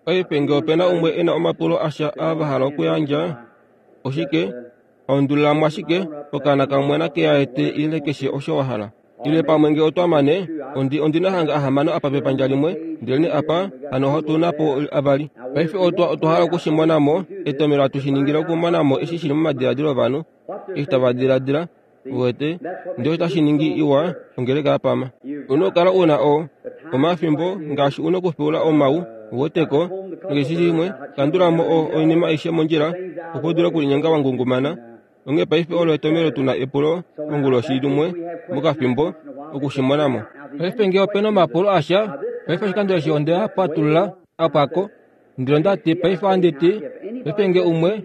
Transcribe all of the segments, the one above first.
Paife nge ope na umwe e na omapulo asha aa va hala okuyandja, oshike, undulila mo ashike okaana kamwe nake a ete ile keshe osho wa hala. Ile pamwe nge otwa mane, ondi, ondi na hanga ahamano apa pepandja limwe, ndelenee apa, hano otu na po avali. Paife otwa, otwa hala oku shi mona mo, etomhelo hatu shi ningile okumona mo eshi shi li momadiladilo ovanhu, eshi tava diladila, uwete, ndele otashi ningi iwa ongeleka ya pama. U na okukala u na o, omafimbo ngaashi u na okufeula omau, uweteko, nokeshe shimwe, kandula mo o, oinima aishe mondjila, opo u dule okulinyenga wa ngungumana. Onghee paife olo etomhelo tu na epulo konguloshi limwe mokafimbo, oku shi mona mo. Paife nge ope na omapulo asha, paife oshikando eshi onde a patulula a pwa ko. Ndele onda ti, Paife ohandi ti, paife nge umwe,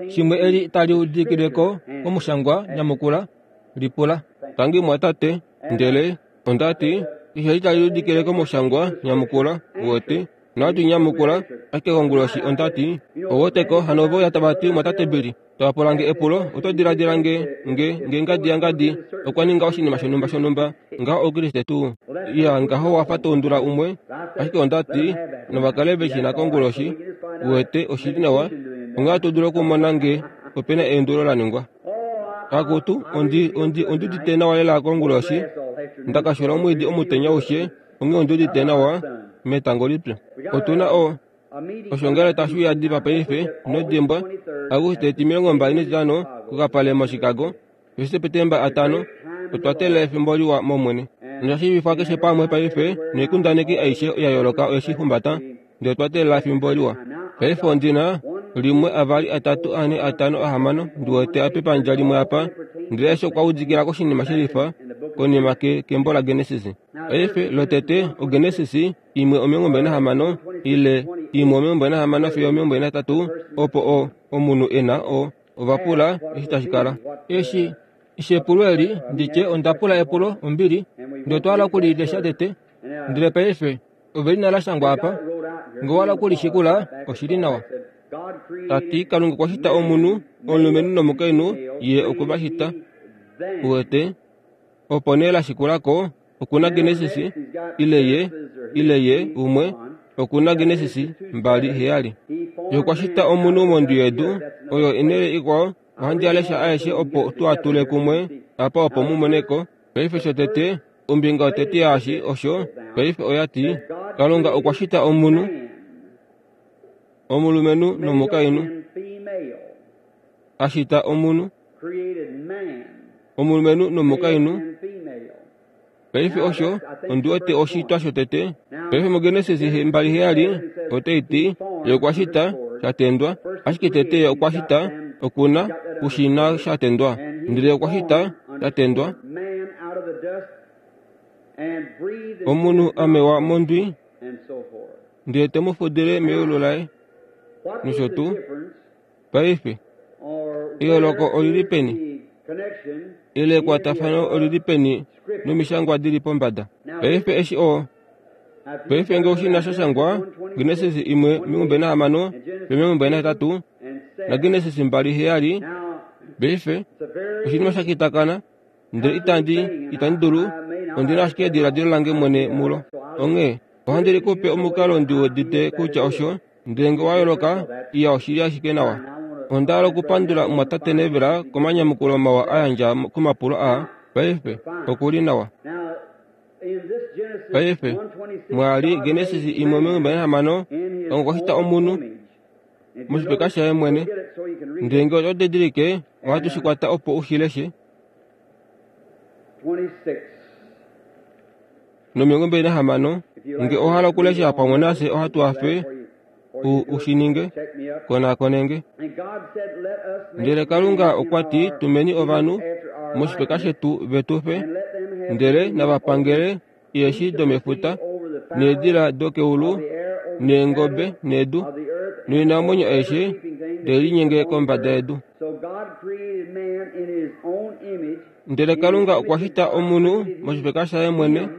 shimwe eli tali udikile ko komushangwa, nyamukula, lipula. Tangi mwatate. Ndele onda ti, Keshe eli tali udikile komushangwa, nyamukula, uwete. Nohatu nyamukula, ashike konguloshi onda ti, Ouweteko, hano ove uya tava ti, Mwatate Billy, tava pula nge epulo, oto diladila nge, nge, nge ngadi yangadi okwa ninga oshinima shonhumba shonhumba, ngaho Oukriste tuu? Iya, ngaho wa fa to undula umwe. Ashike onda ti, nava kale ve shi na konguloshi, uwete, oshi li nawa, onghee ohatu dulu okumona nge ope na eundulo la ningwa. Akutu, ondi, ondi, ondi udite nawa lela konguloshi. Nda ka xula omwiidi omutenya aushe, onghee ondi udite nawa metango lipyu. Otu na o, oshoongale tashi uya diva paife, ino dimbwa, Auguste 25, kokapale moChicago, fiyo Sepetemba 5. Otwa teelela efimbo liwa mOmwene. Nosha shiivifwa keshe pamwe paife, noikundaneki aishe ya yooloka oye shi humbata, ndele otwa teelela efimbo liwa. Paife ondi na, limwe, avali, atatu, ane, atano, ahamano, ndi wete apa epandja limwe apa, ndele aishe okwa udikila koshinima shelifa, konima ke, kembo laGenesis. Paife, lotete, oGenesis, imwe 26 ile imwe 26 fiyo 23, opo o, omunhu e na o, ova pula eshi tashi kala. Eshi, eshi epulo eli, ndi tye onda pula epulo, ombili, ndele otwa hala oku li lesha tete. Ndele paife, ove li na la shangwa apa. Nge owa hala oku li shikula, oshi li nawa. Ta ti, Kalunga okwa shita omunhu, omulumenhu nomukainhu, Ye okwe va shita. Uwete? Opo nee la shikula ko, oku na Genesis, ile ye, ile ye, umwe, oku na Genesis 2:7. Ye okwa shita omunhu mondwi yedu, oyo enhele ikwao, ohandi a lesha aeshe opo tu a tule kumwe apa opo mu mone ko. Paife shotete, ombinga yotete yaashi osho, paife oya ti, Kalunga okwa shita omunhu, omulumenhu nomukainhu. A shita omunhu. Omulumenhu nomukainhu. Paife osho, ondi wete oshitwa shotete. Paife muGenesis 2:7, otai ti, Ye okwa shita, sha tendwa. Ashike tete Ye okwa shita, oku na, ku shi na sha tendwa. Ndele Ye okwa shita, sha tendwa. Omunhu a mewa mondwi, ndele te mu fudile meyulu laye, nosho tuu. Paife, eyooloko oli li peni? Ile ekwatafano oli li peni nomishangwa di li pombada? Paife eshi o Paife nge oshi na sha shangwa Genesis 1:26 fiyo 28 naGenesis 2:7, paife oshinima sha kitakana ndele itandi itandi dulu ondi na ashike ediladilo lange mwene mulo. Onghee ohandi li ku pe omukalo ndi udite kutya osho Ndele nge wa yooloka, iya oshili ashike nawa. Onda hala okupandula Mumwatate Neville komanyamukulo mawa a yandja komapulo aa. Paife, oku li nawa. Paife, mwa li Genesis 1:26, Kalunga okwa shita omunhu moshipeka shaye mwene. Ndele nge oto didilike, ohatu shi kwata opo u shi leshe. 26. Nge owa hala okulesha pamwe nafye ohatu hafe u, u shi ninge. Konakonenge. Ndele Kalunga okwa ti, Tumeni ovanhu moshifeka shetu ve tu fe, ndele nava pangele eeshi domefuta, needila dokeulu, neengobe nedu, noinamwenyo aishe tai linyenge kombada yedu. Ndele Kalunga okwa shita omunhu moshifeka shaye mwene,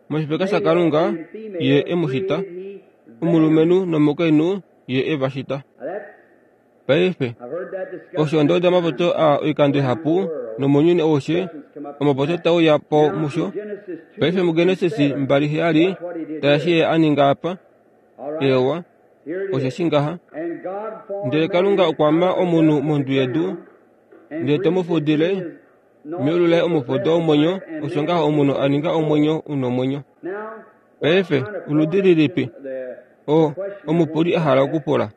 moshifeka shaKalunga Ye e mu shita, omulumenhu nomukainhu Ye e va shita. Paife, osho onda uda omapopyo aa oikando ihapu, nomounyuni aushe, omapopyo tae uya po musho. Paife muGenesis 2:7, tala eshi Ye a ninga apa. Eewa. Osheshi ngaha. Ndele Kalunga okwa ma omunhu mondwi yedu, ndele te mu fudile meulu laye omufudo womwenyo, osho ngaho omunhu a ninga omwenyo u nomwenyo. Paife, oludi lilipi o, omupuli a hala okupula?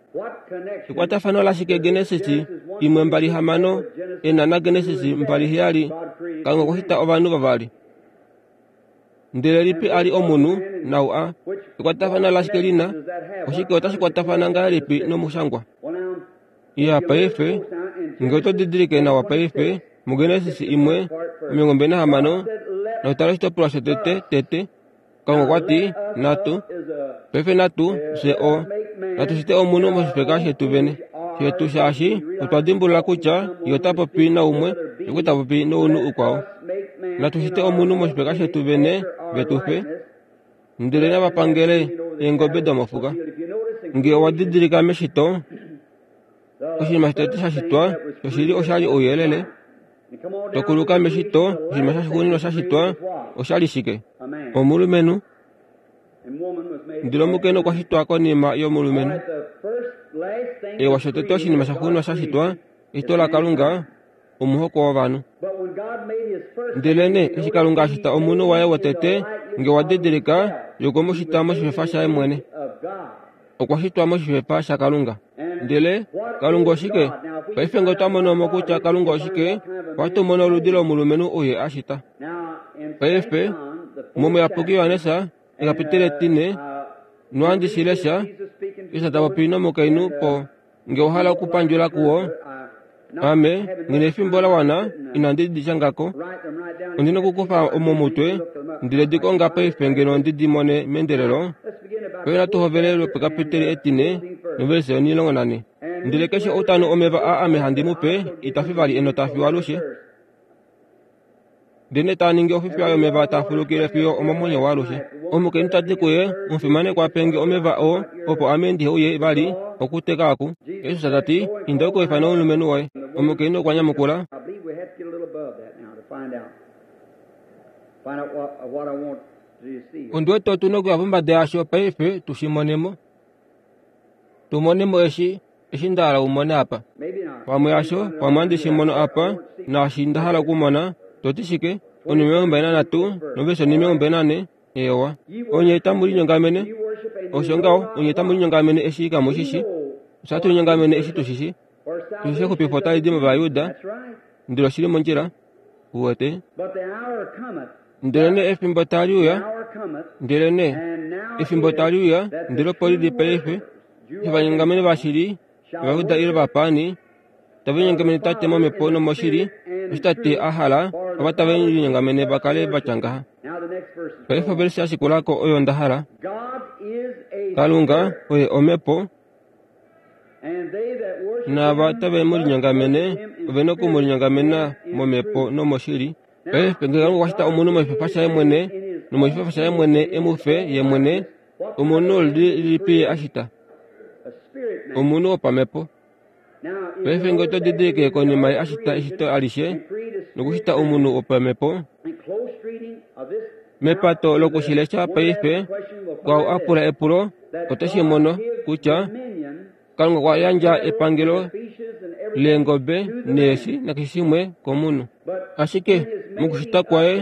Ekwatafano lashike Genesis 1:26 e na naGenesis 2:7, Kalunga okwa shita ovanhu vavali? Ndele lipi a li omunhu, nau a? Ekwatafano lashike li na? Oshike otashi kwatafana ngahelipi nomushangwa? Iya, paife, nge oto didilike nawa paife, muGenesis 1:26, notala oshitopolwa shotete, tete, Kalunga okwa ti, Natu, paife natu, fye o, natu shite omunhu moshifeka shetu vene, shetu shaashi otwa dimbulula kutya ye ota popi naumwe, ye ta popi nounhu ukwao. Natu shite omunhu moshifeka shetu vene, ve tu fe, ndele nava pangele eengobe domofuka. Nge owa didilika meshito, oshinima shotete sha shitwa shoshili osha li ouyelele. Tokuluka meshito, oshinima shaxuuninwa sha shitwa osha li shike? Omulumenhu. Ndele omukainhu okwa shitwa konima yomulumenhu. Ewa, shotete oshinima shaxuuninwa sha shitwa, eshito laKalunga, omuhoko wovanhu. Ndelenee eshi Kalunga a shita omunhu waye wotete, nge wa didilika, ye okwe mu shita moshifefa shaye mwene. Okwa shitwa moshifefa shaKalunga. Ndele Kalunga oshike? Paife nge otwa mono mo kutya Kalunga oshike, ohatu mono oludi lomulumenhu ou Ye a shita. Paife, mOmuyapuki Johannes, ekapiteli etine, nohandi shi lesha, Jesus ta popi nomukainhu po Nge owa hala okupandjula kuwo, ame nghi na efimbo la wana, inandi di shanga ko. Ondi na okukufa momutwe, ndele di konga paife ngeno ndi di mone meendelelo. Paife natu hovele lwopekapiteli etine novelise 14. Ndele keshe ou ta nu omeva aa ame handi mu pe, ita fi vali enota fiyo alushe. Ndele taa ningi ofifiya yomeva taa fulukile fiyo omomwenyo waalushe. Omukainhu ta ti kuye, Omufimanekwa, pe nge omeva oo, opo ame ndihe uye vali okuteka oku. Jesus ta ti, Inda u ka ifane omulumenhu woye. Omukainhu okwa nyamukula, Ondi wete otu na okuya pombada yasho paife tu shi mone mo. Tu mone mo eshi eshi nda hala u mone apa. Pamwe hasho, pamwe handi shi mono apa, naashi nda hala okumona. To ti shike? Onhimilongo mbali nanhatu, novelishe onhimilongo mbali nanhe. Eewa. Onye tamu linyongamene. Osho ngaho, onye tamu linyongamene eshi kamu shi shi. Ofye hatu linyongamene eshi tu shi shi. Osheshi exupifo otali di mOvajuda. Ndele oshi li mondjila. Uwete? Ndelenee efimbo tali uya, ndelenee efimbo tali uya, ndele opo li li paife, ovanyongamene vashili, Ovajuda ile ovapaani, tave linyongamene Tate momhepo nomoshili, osho Tate a hala ava tave linyongamene va kale va tya ngaha. Paife ovelise ya shikula ko oyo nda hala. Kalunga oye omhepo, naava tave mu linyongamene ove na oku mu linyongamena momhepo nomoshili. Paife ngee Kalunga okwa shita omunhu moshifefa shaye mwene, nomoshifefa shaye mwene e mu fe ye mwene, Omunhu lilipi ye a shita? Omunhu wopamhepo. Paife ngee oto didilike konima ye a shita eshito alishe nokushita omunhu wopamhepo, mepato loku shi lesha paife, kwaau a pula epulo ote shi mono kutya Kalunga okwa yandja epangelo leengobe neeshi nakeshe shimwe komunhu. Ashike mokushita kwaye,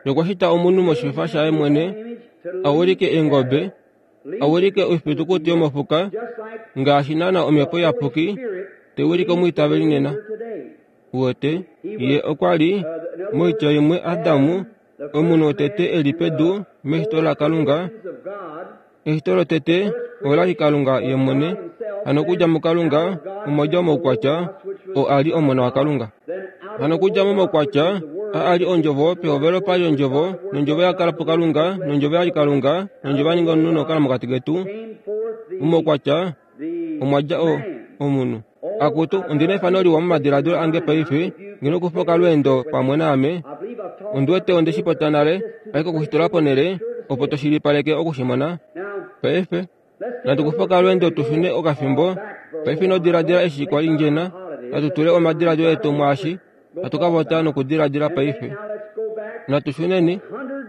ye okwa shita omunhu moshifefa shaye mwene, a wilike eengobe, a wilike oifitukuti yomofuka, ngaashi naana Omhepo Iyapuki tai wilike omwiitaveli nena. Uwete, ye okwa li, moitya imwe, Adam, omunhu wotete e li pedu meshito laKalunga, Eshito lotete ola li Kalunga ye mwene, hano okudja muKalunga omwa dja omaukwatya oo a li Omona waKalunga. Hano okudja momaukwatya a a li Ondjovo, pehovelo pa li Ondjovo, nOndjovo ya kala puKalunga, nOndjovo ya li Kalunga, nOndjovo ya ninga omunhu nokukala mokati ketu. Momaukwatya omwa dja o, omunhu. Akutu, ondi na efano liwa momadiladilo ange paife, ngeno kufa okalweendo pamwe naame. Ondi wete onde shi popya nale, ashike oku shi tula ponhele, opo to shilipaleke oku shi mona. Paife, natu kufe okalweendo tu shune okafimbo. Paife ino diladila eshi kwa li ndjena. Natu tule omadiladilo etu mwaashi hatu ka vota nokudiladila paife. Natu shuneni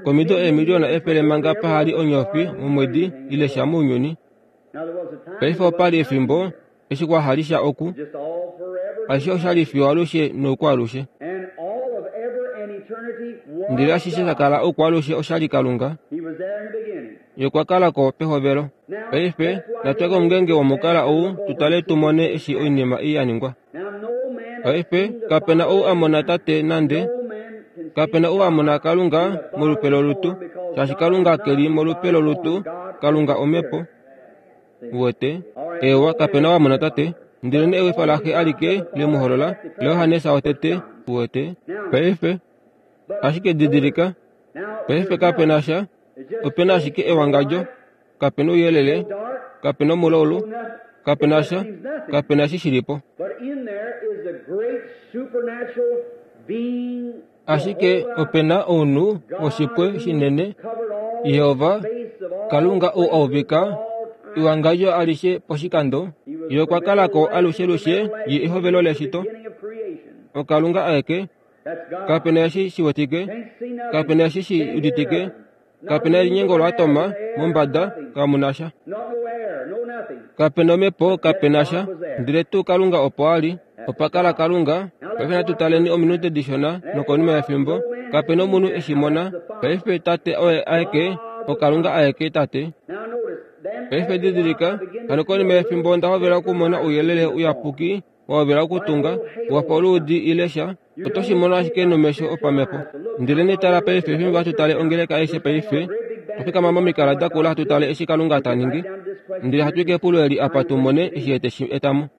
komido eemiliona efele manga paha li onyofi momwedi ile sha mounyuni. Paife opa li efimbo eshi kwa hali sha oku. Ashishe osha li fiyo alushe noukwaalushe. Ndele ashishe sha kala oukwaalushe osha li Kalunga. Ye okwa kala ko pehovelo. Paife, natu ye komungenge womukala ou tu tale tu mone eshi oinima ei ya ningwa. Paife, kape na ou a mona Tate nande. Kape na ou a mona Kalunga molupe lolutu, shaashi Kalunga ke li molupe lolutu, Kalunga Omhepo. Uwete? Eewa, kape na ou a mona Tate. Ndelenee ewifa laXe alike le mu holola, laJohannes wotete. Uwete? Paife, ashike didilika, paife kape na sha, ope na ashike ewangadjo. Kape na ouyelele, kape na omulaulu, kape na sha, kape na eshi shi li po. Ashike ope na ounhu woshipwe shinene, Jehova, Kalunga ou a uvika ewangadjo alishe poshikando, Ye okwa kala ko alushelushe Ye ehovelo leshito. OKalunga aeke, kape na eshi shi wetike, kape na eshi shi uditike, Kape na elinyengo loatoma mombada, kamu na sha. Kape na omhepo, kape na sha. Ndele tuu Kalunga opo a li. Opa kala Kalunga. Paife natu taleni ominute dishona nokonima yefimbo. Kape na omunhu e shi mona. Paife Tate oye aeke, oKalunga aeke, Tate. Paife didilika, hano konima yefimbo onda hovela okumona ouyelele uyapuki wa hovela okutunga, wa fa oluudi ile sha. Oto shi mono ashike nomesho opamhepo. Ndelenee tala paife fimbo hatu tale ongeleka aishe paife, twa fikama momikala dakula hatu tale eshi Kalunga ta ningi, ndele hatu i kepulo eli apa tu mone eshi Ye te shi eta mo.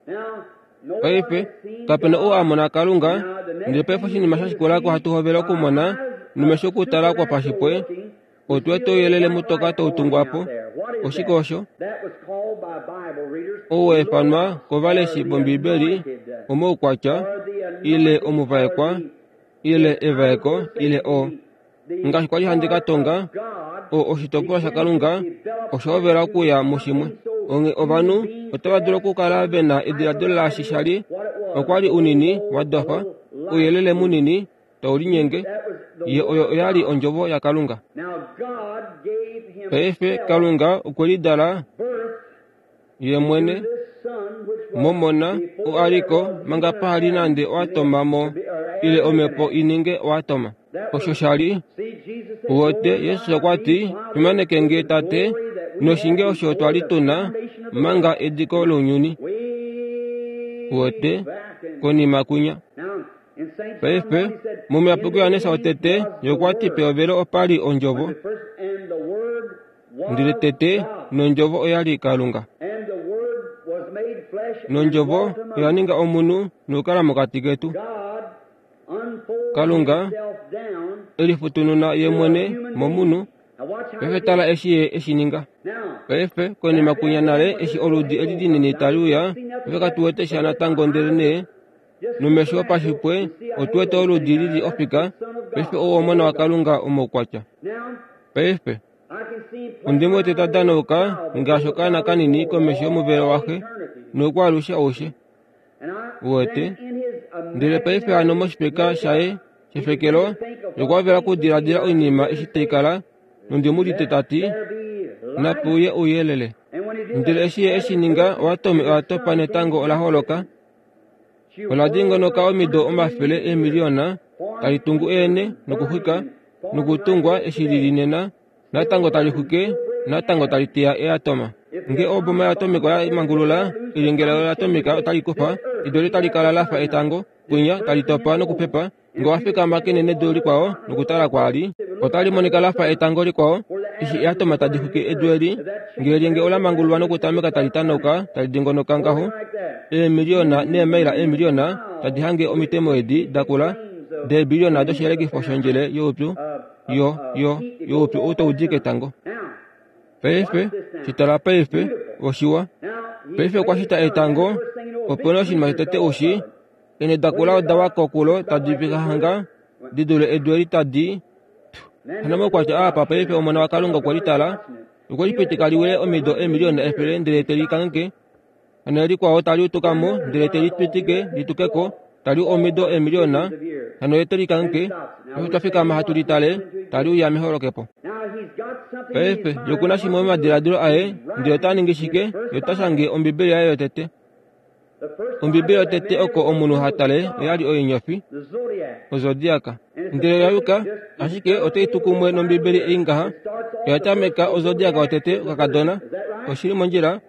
Paife, kape na ou a mona Kalunga, ndele paife oshinima sha shikula ko hatu hovele okumona nomesho okutala kwopashipwe, Otu wete ouyelele mutoka tau tungwa po. Oshike osho? Ou wa ifanwa kovaleshi vOmbibeli omaukwatya, ile omuvaekwa, ile evaeko, ile o. Ngaashi kwa li handi ka tonga, o oshitopolwa shaKalunga osha hovela okuya mushimwe. Onghee ovanhu otava dulu okukala ve na ediladilo laashi sha li, okwa li unini, wa dofa, ouyelele munini, tau linyenge, ye oyo oya li ondjovo yaKalunga. Paife Kalunga okwe lidala ye mwene momona oo a li ko manga paha li nande oatoma mo ile omhepo i ninge oatoma. Osho sha li wote Jesus okwa ti, Fimaneke nge Tate noshinge osho twa li tu na manga ediko lounyuni. Wote konima kwinya. Paife, mOmuyapuki Johannes wotete, ye okwa ti pehovelo opa li Ondjovo, ndele tete nOndjovo oya li Kalunga. NOndjovo oya ninga omunhu nokukala mokati ketu. Kalunga e lifutununa ye mwene momunhu. Paife tala eshi ye e shi ninga. Paife, konima kwinya nale eshi oludi eli linini tali uya, paife katu wete sha natango ndelenee Nomesho opashipwe otu wete oludi li li ofika, paife ou Omona waKalunga omaukwatya. Paife, ondi mu wete ta danauka ngaashi okaana kanini komesho yomuvelo waxe noukwaalushe aushe. Uwete? Ndele paife hano moshipeka shaye shefekelo, okwa hovela okudiladila oinima eshi tai kala, nondi mu udite ta ti, Nape uye ouyelele. Ndele eshi ye e shi ninga, oatomi oya topa netango ola holoka. Ola dingonoka omido omafele eemiliyona, tali tungu eene nokuxwika nokutungwa eshi li li nena, natango tali xwike, natango tali teya eatoma. Nge oboma yatomika oya mangulula elyenge layo latomika otali kufa, edu oli tali kala la fa etango, kwinya, tali topa nokupepa, Nge owa fikama kenenedu likwao nokutala kwaali, otali monika la fa etango likwao, eshi eatoma tadi xwike edu eli, nge elyenge ola mangululwa nokutameka tali tanauka tali dingonoka ngaho, eemiliyona neemaila eemiliyona tadi hange omitemo edi dakula deebiliyona doshiyelekifo shondjele youpyu, yo, yo, youpyu ou tau di ketango. Paife, shi tala paife, oshiwa. Paife okwa shita etango, opo nee oshinima shotete ushi, Eenhe da kula oda wa kokulo tadi fika hanga di dule edu eli tadi Hano moukwatya aa apa paife Omona waKalunga okwe li tala, okwe li pitika li wile omido eemiliyona efele ndele te li kangheke. Hano likwao tali utuka mo ndele te li pitike li tuke ko, tali u omido eemiliyona, hano ye te li kangheke. Paife twa fikama hatu li tale tali uya meholokepo. Paife, ye oku na shimwe momadiladilo aye, ndele ota ningi shike? Ye ota shange Ombibeli yaye yotete. Ombibeli yotete oko omunhu ha tale oya li oinyofi, ozodiaka. Ndele oya yuka, ashike otai tu kumwe nOmbibeli ei ngaha. Oya tameka ozodiaka yotete okakadona. Oshi li mondjila.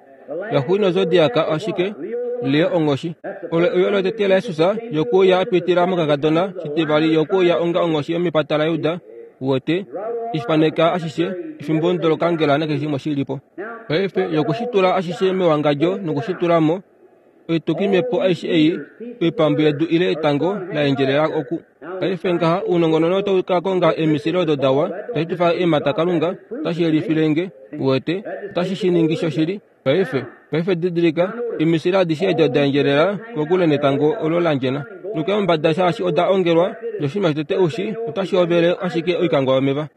Yaxuuninwa ozodiaka oshike? Leo onghoshi. Olo euyo lotete laJesus yokuuya a pitila mokakadona, shitivali yokuuya onga onghoshi yomepata laJuda. Uwete, ishifaneka ashishe, efimbo lokangela nakeshe shimwe shi li po. Paife yoku shi tula ashishe mewangadjo noku shi tula mo, oitukimhepo aishe ei, oipambu yedu ile etango la endjelela oku. Paife ngaha ounongononi otau ka konga eemisile odo dawa, tashi tu fa eemhata Kalunga, otashi yelifile nge, uwete, otashi shi ningi shoshili. Paife, paife didilika, eemisile adishe edi oda endjelela kokule netango olo la ndjena. Nokuya mombada shaashi oda ongelwa, noshinima shotete ushi, otashi hovele ashike oikangwa yomeva.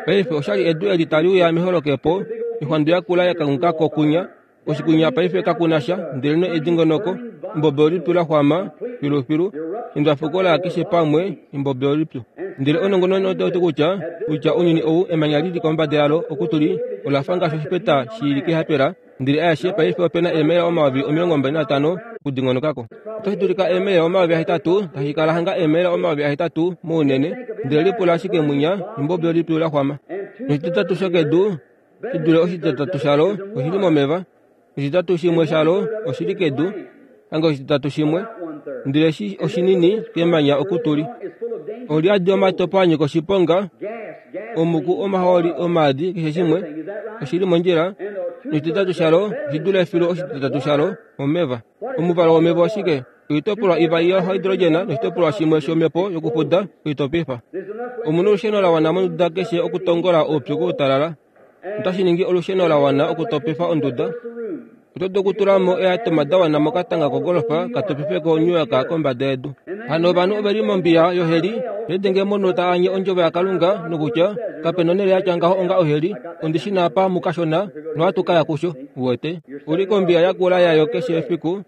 Paife oshali edu eli tali uya meholokepo, oixwandu yakula ya kanguka ko kunya, Oshikunya paife kaku na sha, ndelenee edingonoko, embobe olipyu la xwama filufilu, endwafuko la keshe pamwe, embobe olipyu. Ndele ounongononi otau ti kutya, kutya ounyuni ou, emanya li li kombada yalo oku tu li, ola fa ngaashi oshipeta shi li kehapela, ndele aeshe paife ope na eemaila 25 000 okudingonoka ko. Otashi dulika eemaila 8000, tashi kala hanga eemaila 8000 mounene, ndele lipula ashike mwinya, embobe olipyu la xwama. Noshititatu shokedu shi dule oshititatu shalo oshi li momeva, oshititatu shimwe shalo oshi li kedu, hanga oshititatu shimwe, ndele eshi oshinini kemanya oku tu li. Oli yadi omatopo a nyika oshiponga, omuku, omahooli, omaadi, keshe shimwe oshi li mondjila, noshititatu shalo oshi dule filu oshititatu shalo omeva. Omuvalo womeva oshike? Oitopolwa ivali yohydrogena noshitopolwa shimwe shomhepo yokufuda oitopifa. Omu na olusheno la wana monduda keshe okutongola oupyu koutalala. Otashi ningi olusheno la wana okutopifa onduda. Oto dulu okutula mo eeatoma da wana mokatanga kogolfa ka topife ko New York kombada yedu. Hano ovanhu ove li mombiya yoheli, lidenge momunhu ta anye ondjovo yaKalunga nokutya, Kape nonhele ya tya ngaho onga oheli, ondi shi na apa mukashona, nohatu ka ya kusho. Uwete? U li kombiya yakula yayo keshe efiku.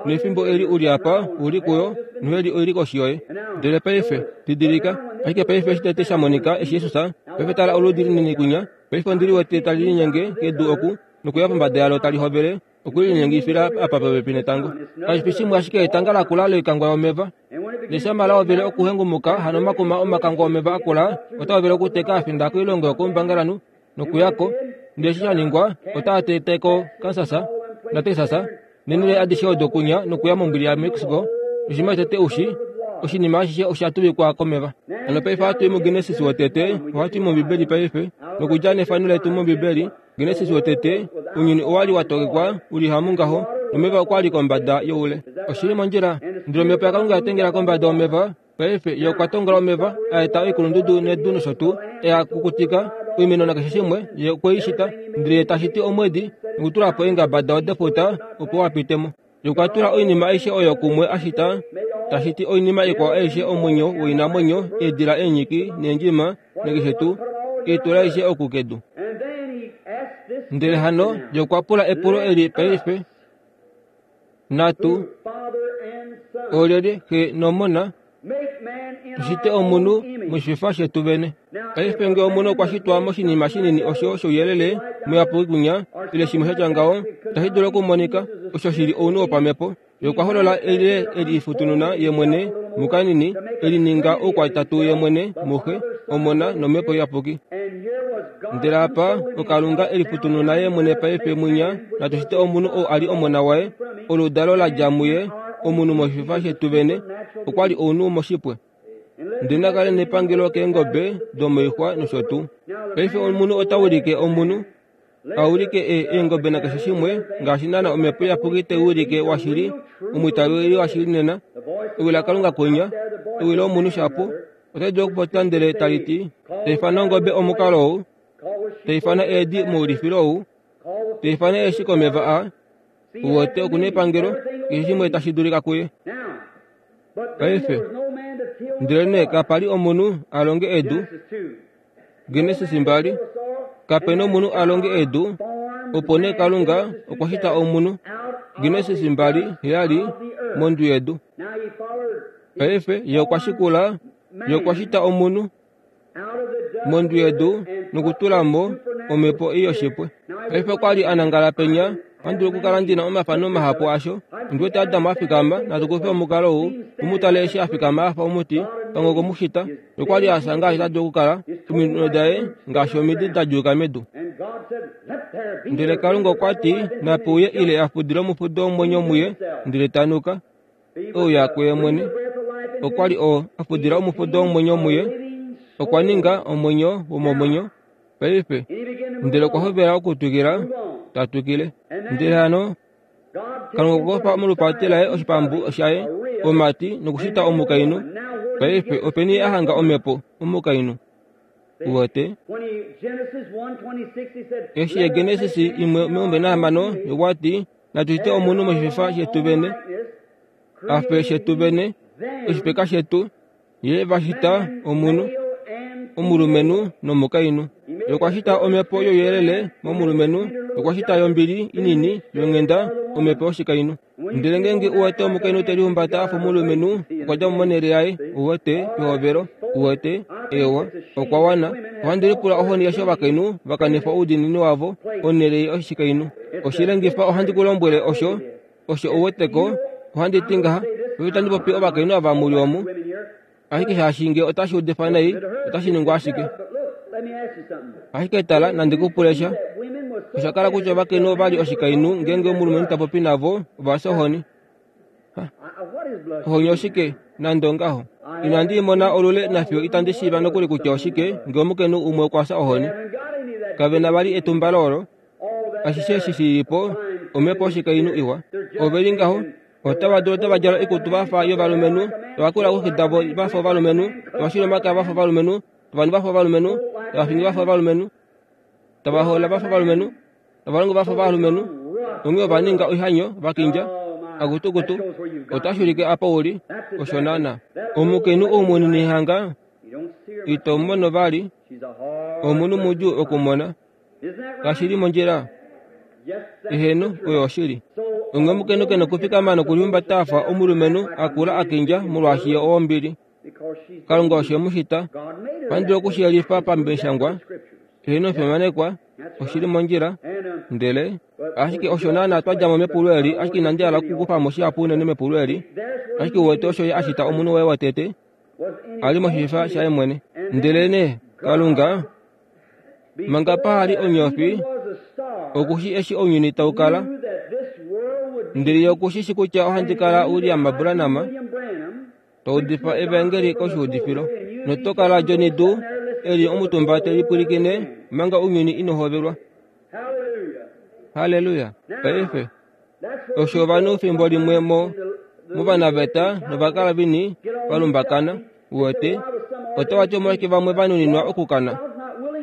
Nefimbo eli u li apa, u li kuyo, noheli oi li koshi yoye. Ndele paife, didilika, ashike paife eshi tete sha monika, eshi Jesus, paife tala oludi linini kwinya, paife ondi liwete tali linyenge kedu oku, nokuya pombada yalo tali hovele okulinyengifila apa popepi netango. Kashi fi shimwe ashike etanga lakula loikangwa yomeva. Neshama la hovele okuhengumuka, hano omakuma omakangwa omeva akula otaa hovele okuteka a finda koilongo yokoumbangalanhu nokuya ko. Ndele eshi sha ningwa, otaa tete ko Kansas naTexas neenhele adishe odo kunya nokuya mombwili yaMexico. Oshinima shotete u shii, oshinima ashishe osha tuvikwa komeva. Hano paife ohatu i muGenesis wotete, ohatu i mOmbibeli paife, nokudja nefano letu mOmbibeli. Genesis wotete, ounyuni owa li wa tokekwa u li hamungaho, nomeva okwa li kombada youle. Oshi li mondjila. Ndele omhepo yaKalunga ya tengela kombada yomeva. Paife, Ye okwa tongola omeva, a eta oikulundudu nedu nosho tuu, e a kukutika, oimeno nakeshe shimwe, Ye okwe i shita. Ndele Ye ta shiti omwedi, nokutula po eengaba dao defuta, opo wa pite mo. Ye okwa tula oinima aishe oyo kumwe a shita, ta shiti oinima ikwao aishe omwenyo woinamwenyo, eedila eenyiki neendjima, nakeshe tuu, e i tula aishe oku kedu. Ndele hano Ye okwa pula epulo eli paife, Natu, olyelye Xe nOmona, tu shite omunhu moshififa shetu vene. Paife nge omunhu okwa shitwa moshinima shinini osho shouyelele muyapuki kwinya, ile shimwe sha tya ngaho, tashi dulu okumonika, osho shi li ounhu wopamhepo. Ye okwa holola ile e lifutununa ye mwene mukanini, e lininga oukwatatu ye mwene muXe, Omona nOmhepo Iyapuki. Ndele apa oKalunga e lifutununa ye mwene paife mwinya, natu shite omunhu ou a li Omona waye, oludalo la dja muye, omunhu moshififa shetu vene, okwa li ounhu moshipwe. Ndele na kale nepangelo keengobe domoixwa nosho tuu. Paife omunhu ota ulike omunhu, a ulike e, eengobe nakeshe shimwe, ngaashi naana Omhepo Iyapuki tai ulike washili, omwiitaveli washili nena, ewi laKalunga kwinya, ewi lomunhu shapu, otai dulu okupopya ndele tali ti, Tai ifana ongobe omukalo ou, tai ifana eedi moulifilo ou, tai ifana eeshi komeva aa, uwete oku nepangelo, keshe shimwe tashi dulika kuye. Paife, ndelenee kapa li omunhu a longe edu, Genesis 2, Kape nomunhu a longe edu, opo nee Kalunga okwa shita omunhu. Genesis 2, 7, mondwi yedu. Paife ye okwa shikula, ye okwa shita omunhu mondwi yedu nokutula mo Omhepo ei yoshipwe. Paife okwa li a nangala penya. Ohandi dulu okukala ndi na omafano mahapu asho. Ondi wete Adam a fikama, natu kufe omukalo ou, u mu tale eshi a fikama a fa omuti, pamwe okwe mu shita. Okwa li a fya ngaashi ta dulu okukala, ominwe daye ngaashi omidi da djuuka medu. Ndele Kalunga okwa ti, Nape uye ile a fudile omufudo womwenyo muye, ndele ta nuka. Ouya kuye mwene. Okwa li oo a fudila omufudo womwenyo muye, okwa ninga omwenyo womomwenyo. Paife, ndele okwa hovela okutwikila, ta twikile. Ndele hano Kalunga okwa kufa molupati laye oshipambu shaye, omati, nokushita omukainhu. Paife, openi a hanga omhepo, omukainhu? Uwete? Eshi Genesis 1:26 okwa ti, Natu shite omunhu moshififa shetu vene, a fe shetu vene, oshifeka shetu. Ye va shita omunhu, omulumenhu nomukainhu. Ye okwa shita omhepo youyelele momulumenhu, okwa shita yombili inini yonghenda omhepo yoshikainhu. Ndele ngeenge u wete omukainhu te lihumbata a fa omulumenhu, okwa dja mo monhele yaye, u wete, pehovelo. U wete? Eewa, okwa wana. Ohandi lipula ohoni eshi ovakainhu va kanifa oudiinini wavo onhele yoshikainhu. Oshilengifa ohandi ku lombwele osho, osho u wete ko, ohandi ti ngaha, paife itandi popi ovakainhu ava mu li omu, ashike shaashi nge otashi udifa nai, otashi ningwa ashike. Ashike tala, nandi ku pule sha. Osha kala kutya ovakainhu ova li oshikainhu ngeenge omulumenhu ta popi navo, ova fya ohoni. Ohoni oshike? Nande ongaho. Inandi i mona olule nafiyo itandi shiiva nokuli kutya oshike nge omukainhu umwe okwa fya ohoni. Kave na vali etumbalo olo. Ashishe eshi shi li po, omhepo yoshikainhu iwa. Ove li ngaho, otava dulu otava djala oikutu va fa yovalumenhu, tava kula kooxi davo va fa ovalumenhu, tava shili omakaya va fa ovalumenhu, tava nu va fa ovalumenhu, tava fingi va fa ovalumenhu, tava hoola va fa ovalumenhu, tava longo va fa ovalumenhu, onghee ova ninga oihanyo, va kindja, akutukutu, otashi ulike apa u li, osho naana. Omukainhu ou munini hanga ito mono vali, omunhu mudjuu okumona. Kashi li mondjila? Eheno, oyo oshili. Onghee omukainhu ke nokufikama nokulihumbata a fa omulumenhu a kula a kindja molwaashi ye owombili. Kalunga osho e mu shita. Ohandi dulu oku shi yelifa pamishangwa. Eheno, omufimanekwa, oshi li mondjila. Ndele, ashike osho naana twa dja mo mepulo eli, ashike inandi hala okukufa mo shihapu unene mepulo eli. Ashike uwete osho ye a shita omunhu waye wotete, a li moshififa shaye mwene. Ndelenee, Kalunga Manga paha li onyofi, oku shi eshi ounyuni tau kala. Ndele ye oku shi shi kutya ohandi kala William Branham, ta udifa evaengeli koshiudifilo. Noto kala Johnny Dew, e li omutumba te lipwilikine manga ounyuni ino hovelwa. Halleluya! Paife, osho ovanhu fimbo limwe mo movanaveta novakalavini va lumbakana uwete otava ti omolwashike vamwe va nuninwa okukana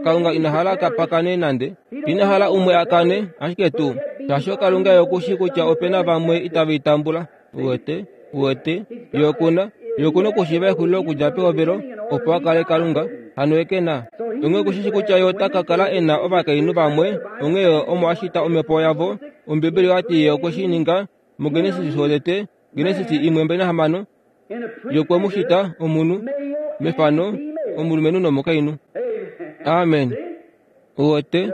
kalunga ina hala ka pakane nande ina hala umwe a kane ashike tuu shaashi kalunga ye oku shii kutya ope na vamwe itave i tambula uwete uwete ye okuna ye okuna okushiiva exulilo okudja pehovelo opo a kale kalunga hano ye ke na onghee oku shi shi kutya ye ota ka kala e na ovakainhu vamwe onghee omo a shita omhepo yavo ombibeli oya ti ye okwe shi ninga mugenesis wotete genesis 1:26 ye okwe mu shita omunhu mefano omulumenhu nomukainhu amen uwete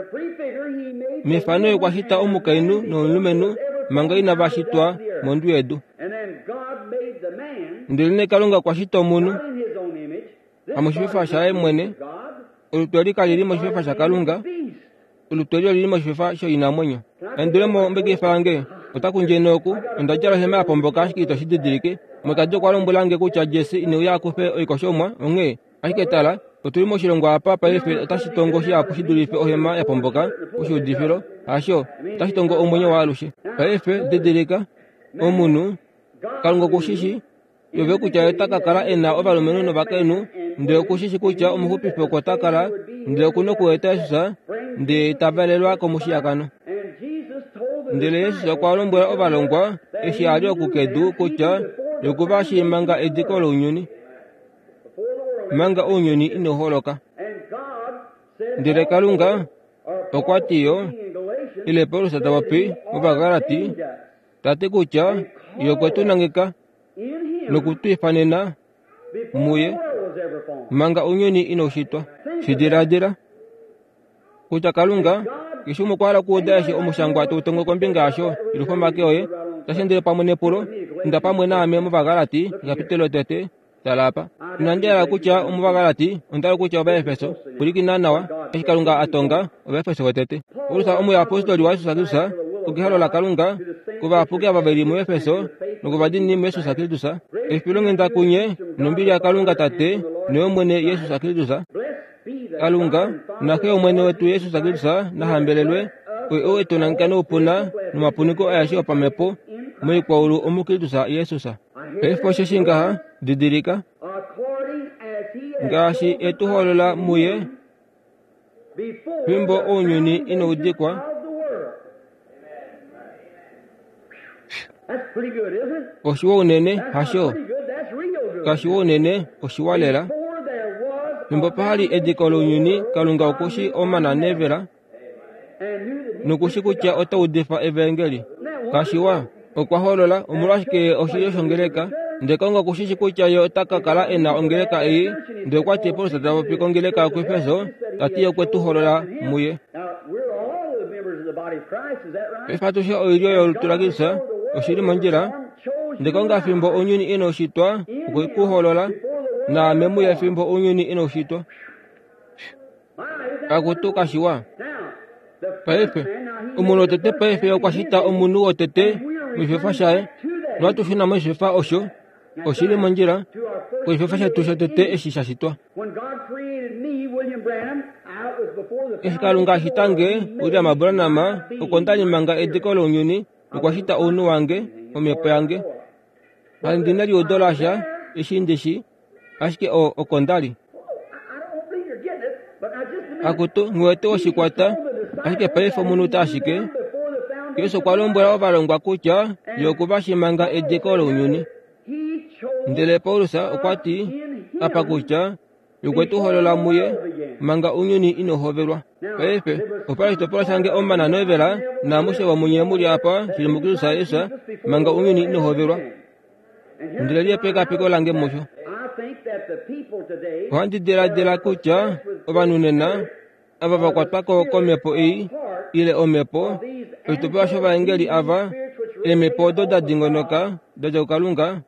mefano ye okwa shita omukainhu nomulumenhu manga inava shitwa mondwi yedu ndelenee kalunga okwa shita omunhu hamoshififa shaye mwene olutu eli kali li moshififa shakalunga olutu eli oli li moshififa shoinamwenyo endule mo mbekifa yange ota kundje nooku onda djala ohema ya pomboka ashike ito shi didilike mokadi okwa lombwela nge kutya jesse ine uya a kufe oikoshomwa onghee ashike tala otu li moshilongo apa paife otashi tongo shihapu shi dulife ohema ya pomboka oshiudifilo hasho otashi tongo omwenyo waalushe paife didilika omunhu kalunga oku shi shi yove kutya ye ota ka kala e na ovalumenhu novakainhu ndele oku shi shi kutya omuxupifi oko ta kala ndele oku na okueta Jesus ndele ta valelwa komushiyakano. Ndele Jesus okwa lombwela ovalongwa eshi a li oku kedu kutya ye oku va shii manga ediko lounyuni, manga ounyuni inau holoka. Ndele Kalunga okwa ti yo, ile Paulus ta popi mOvagalati, ta ti kutya ye okwe tu nangeka noku tu ifanena muye manga ounyuni inau shitwa. Shi diladila. Kutya Kalunga, keshe umwe okwa hala okuuda eshi Omushangwa tau tongo kombinga yasho, yelwifa omake oye, tashi endele pamwe nepulo, Inda pamwe naame mOvagalati, ekapitolo lotete. Tala apa. Inandi hala kutya Omuvagalati, onda hala kutya Ovaefeso. Pwilikina nawa, eshi Kalunga a tonga Ovaefeso votete. Paulus omuyapostoli waJesus Kristus, okehalo laKalunga, kovayapuki ava ve li muEfeso nokovadiinini muJesus Kristus, efilonghenda kunye nombili yaKalunga Tate noyOmwene Jesus Kristus. Kalunga naXe yOmwene wetu Jesus Kristus na hambelelwe, oye ou e tu nangeka noupuna nomapuniko aeshe opamhepo moikwaulu omuKristus Jesus. Paife osheshi ngaha, didilika, ngaashi e tu holola muye fimbo ounyuni inau dikwa. Oshiwa unene, hasho? Kashiwa unene, oshiwa lela. Fimbo paha li ediko lounyuni, Kalunga oku shi omana nevela noku shi kutya ota udifa evaengeli. Kashiwa, okwa holola omolwashike ye oshilyo shongeleka. Ndele Kalunga oku shi shi kutya ye ota ka kala e na ongeleka ei. Ndele okwa ti Paulus ta popi kongeleka yokuEfeso, ta ti ye okwe tu holola muye. Paife atushe oilyo yolutu laKristus, oshi li mondjila. Ndele Kalunga fimbo ounyuni inau shitwa, okwe ku holola, naame muye fimbo ounyuni inau shitwa. Akutu kashiwa. Paife, omunhu wotete paife okwa shita omunhu wotete moshifefa shaye, nohatu shuna moshifefa osho. Oshi li mondjila koshifefa shetu shotete eshi sha shitwa. Eshi Kalunga a shita nge, William Branham, oko nda li manga ediko lounyuni, nokwa shita ounhu wange, omhepo yange. Kandi na eliudo lasha, eshi ndi shi, ashike o, oko nda li. Akutu, nghi wete oshikwata, ashike paife omunhu ta ashike. Jesus okwa lombwela ovalongwa kutya ye oku va shi manga ediko lounyuni. Ndele Paulus okwa ti apa kutya ye okwe tu holola muye manga ounyuni inau hovelwa. Paife, opa oshitopolwa shange omana novela naamushe vomunye mu li apa shili muKristus Jesus manga ounyuni inau hovelwa. Ndele li epekapeko lange musho. Ohandi diladila kutya ovanhu nena ava va kwatwa ko komhepo ei ile omhepo oshitopolwa shovaengeli ava eemhepo odo da dingonoka da dja kuKalunga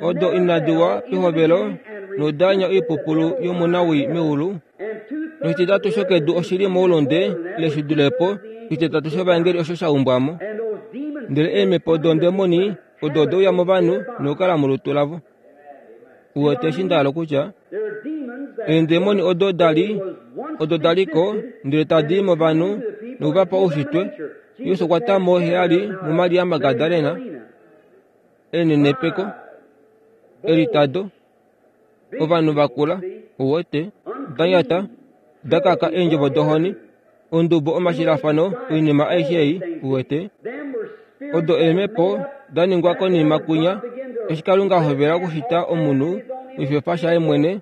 odo inadi wa pehovelo nodaanya oipupulu yomunawii meulu noshititatu shokedu oshi li moulunde ile shi dule po oshititatu shovaengeli osho sha umbwa mo ndele eemhepo dondemoni odo ode uya movanhu nokukala molutu lavo uwete eshi nda hala okutya eendemoni odo da li odo da li ko ndele tadi i movanhu noku va pa oushitwe Jesus okwa ta mo heyali muMaria Magdalena enenepeko elitado ovanhu va kula uwete da nyata da kaka eendjovo dohoni ondubo omashilafano oinima aishe ei uwete odo eemhepo da ningwa konima kwinya eshi Kalunga a hovela okushita omunhu moshifefa shaye mwene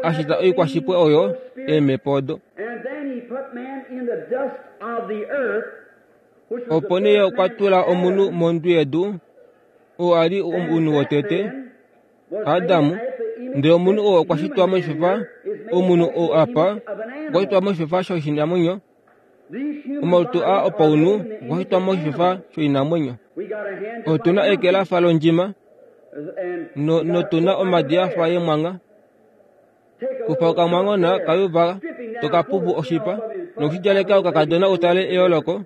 a shita oikwashipwe oyo eemhepo odo. Opo nee okwa tula omunhu mondwi yedu, oo a li omunhu wotete, Adam, ndele omunhu oo okwa shitwa moshifefa, omunhu oo apa okwa shitwa moshifefa shoshinamwenyo, Omalutu aa opaunhu okwa shitwa moshifefa shoinamwenyo. Otu na eke la fa londjima no, notu na omadi a fa yemwangha. Kufa okamwanghona kayuva to ka pupu oshipa nokushidjaleka okakadona u tale eyooloko.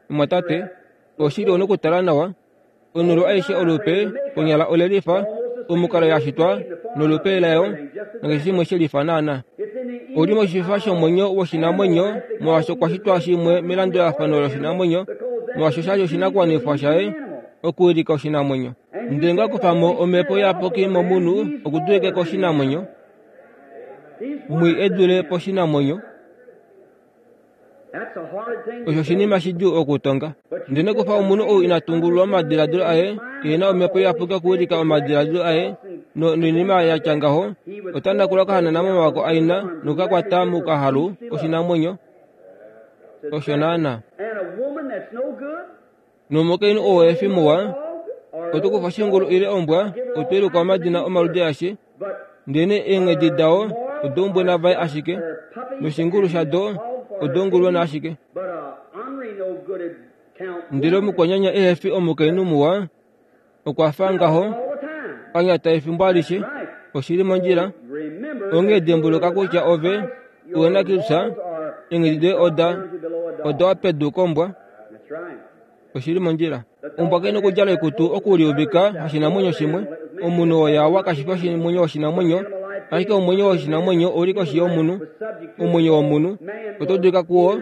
Mumwatate, oshili ou na okutala nawa. Onhulu aishe olupe konyala ole lifa omukalo ya shitwa nolupe layo nakeshe shimwe she lifa naana. Oli moshifa shomwenyo woshinamwenyo molwaashi okwa shitwa shimwe melandulafano loshinamwenyo molwaashi osha li oshinakuwanifwa shaye okuwilika oshinamwenyo. Ndele nga kufa mo omhepo iyapuki momunhu okudulike koshinamwenyo mwii e dule poshinamwenyo. Osho oshinima shidjuu okutonga. Ndele kufa omunhu ou ina tungululwa omadiladilo aye, e na omhepo iyapuki okuwilika omadiladilo aye noinima ya tya ngaho, ota nakula okahanana momavako aina noku ka kwata mokahalu koshinamwenyo. Osho naanaa. Nomukainhu oo ehe fi muwa, oto kufa oshingulu ile ombwa, oto i luka omadina omaludi aeshe, ndelenee eenghedi dao odoumbwena vaye ashike, noshingulu shado Odo ashike. Ndele omukwanyanya ehe fi omukainhu muwa, okwa fa ngaho, a nyata efimbo alishe. Oshi li mondjila. Onghee dimbuluka kutya ove uhe na Kristus, eenghedi doye oda, oda wa pedu kombwa. Oshi li mondjila. Ombwa kai na okudjala oikutu okuliuvika hashinamwenyo shimwe. Omunhu oo yawa kashi fi omwenyo woshinamwenyo, ashike omwenyo woshinamwenyo ou li koshi yomunhu. Omwenyo womunhu oto dulika kuo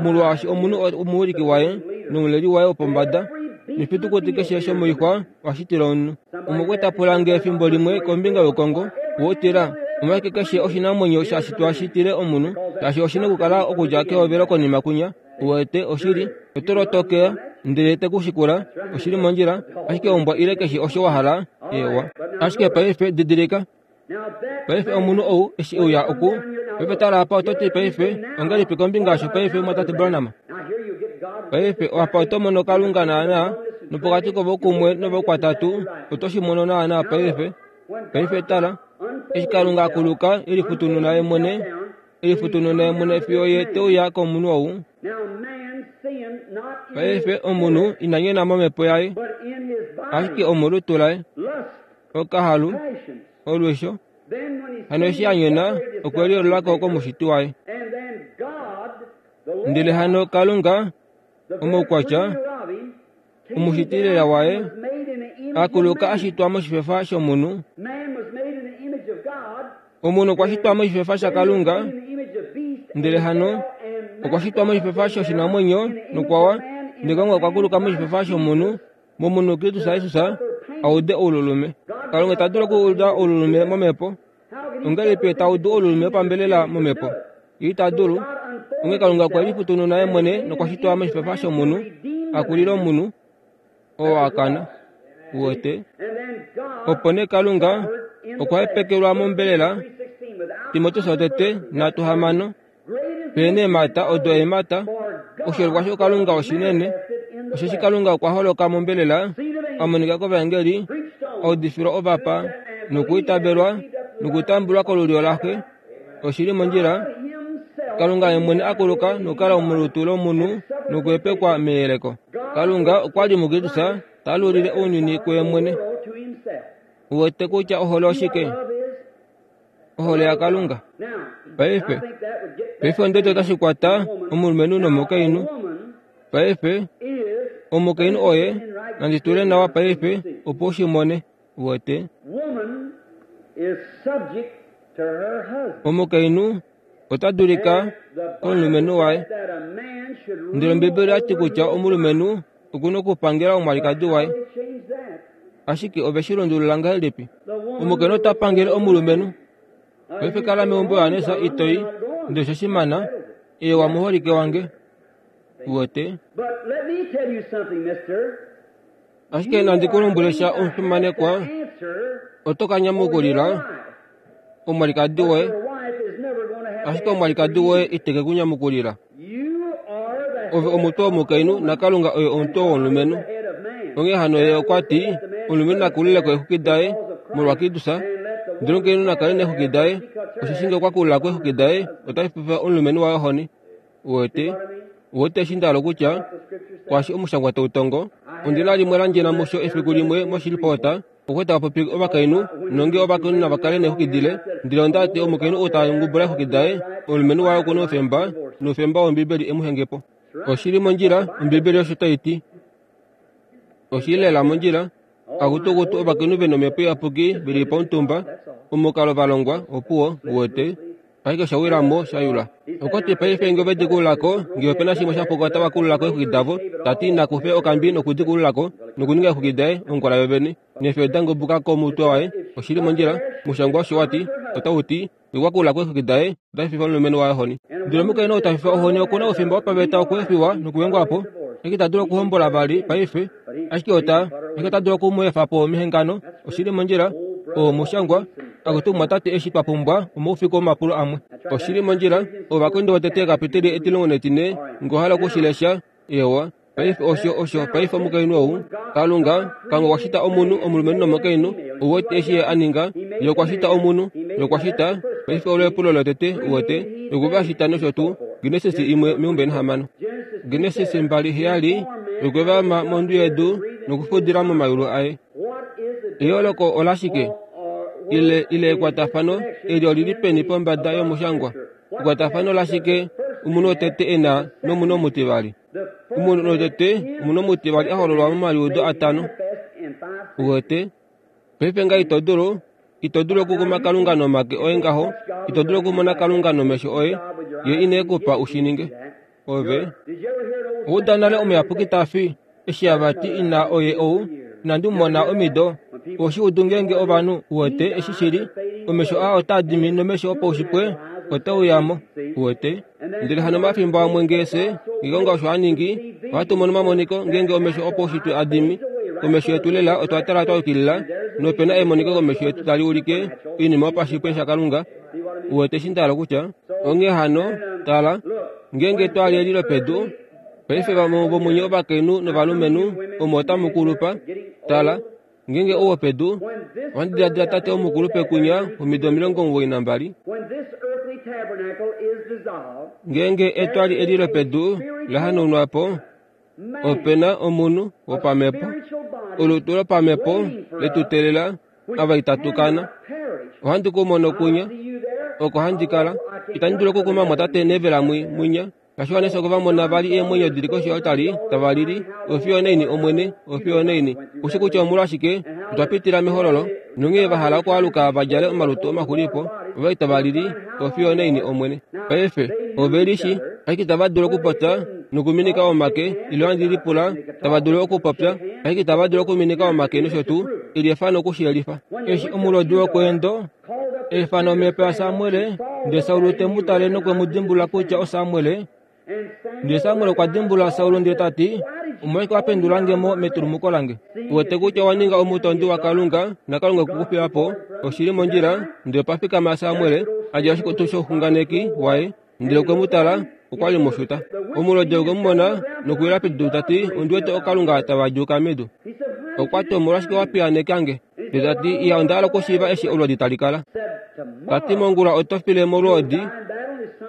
molwaashi omunhu omuwiliki waye nomuleli waye wopombada, nefitukuti keshe shomoixwa oha shitile omunhu. Umwe okwe ta pula nge efimbo limwe kombinga youkongo woutila, omolwashike keshe oshinamwenyo sha shitwa shi tile omunhu, shaashi oshi na okukala okudja kehovelo konima kwinya. Uwete, oshili, oto lotokea ndele te ku shikula, oshi li mondjila, ashike ombwa ile keshe osho wa hala, eewa. Ashike paife didilika, paife omunhu ou eshi e uya oku, paife tala apa oto ti paife, ongahelipi kombinga yasho paife mwatate Branham? Paife apa oto mono Kalunga naana, nopokati kovoukumwe novoukwatatu, oto shi mono naana paife. Paife tala, eshi Kalunga a kuluka e lifutununa ye mwene, Elifutununa ye mwene fiyo ye te uya komunhu ou. Paife omunhu ina nyona momhepo yaye, ashike omolutu laye, okahalu, olwisho. Hano eshi a nyona, okwe liolola ko komushiti waye. Ndele hano Kalunga, omaukwatya, omushiti lela waye, a kuluka a shitwa moshifefa shomunhu. Omunhu okwa shitwa moshifefa shaKalunga, ndele hano okwa shitwa moshifefa shoshinamwenyo nokwa wa, ndele Kalunga okwa kuluka moshifefa shomunhu, momunhu Kristus Jesus, a ude oululume. Kalunga ita dulu okuuda oululume momhepo. Ongahelipi ta udu oululume wopambelela momhepo? Ye ita dulu. Onghee Kalunga okwe lifutununa ye mwene nokwa shitwa moshifefa shomunhu, a kulile omunhu oo a kana. Uwete? Opo nee Kalunga okwa hepekelwa mombelela, Timoteus wotete 3:6, Pe neemhata odo eemhata, oshiholekwa shokalunga oshinene, osheshi Kalunga okwa holoka mombelela, a monika kovaengeli, a udifilwa ovapa, nokwiitavelwa, nokutambulwa kolulyo laXe. Oshi li mondjila, Kalunga ye mwene a kuluka nokukala molutu lomunhu nokuhepekwa meyeleko. Kalunga okwa li muKristus ta alulile ounyuni kuye mwene. Uwete kutya ohole oshike? Ohole yaKalunga. Paife, paife onde otashi kwata omulumenhu nomukainhu. Paife, omukainhu oye, nandi tule nawa paife opo u shi mone. Uwete? Omukainhu ota dulika komulumenhu waye. Ndele Ombibeli oya ti kutya omulumenhu oku na okupangela omwalikadi waye. Ashike ove shi lundulula ngahelipi? Omukainhu ota pangele omulumenhu. Paife kala meumbo Johannes itoi, ndele osho shimana, eewa muholike wange. Uwete? Ashike nandi ku lombwele sha omufimanekwa, oto ka nyamukulila omwalikadi woye, ashike omwalikadi woye ite ke ku nyamukulila. Ove omutwe womukainhu naKalunga oye omutwe womulumenhu. Onghee hano ye okwa ti, omulumenhu na kulile ko eexwiki daye molwaKristus, ndele omukainhu na kale neexwiki daye, osheshi ngee okwa kulula ko eexwiki daye, otashi fifa omulumenhu waye ohoni. Uwete? Uwete eshi nda hala okutya? Kwaashi omushangwa tau tongo. Ondi na limwe la ndjena musho efiku limwe moShreveport, okwe tava popi ovakainhu, nonge ovakainhu nava kale neexwiki dile. Ndele onda ti omukainhu ou ta ngubula eexwiki daye, omulumenhu waye oku na oufemba, noufemba wOmbibeli e mu henge po. Oshi li mondjila, Ombibeli osho tai ti. Oshi li lela mondjila. Akutukutu ovakainhu ve nomhepo iyapuki ve li pomutumba, omukalo va longwa, opuwo, uwete. Ashike osha wila mo sha yula. Okwa ti paife nge ove di kulula ko, nge ope na shimwe sha puka otava kulula ko eexwiki davo, ta ti na kufe okambi noku di kulula ko, nokuninga eexwiki daye ongwala yovene, neefyo da ngubuka komutwe waye. Oshi li mondjila. Omushangwa osho wa ti, otau ti, Nge okwa kulula ko eexwiki daye, ota fifa omulumenhu waye ohoni. Ndele omukainhu ou ta fifa ohoni oku na oufemba wopaveta okweefiwa nokuhengwa po, ashike ita dulu okuhombola vali paife, ashike ota, ashike ota dulu oku mu efa po mehengano. Oshi li mondjila. Oo omushangwa. Akutu omumwatate eshi twa pumbwa omaufiku omapulo amwe. Oshi li mondjila. Ovakorinto votete ekapiteli etilongo netine, nge owa hala oku shi lesha. Eewa. Paife osho, osho, paife omukainhu ou, Kalunga, Kalunga okwa shita omunhu, omulumenhu nomukainhu, ou wete eshi Ye a ninga? Ye okwa shita omunhu. Ye okwa shita, paife olo epulo lotete, uwete, Ye okwe va shita nosho tuu. Genesis 1:26. Genesis 2:7, Okwe va ma mondwi yedu nokufudila momayulu aye. Eyooloko olashike? Ile, ile ekwatafano eli oli li peni pombada yomushangwa? Ekwatafano lashike omunhu wotete e na nomunhu omutivali? Omunhu wotete, omunhu omutivali a hololwa momaliudo atano. Uwete? Paife nga ito dulu, ito dulu okukuma Kalunga nomake oye ngaho, ito dulu okumona Kalunga nomesho oye, Ye ine ku pa u shi ninge. Ove uda nale omuyapuki ta fi, eshi ava ti ina oye ou, inandi mu mona omido. Oshi udu ngeenge ovanhu, uwete eshi shi li, omesho aa otaa dimi nomesho opaushipwe ote uya mo, uwete. Ndele hano omafimbo amwe ngee fye, ngeenge osho a ningi, ohatu mono omamoniko ngeenge omesho opaushitwe a dimi. Komesho yetu lela otwa tala twa yukilila, nope na emoniko komesho yetu tali ulike oinima yopashipwe shaKalunga. Uwete eshi nda hala okutya? Onghee hano, tala, ngeenge twa li eli lopedu, paife vamwe vomunye ovakainhu novalumenhu omo otamu kulupa, tala, Ngeenge ou wopedu, ohandi diladila tate omukulupe kunya womido 92. Ngeenge etwali eli lopedu la hanaunwa po, ope na omunhu wopamhepo, olutu lopamhepo le tu teelela ava itatu kana. Ohandi ku mono kunya, oko handi kala. Itandi dulu okukuma mwatate Neville mwinya. Kashiwa oko va mona vali eemwenyo di li koshi yoltali tava lili, Ofiyo naini, Omwene, ofiyo naini. Ushi kutya omolwashike otwa pitila mehololo, nonghee va hala okwaaluka va djale omalutu omaxulipo, ova li tava lili, Ofiyo naini, Omwene. Paife, ove lishi, ashike itava dulu okupopya nokuminika omake, ile ohandi lipula tava dulu okupopya, ashike itava dulu okuminika omake nosho tuu, eli efano oku shi yelifa. Eshi omulodi wokweendo Efano omhepo yaSamuel, ndele Saul te mu tale nokwe mu dimbulula kutya oSamuel. Ndele Samuel okwa dimbulula Saul ndele ta ti, Omolwashike wa pendula nge mo metulumuko lange? U wete kutya owa ninga omutondi waKalunga, naKalunga okwe ku fiya po. Oshi li mondjila. Ndele opa fikama Samuel, a djala oshikutu shouxunganeki waye, ndele okwe mu tala, okwa li mushuta. Omulodi okwe mu mona nokuwila pedu ta ti, Ondi wete ookalunga tava djuuka medu. Okwa ti, Omolwashike wa piyaaneka nge? Ndele ta ti, Iya, onda hala okushiiva eshi olwoodi tali kala. Ta ti, Mongula oto file molwoodi,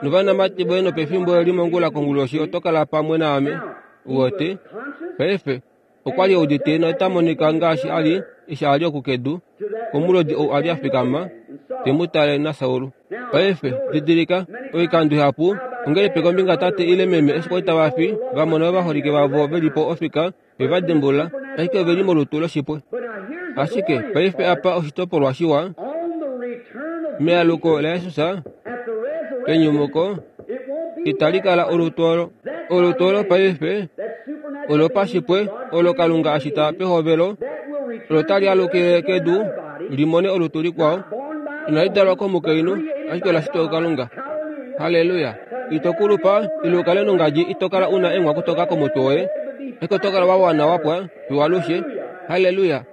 novanamati voye nopefimbo eli mongula konguloshi oto kala pamwe naame. Uwete? Paife, okwa li e udite nota monika ngaashi a li eshi a li oku kedu, komulodi ou a li a fikama te mu tale naSaul. Paife, didilika, oikando ihapu, ongelipi kombinga tate ile meme eshi kwali tava fi, va mona ovaholike vavo ve li po ofika, ve va dimbulula, ashike ove li molutu loshipwe. Ashike paife apa oshitopolwa shiwa, mealuko laJesus, penyumuko, itali kala olutu olo. Olutu olo paife olopashipwe olo Kalunga a shita pehovelo, olo tali alukile kedu li mone olutu likwao. Inali dalwa komukainhu, ashike ola shitwa kuKalunga. Halleluya! Ito kulupa, ile u kale nongadji, ito kala u na eenghwakutoka komutwe woye, ashike oto kala wa wana wa pwa fiyo alushe. Halleluya!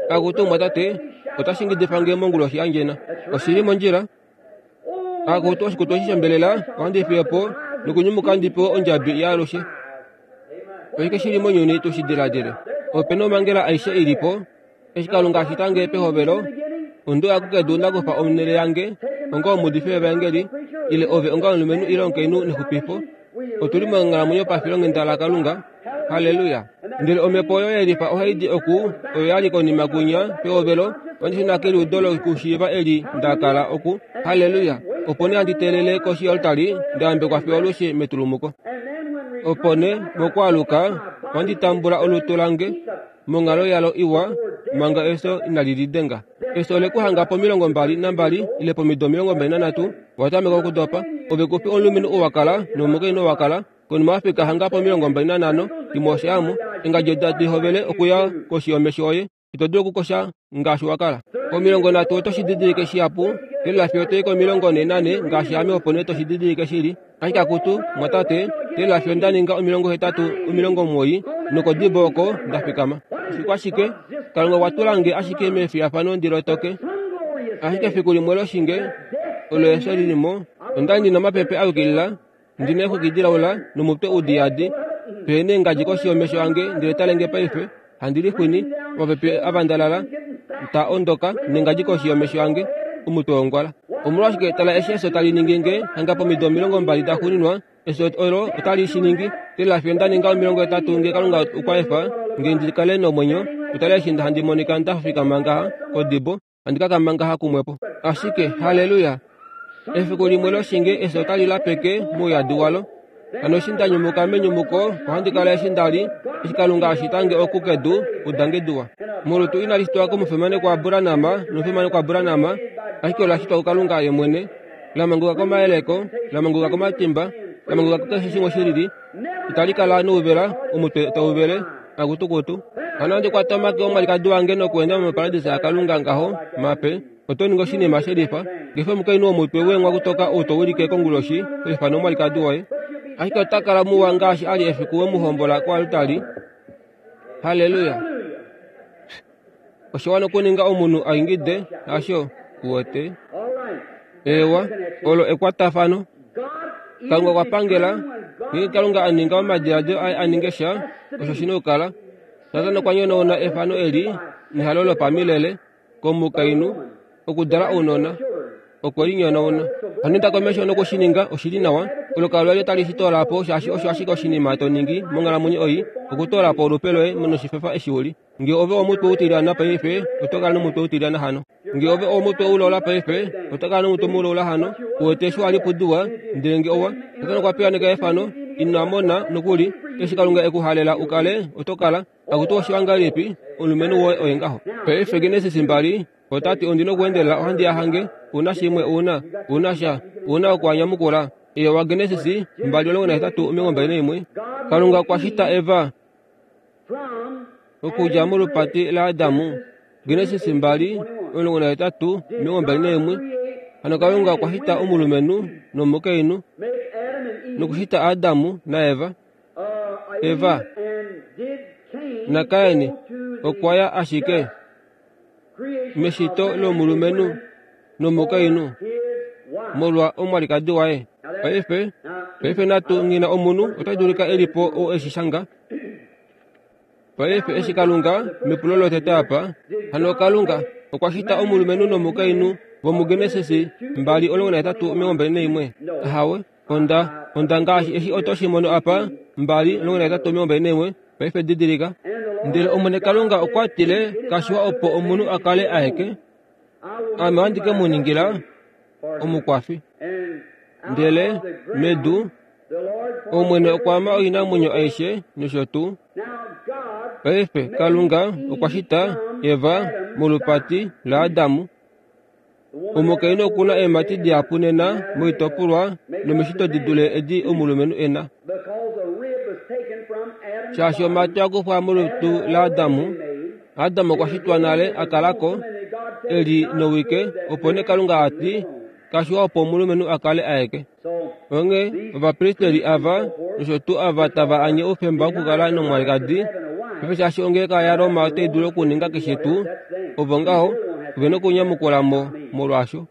Akutu omumwatate, otashi ngidifa nge monguloshi yandjena. Oshi li mondjila. Akutu oshikutu eshi shombelela ohandi fiye po nokunyumuka ndi pewe ondjabi yaalushe. Oshike shi li mounyuni tu shi diladile? Ope na omhangela aishe i li po. Eshi Kalunga a shita nge pehovelo, onde uya kukedu nda kufa onhele yange onga omuudifi wevaengeli, ile ove onga omulumenhu ile omukainhu nexupifo. Otu li monghalamwenyo pafilonghenda laKalunga. Halleluya! Ndele omhepo oyo ye lifa ohai di oku, oyo ya li konima kwinya, pehovelo, ohandi shuna keliudo lokushiiva eli nda kala oku. Halleluya! Opo nee handi teelele koshi yoaltari, nda yambekwa fiyo alushe metulumuko. Opo nee, mokwaaluka, ohandi tambula olutu lange monghalo yalo iwa, manga efyo inali lidenga. Efyo ole ku hanga pomilongo mbali nambali ile pomido 23, wa tameka okudopa. Ove ku fi omulumenhu ou wa kala nomukainhu ou wa kala, Konima wa fika hanga po25 imwe oshaamo, engadjo tadi hovele okuya koshi yomesho oye. Ito dulu okukosha ngaashi wa kala. Pomilongo nhatu oto shi didilike shihapu, teelela fiyo to i ko44 ngaashi ame opo nee to shi didilike shili. Ashike akutu, mwatate, teelela fiyo nda ninga 80, 90, nokodibo oko nda fikama. Oshikwashike? Kalunga okwa tula nge ashike mefiyafano ndi lotoke. Ashike efiku limwe loshinge olo efyo li li mo, onda li ndi na omapepe a yukilila, Ndi na exwiki dilaula nomutwe u diyadi, pe neengadji koshi yomesho ange, ndele tale nge paife, handi lixwini, omapepe a vandalala, ta ondoka, nengadji koshi yomesho ange, omutwe wongwala. Omolwashike, tala eshi efyo tali ningi nge, hanga pomido 20 daxuuninwa. Efyo olo otali shi ningi. Tela fiyo nda ninga 80 nge Kalunga okwa efa nge ndi kale nomwenyo, utale eshi handi monika nda fikama ngaha kodibo, handi kakama ngaha kumwepo. Ashike, haleluya! Efiku limwe loshinge efyo otali lapeke mouyadi walo. Hano eshi nda nyumuka menyumuko, ohandi kala eshi nda li, eshi Kalunga a shita nge oku kedu, udange diwa. Molutu inali shitwa komufimanekwa Abraham nomufimanekwa Abraham, ashike ola shitwa kuKalunga ye mwene. La manguluka komayeleko, la manguluka komatimba, la manguluka kukeshe shimwe shilili. Itali kala nouvela, omutwe tau vele, akutukutu. Hano ohandi kwata omake omwalikadi wange nokweenda moparadisa yaKalunga ngaho, mape. Oto ningi oshinima shelifa. Ngefe omukainhu womutwe weenghwa kutoka ou to wilike konguloshi, to ifana omwalikadi woye. Ashike ota kala muwa ngaashi a li efiku we mu hombola koaltari. Halleluya! Oshiwa nokuninga omunhu a ingide, hasho? Uwete? Eewa, olo ekwatafano. Kalunga okwa pangela, ngeenge Kalunga a ninga omadiladilo aye a ninge sha, osho shi na okukala. Satana okwa nyonauna efano eli nehalo lopamilele komukainhu okudala ounona. Okwe li nyonauna. Hano inda komesho noku shi ninga, oshi li nawa. Olukalwa loye tali shi toola po, shaashi osho ashike oshinima to ningi monghalamwenyo ei, okutoola po olupe loye noshifefa eshi u li. Nge ove omutwe utilyana paife, oto kala nomutwe utilyana hano. Nge ove omutwe ulola paife, oto kala nomutwe mulola hano. Uwete eshi wa li pudiwa, ndele nge owa, Satana okwa piyaaneka efano, ina mona nokuli, eshi Kalunga e ku halela u kale, oto kala. Akutu oshiwa ngahelipi, omulumenhu woye oye ngaho. Paife Genesis 2, ota ti ondi nokuendelela ohandi ya hange, u na shimwe, u na, u na sha, u na okuanyamukula. Ewa, Genesis 2:18 21. Kalunga okwa shita Eva okudja molupati laAdamu. Genesis 2:18 21. Hano Kalunga okwa shita omulumenhu nomukainhu nokushita Adamu naEva. Eva naKain okwa ya ashike meshito lomulumenhu nomukainhu molwa omwalikadi waye. Paife, paife natu ngina omunhu ota dulika e li po ou e shi shanga. Paife eshi Kalunga, mepulo lotete apa, hano Kalunga okwa shita omulumenhu nomukainhu vomuGenesis 2:18 21. Ahawe, onda, onda ngaashi eshi oto shi mono apa, 2:18 21, paife didilika. Ndele Omwene Kalunga okwa tile, Kashiwa opo omunhu a kale aeke, Ame ohandi ke mu ningila omukwafi. Ndele medu Omwene okwa ama oinamwenyo aishe nosho tuu. Paife Kalunga okwa shita Eva molupati laAdamu. Omukainhu oku na eemhati dihapu nena moitopolwa nomeshito di dule edi omulumenhu e na. Shaashi omhati a kufwa molutu laAdamu, Adam okwa shitwa nale a kala ko e li nowike, opo nee Kalunga a ti, Kashiwa opo omulumenhu a kale aeke. Onghee ovapristeli ava nosho tuu ava tava anye oufemba wokukala nomwalikadi, paife shaashi ongeleka yaRoma otai dulu okuninga keshe tuu, ovo ngaho ove nokunyamukula mo molwaasho.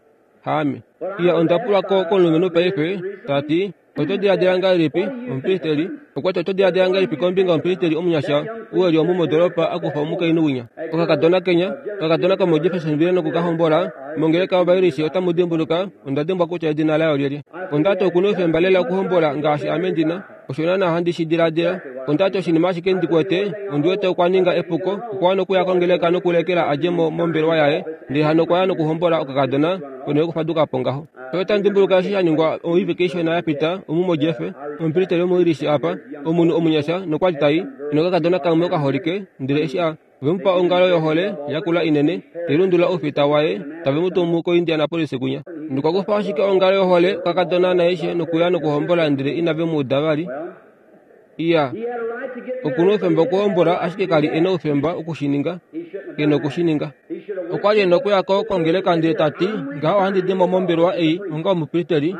Haame. Iya, onda pulwa ko komulumenhu paife, ta ti, Oto diladila ngahelipi, omupristeli? Okwa ti, Oto diladila ngahelipi kombinga yomupristeli omunyasha ou e li omu modolopa a kufa omukainhu winya, okakadona kenya, okakadona komoJeffersonville noku ka hombola mongeleka yOvairishi? Otamu dimbuluka, onda dimbwa kutya edina layo olyelye. Onda ti, Oku na oufemba lela okuhombola ngaashi ame ndi na. Osho naanaa handi shi diladila. Onda ti, Oshinima ashike ndi kwete, ondi wete okwa ninga epuko. Okwa wana okuya kongeleka nokulekela a dje mo mombelewa yaye, ndele hano okwa ya nokuhombola okakadona ponhele yokufaduka po ngaho. Otamu dimbuluka eshi sha ningwa oivike ishona ya pita omu moJeff, omupristeli womoIrish apa, omunhu omunyasha nokwa li tai nokakadona kamwe okaholike, ndele eshi a ove mu pa ongalo yohole yakula inene, tai lundulula oufita waye, tave mu tumu koIndianapolis kwinya. Nokwa kufa ashike ongalo yohole okakadona naishe nokuya nokuhombola ndele inave mu uda vali. Iya, oku na oufemba okuhombola, ashike ka li e na oufemba oku shi ninga. Ke na oku shi ninga. Okwa li e na okuya ko kongeleka ndele ta ti, Ngaha ohandi di mo mombelewa ei onga omupristeli,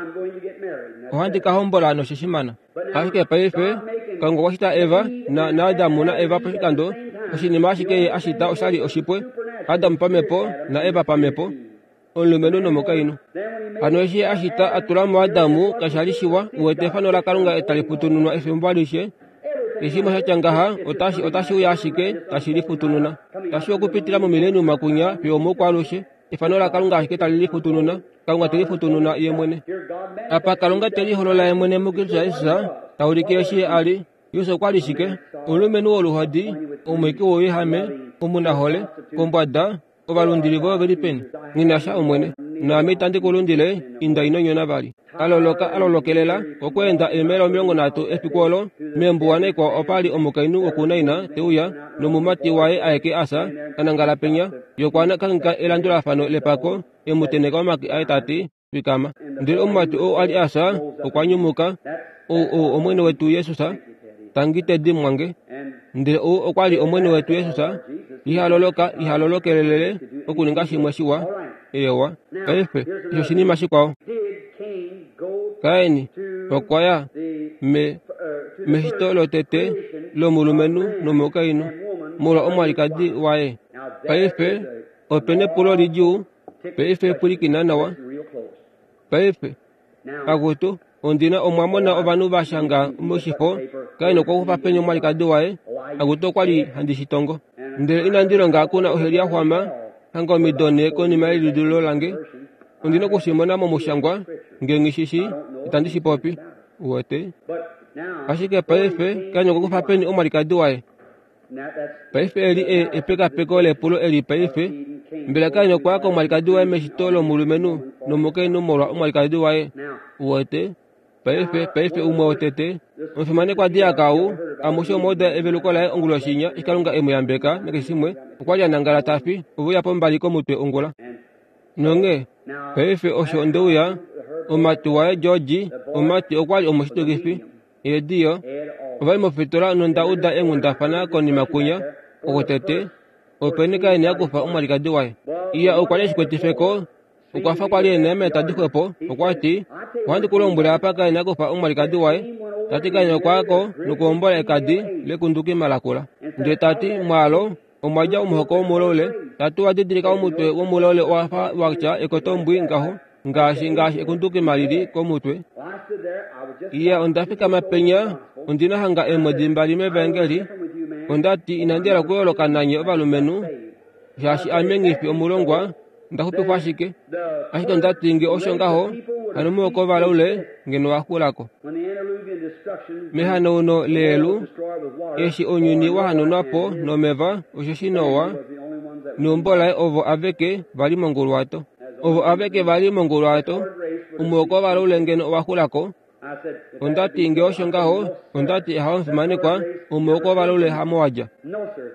ohandi ka hombola noshishimana. Ashike paife, Kalunga okwa shita Eva, na, naAdamu naEva poshikando, oshinima ashike ye a shita osha li oshipwe, Adam pamhepo naEva pamhepo. omulumenhu nomukainhu. Hano eshi a shita a tula muAdamu kasha li shiwa, uwete efano laKalunga tali futununwa efimbo alishe. Eshimwe sha tya ngaha otashi otashi uya ashike tashi lifutununa, tashi okupitila momileniuma kunya fiyo omoukwaalushe. Efano laKalunga ashike tali lifutununa, Kalunga te lifutununa ye mwene. Apa Kalunga te liholola ye mwene muKristus Jesus, ta ulike eshi Ye a li. Jesus okwa li shike? Omulumenhu woluhodi, omwiiki wouyehame, omunahole, kombwada, Ovalundili voye ove li peni? Nghi na sha, Omwene. Naame itandi ku lundile, inda ino nyona vali. A loloka, a lolokelela okweenda eemaila 30 efiku olo, meembuwa naikwao opa li omukainhu wokuNain te uya, nomumati waye aeke a fya, a nangala penya. Ye okwa kangheka elandulafano lepako, e mu tenheka omake aye ta ti, Fikama. Ndele omumati ou a li a fya okwa nyumuka, ou ou Omwene wetu Jesus, tangi Teddy mwange. Ndele ou okwa li Omwene wetu Jesus, iha loloka, iha lolokelelele okuninga shimwe shiwa. Eewa. Paife, osho oshinima shikwao. Kain okwa ya me, meshito lotete lomulumenhu nomukainhu, molwa omwalikadi waye. Paife, ope nepulo lidjuu Paife pwilikina nawa. Paife, akutu, ondi na omwa mona ovanhu va shanga moshifo, Kain okwa kufa peni omwalikadi waye? Akutu, okwa li handi shi tongo. Ndele inandi longa ku na oheli ya xwama, hanga omido nhe konima yelidululo lange. Ondi na oku shi mona momushangwa, nge nghi shi shii, itandi shi popi. Uwete? Ashike paife, Kain okwa kufa peni omwalikadi waye? Paife eli e, epekapeko lepulo eli paife. Mbela Kain okwa ya komwalikadi waye meshito lomulumenhu nomukainhu molwa omwalikadi waye? Uwete? Paife, paife umwe wotete, omufimanekwa Diaka ou, amushe omwa uda eveluko laye onguloshi inya, eshi Kalunga e mu yambeka nakeshe shimwe, okwa li a nangala ta fi, ove uya pombali komutwe ongula. Nonghee, paife osho nde uya, omumati waye George, omumati okwa li omushitukifi. Eediyo ova li mofitola nonda uda eenghundafana konima kwinya oko tete openi Kain a kufa omwalikadi waye. Iya okwa li e shi kwetife ko, okwa fa kwa li e na eemeta tadi xwepo. Okwa ti, Ohandi ku lombwele apa Kain a kufa omwalikadi waye. Ta ti Kain okwa ya ko nokuhombola ekadi lekundukima lakula. Ndele ta ti, Mwaalo omwa dja omuhoko womulaule. Ta ti owa didilika omutwe womulaule owa fa wa tya ekotombwi ngaho. ngaashi ngaashi ekundukima lili komutwe. Iya, onda fikama penya, ondi na hanga eemwedi mbali mEvaengeli. Onda ti, Inandi hala okuyooloka nanye ovalumenhu, shaashi ame nghi fi omulongwa, nda xupifwa ashike. Ashike onda ti, Nge osho ngaho, hano omuhoko wovalaule ngeno wa xula ko. Mehanauno leyelu, eshi ounyuni wa hanaunwa po nomeva, osheshi Noa neumbo laye ovo aveke va li monguluwato. Ovo aveke va li monguluwato, omuhoko wovalaule ngeno owa xula ko. Onda ti, Nge osho ngaho, onda ti, Ahawe omufimanekwa, omuhoko wovalaule hamo wa dja.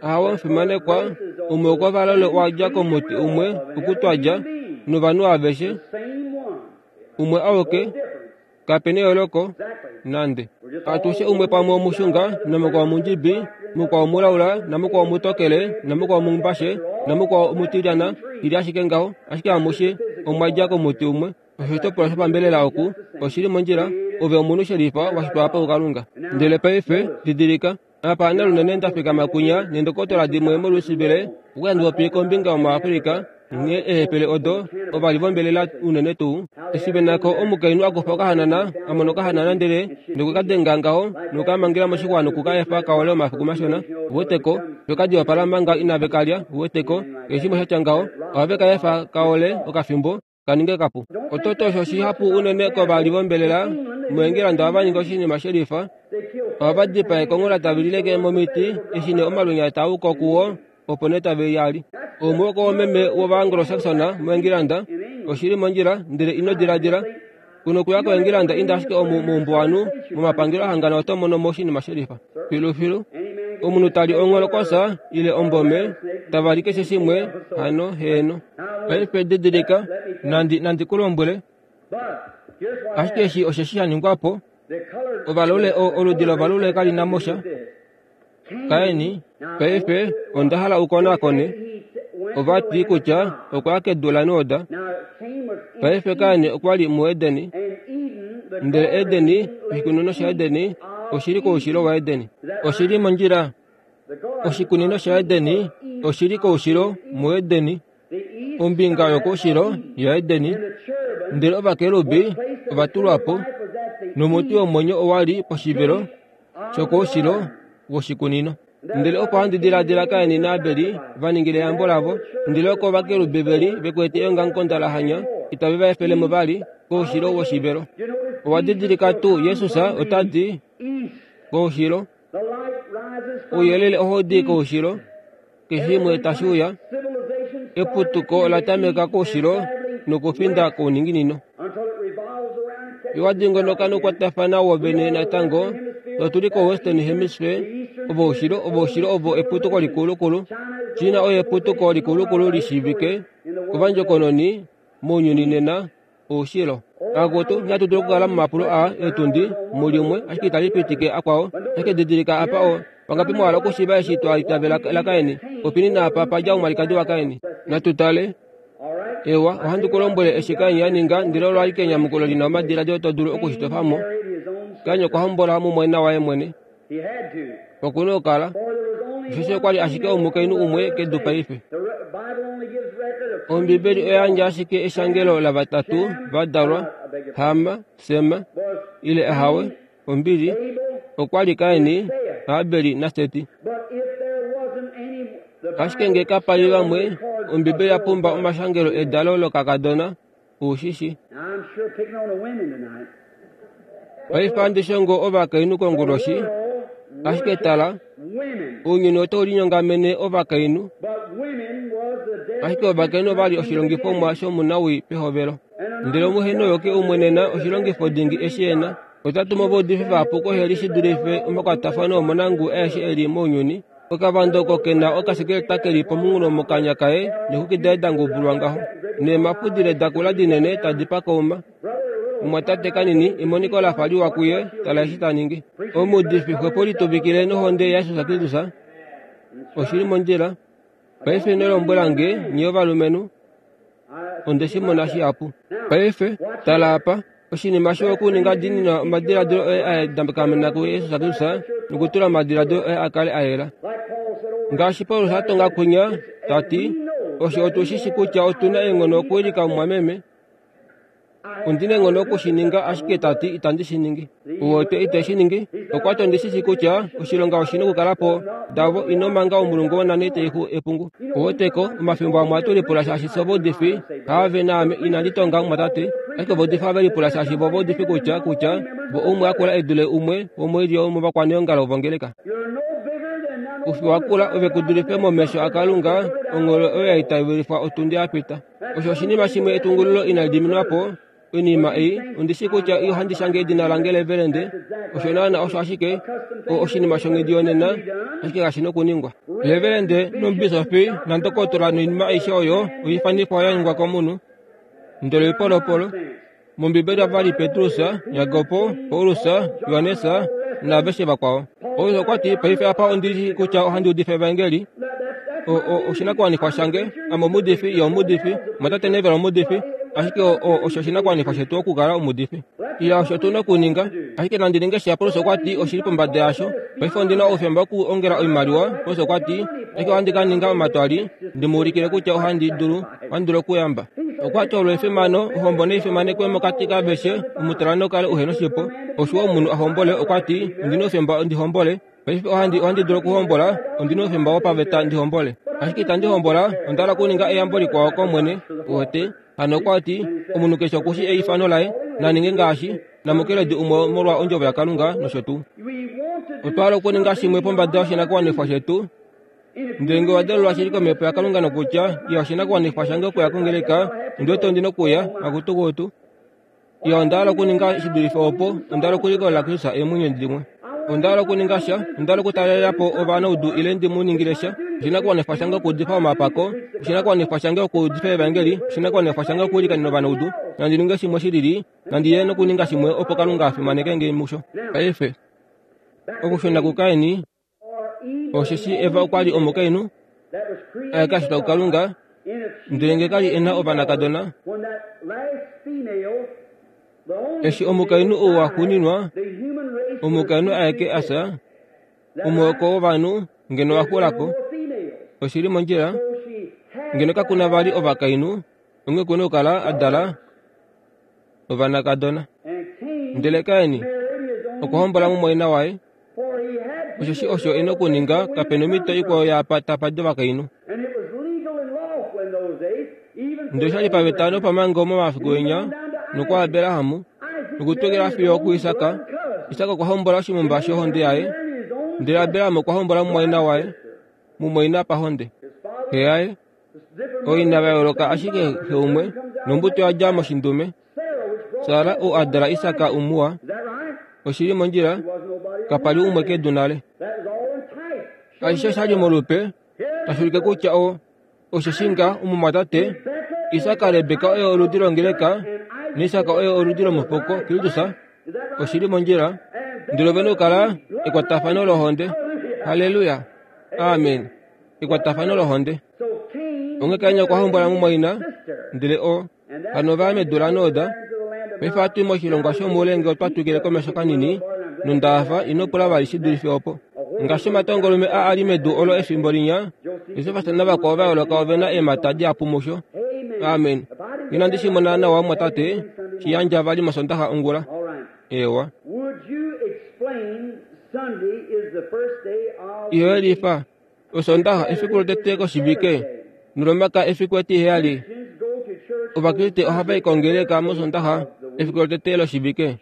Ahawe omufimanekwa, omuhoko wovalaule owa dja komuti umwe oku twa dja, novanhu aveshe, umwe auke. Kape neyooloko nande. Atushe umwe pamwe omushunga, namukwao omundjibi, mukwao omulaula, namukwao omutokele, namukwao omumbashe, namukwao omutilyana, ili ashike ngaho, ashike amushe omwa dja komuti umwe. Oshitopolwa shopambelela oku oshi li mondjila, ove omunhu shelifa wa shitwa apa kuKalunga. Ndele paife, didilika, apa nalunene nda fikama kwinya neendokotola dimwe moLouisville, okuya ndi popi kombinga yomoAfrica, Nghee eehepele odo ova li vombelela unene tuu eshi ve na ko omukainhu a kufa okahanana, a mona okahanana ndele nokwe ka denga ngaho noku ka mangela moshixwa noku ka efa ka ole omafiku mashona. Uwete ko, ve ka diwapala manga inave ka lya. Uwete ko, keshe shimwe sha tya ngaho, ohave ka efa ka ole okafimbo, ka ninge kapu. Ototo osho shihapu unene kovali vombelela moEngilanda ohava ningi oshinima shelifa. Ohava dipaa ekonghola tave li leke momiti eshi nee omalwenya taa u ko kuwo opo nee tave i ali. Omuhoko woomeme wOvaanglo-Saxon moEngilanda oshi li mondjila, ndele ino diladila ku nokuya koEngilanda inda ashike omu moumbuwanhu momapangelo ahangana oto mono mo oshinima shelifa. Filufilu. Omunhu ta li ongholokosa ile ombome, tava li keshe shimwe, hano, heeno. Paife didilika, nandi, nandi ku lombwele, ashike eshi osheshi sha ningwa po, ovalule, o, oludi lovalule kali na mo sha. Kaini, paife onda hala u konakone. Ova ti kutya okwa ya kedu laNoda. Paife Kaini okwa li muEdeni, ndele Edeni, oshikunino shaEdeni, oshi li koushilo waEdeni. Oshi li mondjila. Oshikunino shaEdeni oshi li koushilo muEdeni, ombinga yokoushilo yaEdeni. Ndele ovakerubi ova tulwa po, nomuti womwenyo owa li poshivelo shokoushilo woshikunino. Ndele opo handi diladila Kaini naAbeli va ningile eyambo lavo, ndele oko ovakerubi ve li ve kwete eongamukonda la hanya, itave va efele mo vali koushilo woshivelo. Owa didilika tuu Jesus ota di koushilo? Ouyelele ohau di koushilo, keshe shimwe tashi uya. Eputuko ola tameka koushilo nokufinda kouninginino. Owa dingonoka nokukwatafana wovene natango. Otu li koWestern Hemisphere, ovoushilo, ovoushilo ovo eputuko likulukulu. China oye eputuko likulukulu li shiivike kovandjokononi mounyuni nena, oushilo. Akutu, inatu dula okukala momapulo aa eetundi mulimwe, ashike itali pitike akwao. Ashike didilika apa o, vangapi mwa hala okushiiva eshi twa itavela laKain? Opini naapa pa dja omwalikadi waKain? Natu tale. Ewa, ohandi ku lombwele eshi Kain a ninga, ndele olo alike enyamukulo li na omadiladilo to dulu oku shi tofa mo. Kain okwa hombola mumwaina waye mwene. Oku na okukala, osheshi okwa li ashike omukainhu umwe kedu paife. Ombibeli oya yandja ashike eshangelo lavatatu va dalwa, Ham, Sem, ile ahawe, ombili, okwa li Kain, Abel naSeti. Ashike nge kapa li vamwe, Ombibeli ya pumba omashangelo edalo lokakadona, u shi shi. Paife ohandi shongo ovakainhu konguloshi, ashike tala, ounyuni otau linyongamene ovakainhu, ashike ovakainhu ova li oshilongifomwa shomunawii pehovelo. Ndele omuhenoyoki umwe nena oshilongifo dingi eshi e na, ota tumu ovaudifi vahapu koheli shi dulife omakwatafano omonanguwi aeshe e li mounyuni. Okavando oko ke na okasekeleta ke li pomunghulo mokanya kaye neexwiki daye da ngubulwa ngaho, neemafudile da kula dinene tadi pakauma. Omumwatate kanini, emoniko la fa liwa kuye, tala eshi ta ningi. Omuudifi xwepo lituvikile nohonde yaJesus Kristus. Oshi li mondjila. Paife ino lombwela nge, nye ovalumenhu. Onde shi mona shihapu. Paife, tala apa. Oshinima shiwa okuninga diinina omadiladilo oye a dakamena kuJesus Kristus nokutula omadiladilo oye a kale a yela. Ngaashi Paulus a tonga kwinya, ta ti, Osho otu shi shi kutya otu na eenghono okuwilika omumwameme. Ondi na eenghono oku shi ninga, ashike ta ti itandi shi ningi. Uwete ite shi ningi. Okwa ti ondi shi shi kutya oshilonga oshi na okukala po. Davo, ino manga omulungu wonane teiku epungu. Uweteko, omafimbo amwe ohatu lipula shaashi fye ovaudifi, haave naame, inandi tonga omumwatate, ashike ovaudifi ohave lipula shaashi vo ovaudifi kutya, kutya vo umwe a kula e dule umwe womoilyo yomovakwaneongalo vongeleka. Kufi wa kula ove ku dulife momesho aKalunga, ongholo oyo ya itavelifwa otundi ya pita. Osho oshinima shimwe etungululo inali diminwa po. Oinima ei, ondi shii kutya ohandi shange edina lange levelende, osho naana osho ashike o, oshinima shonghedi yonena, ashike kashi nokuningwa. Levelende nomubisofi nandokotola noinima aishe oyo oifanifwa ya ningwa komunhu, ndele oipolopolo. MOmbibeli ova li Petrus, Jakob, Paulus, Johannes naaveshe vakwao. Paulus okwa ti, Paife apa ondi shii kutya ohandi udifa evaengeli. O, o, oshinakuwanifwa shange, ame omuudifi, ye omuudifi, mwatate Neville omuudifi, ashike o, o, osho oshinakuwanifwa shetu okukala omuudifi. Iya, osho tu na okuninga. Ashike nandi ninge sha, Paulus okwa ti, oshi li pombada yasho. Paife ondi na oufemba wokuongela oimaliwa, Paulus okwa ti, ashike ohandi ka ninga omatwali, ndi mu ulikile kutya ohandi dulu, ohandi dulu okuyamba. Okwa ti olo efimano, ohombo nai fimanekwe mokati kaaveshe, omutalano kale uhe noshipo. Oshiwa omunhu a hombole, okwa ti, ondi na oufemba ndi hombole. Paife ohandi, ohandi dulu okuhombola, ondi na oufemba wopaveta ndi hombole. Ashike itandi hombola, onda hala okuninga eyambo likwao kOmwene. Uwete? Hano okwa ti, omunhu keshe oku shii eifano laye, na ninge ngaashi, namukeledi umwe molwa ondjovo yaKalunga nosho tuu. Otwa hala okuninga shimwe pombada yoshinakuwanifwa shetu. Ndele nge owa dalelwa shili komhepo yaKalunga nokutya, Iya, oshinakuwanifwa shange okuya kongeleka, ondi wete ondi nokuya, akutu kutu. Iya, onda hala okuninga shi dulife opo, onda hala okulikolela Kristus eemwenyo dimwe. Onda hala okuninga sha, onda hala okutalela po ovanaudu ile ndi mu ningile sha. Oshinakuwanifwa shange okuudifa omapako, oshinakuwanifwa shange okuudifa evangeli, oshinakuwanifwa shange okuilikanena ovanaudu. Nandi ninge shimwe shi lili, nandi ye nokuninga shimwe opo Kalunga a fimaneke nge musho. Paife, okushuna kuKain, Osheshi Eva okwa li omukainhu a shitwa kuKalunga, ndele nge ka li e na ovanakadona, eshi omukainhu ou a xuuninwa, omukainhu aeke a fya, omuhoko wovanhu ngeno wa xula ko. Oshi li mondjila, ngeno kaku na vali ovakainhu, onghee ku na okukala a dala ovanakadona. Ndele Kain okwa hombola mumwaina waye. Osheshi osho e nokuninga, kape nomhito ikwao yaapa tapa di ovakainhu. Ndele osha li paveta nopamhango momafiku enya nokwaAbraham nokutwikila fiyo okuIsak. Isak okwa hombola oshimumba shohonde yaye, ndele Abraham okwa hombola mumwaina waye, mumwaina pahonde. Xe yaye, ooina va yooloka ashike xe umwe, nombuto ya dja moshindume. Sara ou a dala Isak umuwa, oshi li mondjila, kapa li umwe kedu nale. Ashishe osha li molupe, tashi ulike kutya o osheshi nga omumwatate Isak Rebeka oye oludi longeleka naIsak oye oludi lomupoko Kristus oshi li mondjila ndele ove nokukala ekwatafano lohonde. Halleluya! Amen. Ekwatafano lohonde. Onghee Kain okwa hombola mumwaina, ndele o Hano ova ya medu laNod. Paife ohatu i moshilongwa shomoule ngee otwa twikile komesho kanini, nonda hafa, ino pula vali shi dulife opo. Ngaashi omatongolume a a li medu olo efimbo linya, Josefas navakwao va yooloka ove na eemhata dihapu musho. Amen. Inandi shi mona nawa, mumwatate, shi yandja vali mOsondaxa ongula. Eewa. Iho yelifa. Osondaxa efiku lotete koshivike, nOlomaka efiku etiheyali. Ovakriste ohava i kongeleka mOsondaxa efiku lotete loshivike.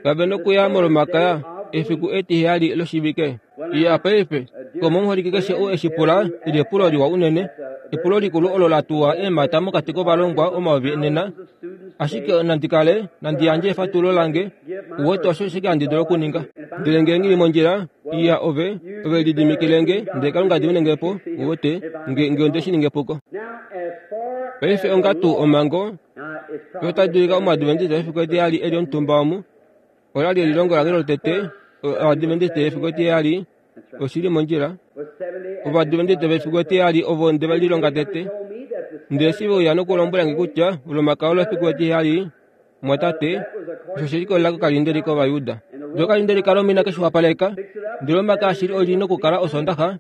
Kave nokuya mOlomakaya efiku etiheyali loshivike. Iya paife, komomuholike keshe ou eshi pula, eli epulo liwa unene, epulo likulu olo la tuwa eemhata mokati kovalongwa omayovi nena. Ashike nandi kale nandi yandje efatululo lange, uwete osho ashike handi dulu okuninga. Ndele nge nghi li mondjila, iya ove, ove lididimikile nge, ndele Kalunga dimine nge po, uwete, nge, nge onde shi ninga epuko. Paife onga tuu omhango, yo otai dulika Omuadventista efiku etiheyali eli omutumba omu, ola li elilongo lange lotete, Oadventista efiku etiheyali, oshi li mondjila. Ovadventista vefiku etiheyali ovo nde va lilonga tete. Ndele eshi ve uya nokulombwela nge kutya Olomakaya olo efiku etiheyali, Mwatate, osho she likolelela kokalindeli kOvayuda. Ndele okalindeli kaRoma inake shi wapaleka, ndele Olomakaya shili oli nokukala Osoondaxa.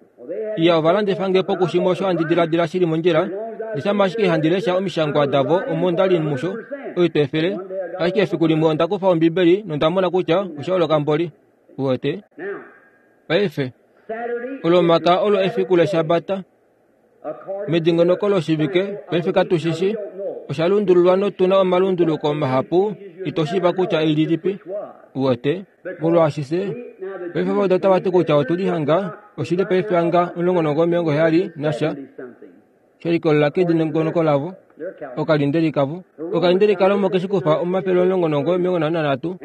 Iya, ova landifa nge po kushimwe osho handi diladila shi li mondjila, ndele ashike handi lesha omishangwa davo omo nda li musho oitwa efele. Ashike efiku limwe onda kufa Ombibeli nonda mona kutya osha holoka mboli. Uwete? Paife, Olomakaya olo efiku lEshabata. Medingonoko loshivike paife katu shi shi, osha lundululwa notu na omalunduluko mahapu ito shiiva kutya elilipi. Uwete? Molwaashi fye paife vo otava ti kutya otu li hanga oshili paife hanga 19 nasha, she likolelela kedingonoko lavo, okalindeli kavo. Okalindeli kaRoma oke shi kufa 153,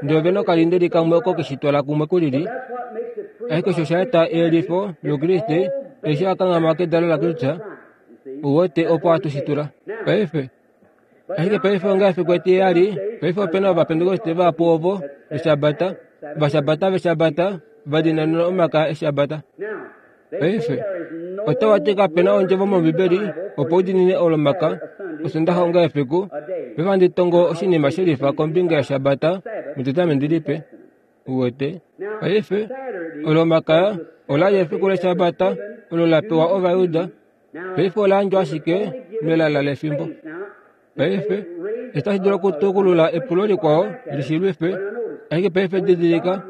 ndele ove na okalindeli kamwe oko ke shi twala kumwe ku lili. Ashike osho osha eta eyelifo lOukriste eshi a kanghama kedalo laKristus, uwete opo hatu shi tula. Paife, ashike paife onga efiku etiheyali, paife ope na Ovapentekoste vahapu ovo Eshabata, Ovashabata vEshabata, va dinanena omaka Eshabata. Paife, otava ti kape na ondjovo mOmbibeli opo u diinine Olomaka, Osondaxa onga efiku. Paife ohandi tongo oshinima shelifa kombinga yEshabata mEtestamenti Lipe. Uwete? Paife, Olomakaya ola li efiku lEshabata olo la pewa Ovayuda. Paife ola yandjwa ashike melala lefimbo. Paife, itashi dulu okutukulula epulo likwao li shi lwife, ashike paife didilika,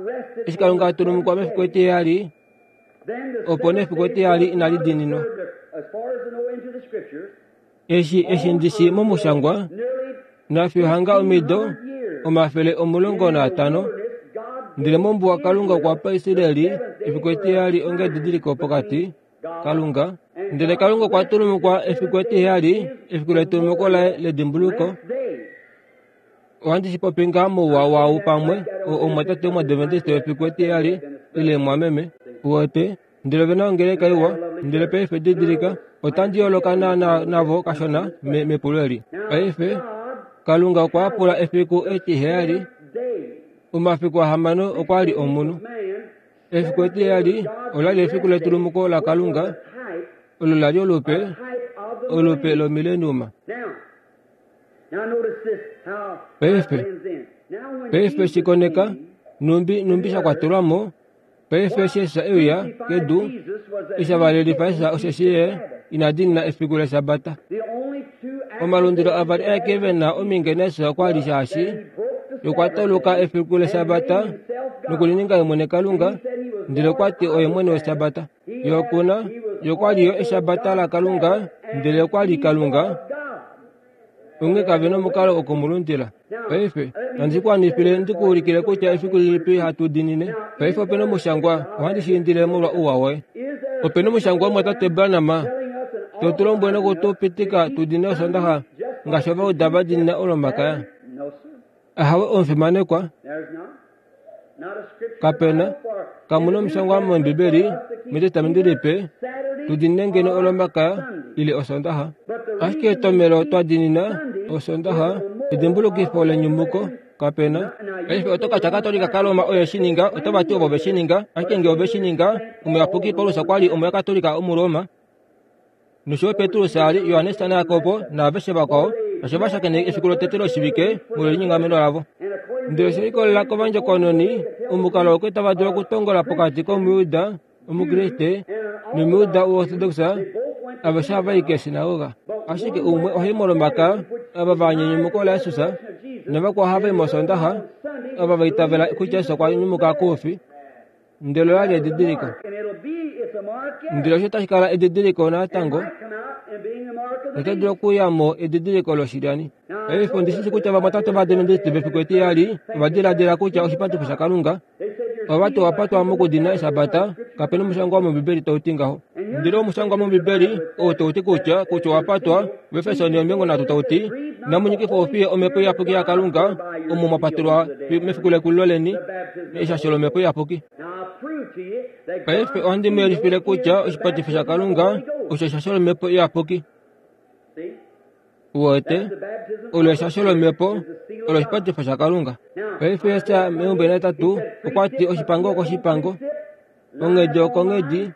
eshi Kalunga a tulumukwa mefiku etiheyali, opo nee efiku etiheyali inali diininwa. Eshi eshi ndi shi momushangwa, nafiyo hanga omido 150, ndele mombuwa Kalunga okwa pa Israeli efiku etiheyali onga edidiliko pokati Kalunga. Ndele Kalunga okwa tulumukwa efiku etiheyali, efiku letulumuko laye ledimbuluko. Ohandi shi popi ngaa mouwa waau pamwe, omumwatate womOadventiste wefiku etiheyali, ile mumwameme. Uwete? Ndele ove na ongeleka iwa. Ndele paife didilika, otandi yooloka na, navo kashona me, mepulo eli. Paife, Kalunga okwa yapula efiku etiheyali. Omafiku ahamano okwa li omunhu. Efiku etiheyali ola li efiku letulumuko laKalunga, olo la li olupe, olupe lomileniuma. Paife, paife shi koneka, nhumbi, nhumbi sha kwatelwa mo. Paife eshi Jesus e uya kedu, eshi a valelifa Jesus osheshi ye ina diinina efiku lEshabata. Omalundilo avali aeke ve na omhinge naJesus okwa li shaashi ye okwa tauluka efiku lEshabata. Nokulininga ye mwene Kalunga, ndele okwa ti oye mwene wEshabata. Ye oku na, ye okwa li yo Eshabata laKalunga, ndele okwa li Kalunga. Onghee kave nomukalo oku mu lundila. Paife, nandi ku wanifile ndi ku ulikile kutya efiku lilipi hatu diinine. Paife ope nomushangwa, ohandi shi indile molwa ouwa woye. Ope nomushangwa omumwatate Branham to tu lombwele noku tu pitika tu diinine Osondaxa ngaashi Ovauda va diinina Olomakaya. Ahawe omufimanekwa. Kape na, kamu na omushangwa mOmbibeli mEtestamenti Lipe tu diinine ngeno Olomakaya ile Osondaxa. Ashike etomhelo twa diinina Osondaxa edimbulukifo lenyumuko. Kape na. Paife oto ka tya Katolika kaRoma oye shi ninga, otava ti ovo ve shi ninga. Ashike nge ove shi ninga, Omuyapuki Paulus okwa li Omuyakatolika Omuroma. Nosho yo Petrus a li, Johannes naJakob naaveshe vakwao, osho va shakeneka efiku lotete loshivike molwelinyongameno lavo. Ndele oshe likolelela kovandjokononi, omukalo oo tava dulu okutongola pokati kOmuyuda Omukriste nOmuyuda Omuortodoks aveshe ohava i keeshinagoga. Ashike umwe oha i mOlomakaya, ava va anya enyumuko laJesus, navakwao ohava i mOsoondaxa, ava va itavela kutya Jesus okwa nyumuka koufi. Ndele ola li edidiliko. Ndele osho tashi kala edidiliko natango, oto dulu okuya mo edidiliko loshilyani. Paife ondi shi kutya vamwatate Ovadventiste vefiku etiyali ova diladila kutya oshipatifo shaKalunga ova ti owa patwa mokudina Eshabata. Kape na omushangwa womOmbibeli tau ti ngaho. Ndele omushangwa mOmbibeli oo tau ti kutya kutya owa patwa, Ovaefeso 13 tau ti, Inamu nyikifa oufiye Omhepo Iyapuki yaKalunga, omo mwa patelwa mefiku lekulilo leni eshasho lOmhepo Iyapuki. Paife ohandi mu yelifile kutya oshipatifo shaKalunga osho eshasho lOmhepo Iyapuki. Uwete, olo eshasho lOmhepo, olo oshipatifo shaKalunga. Paife Jesaja meumbo enatatu okwa ti oshipango okoshipango, onghedi okonghedi,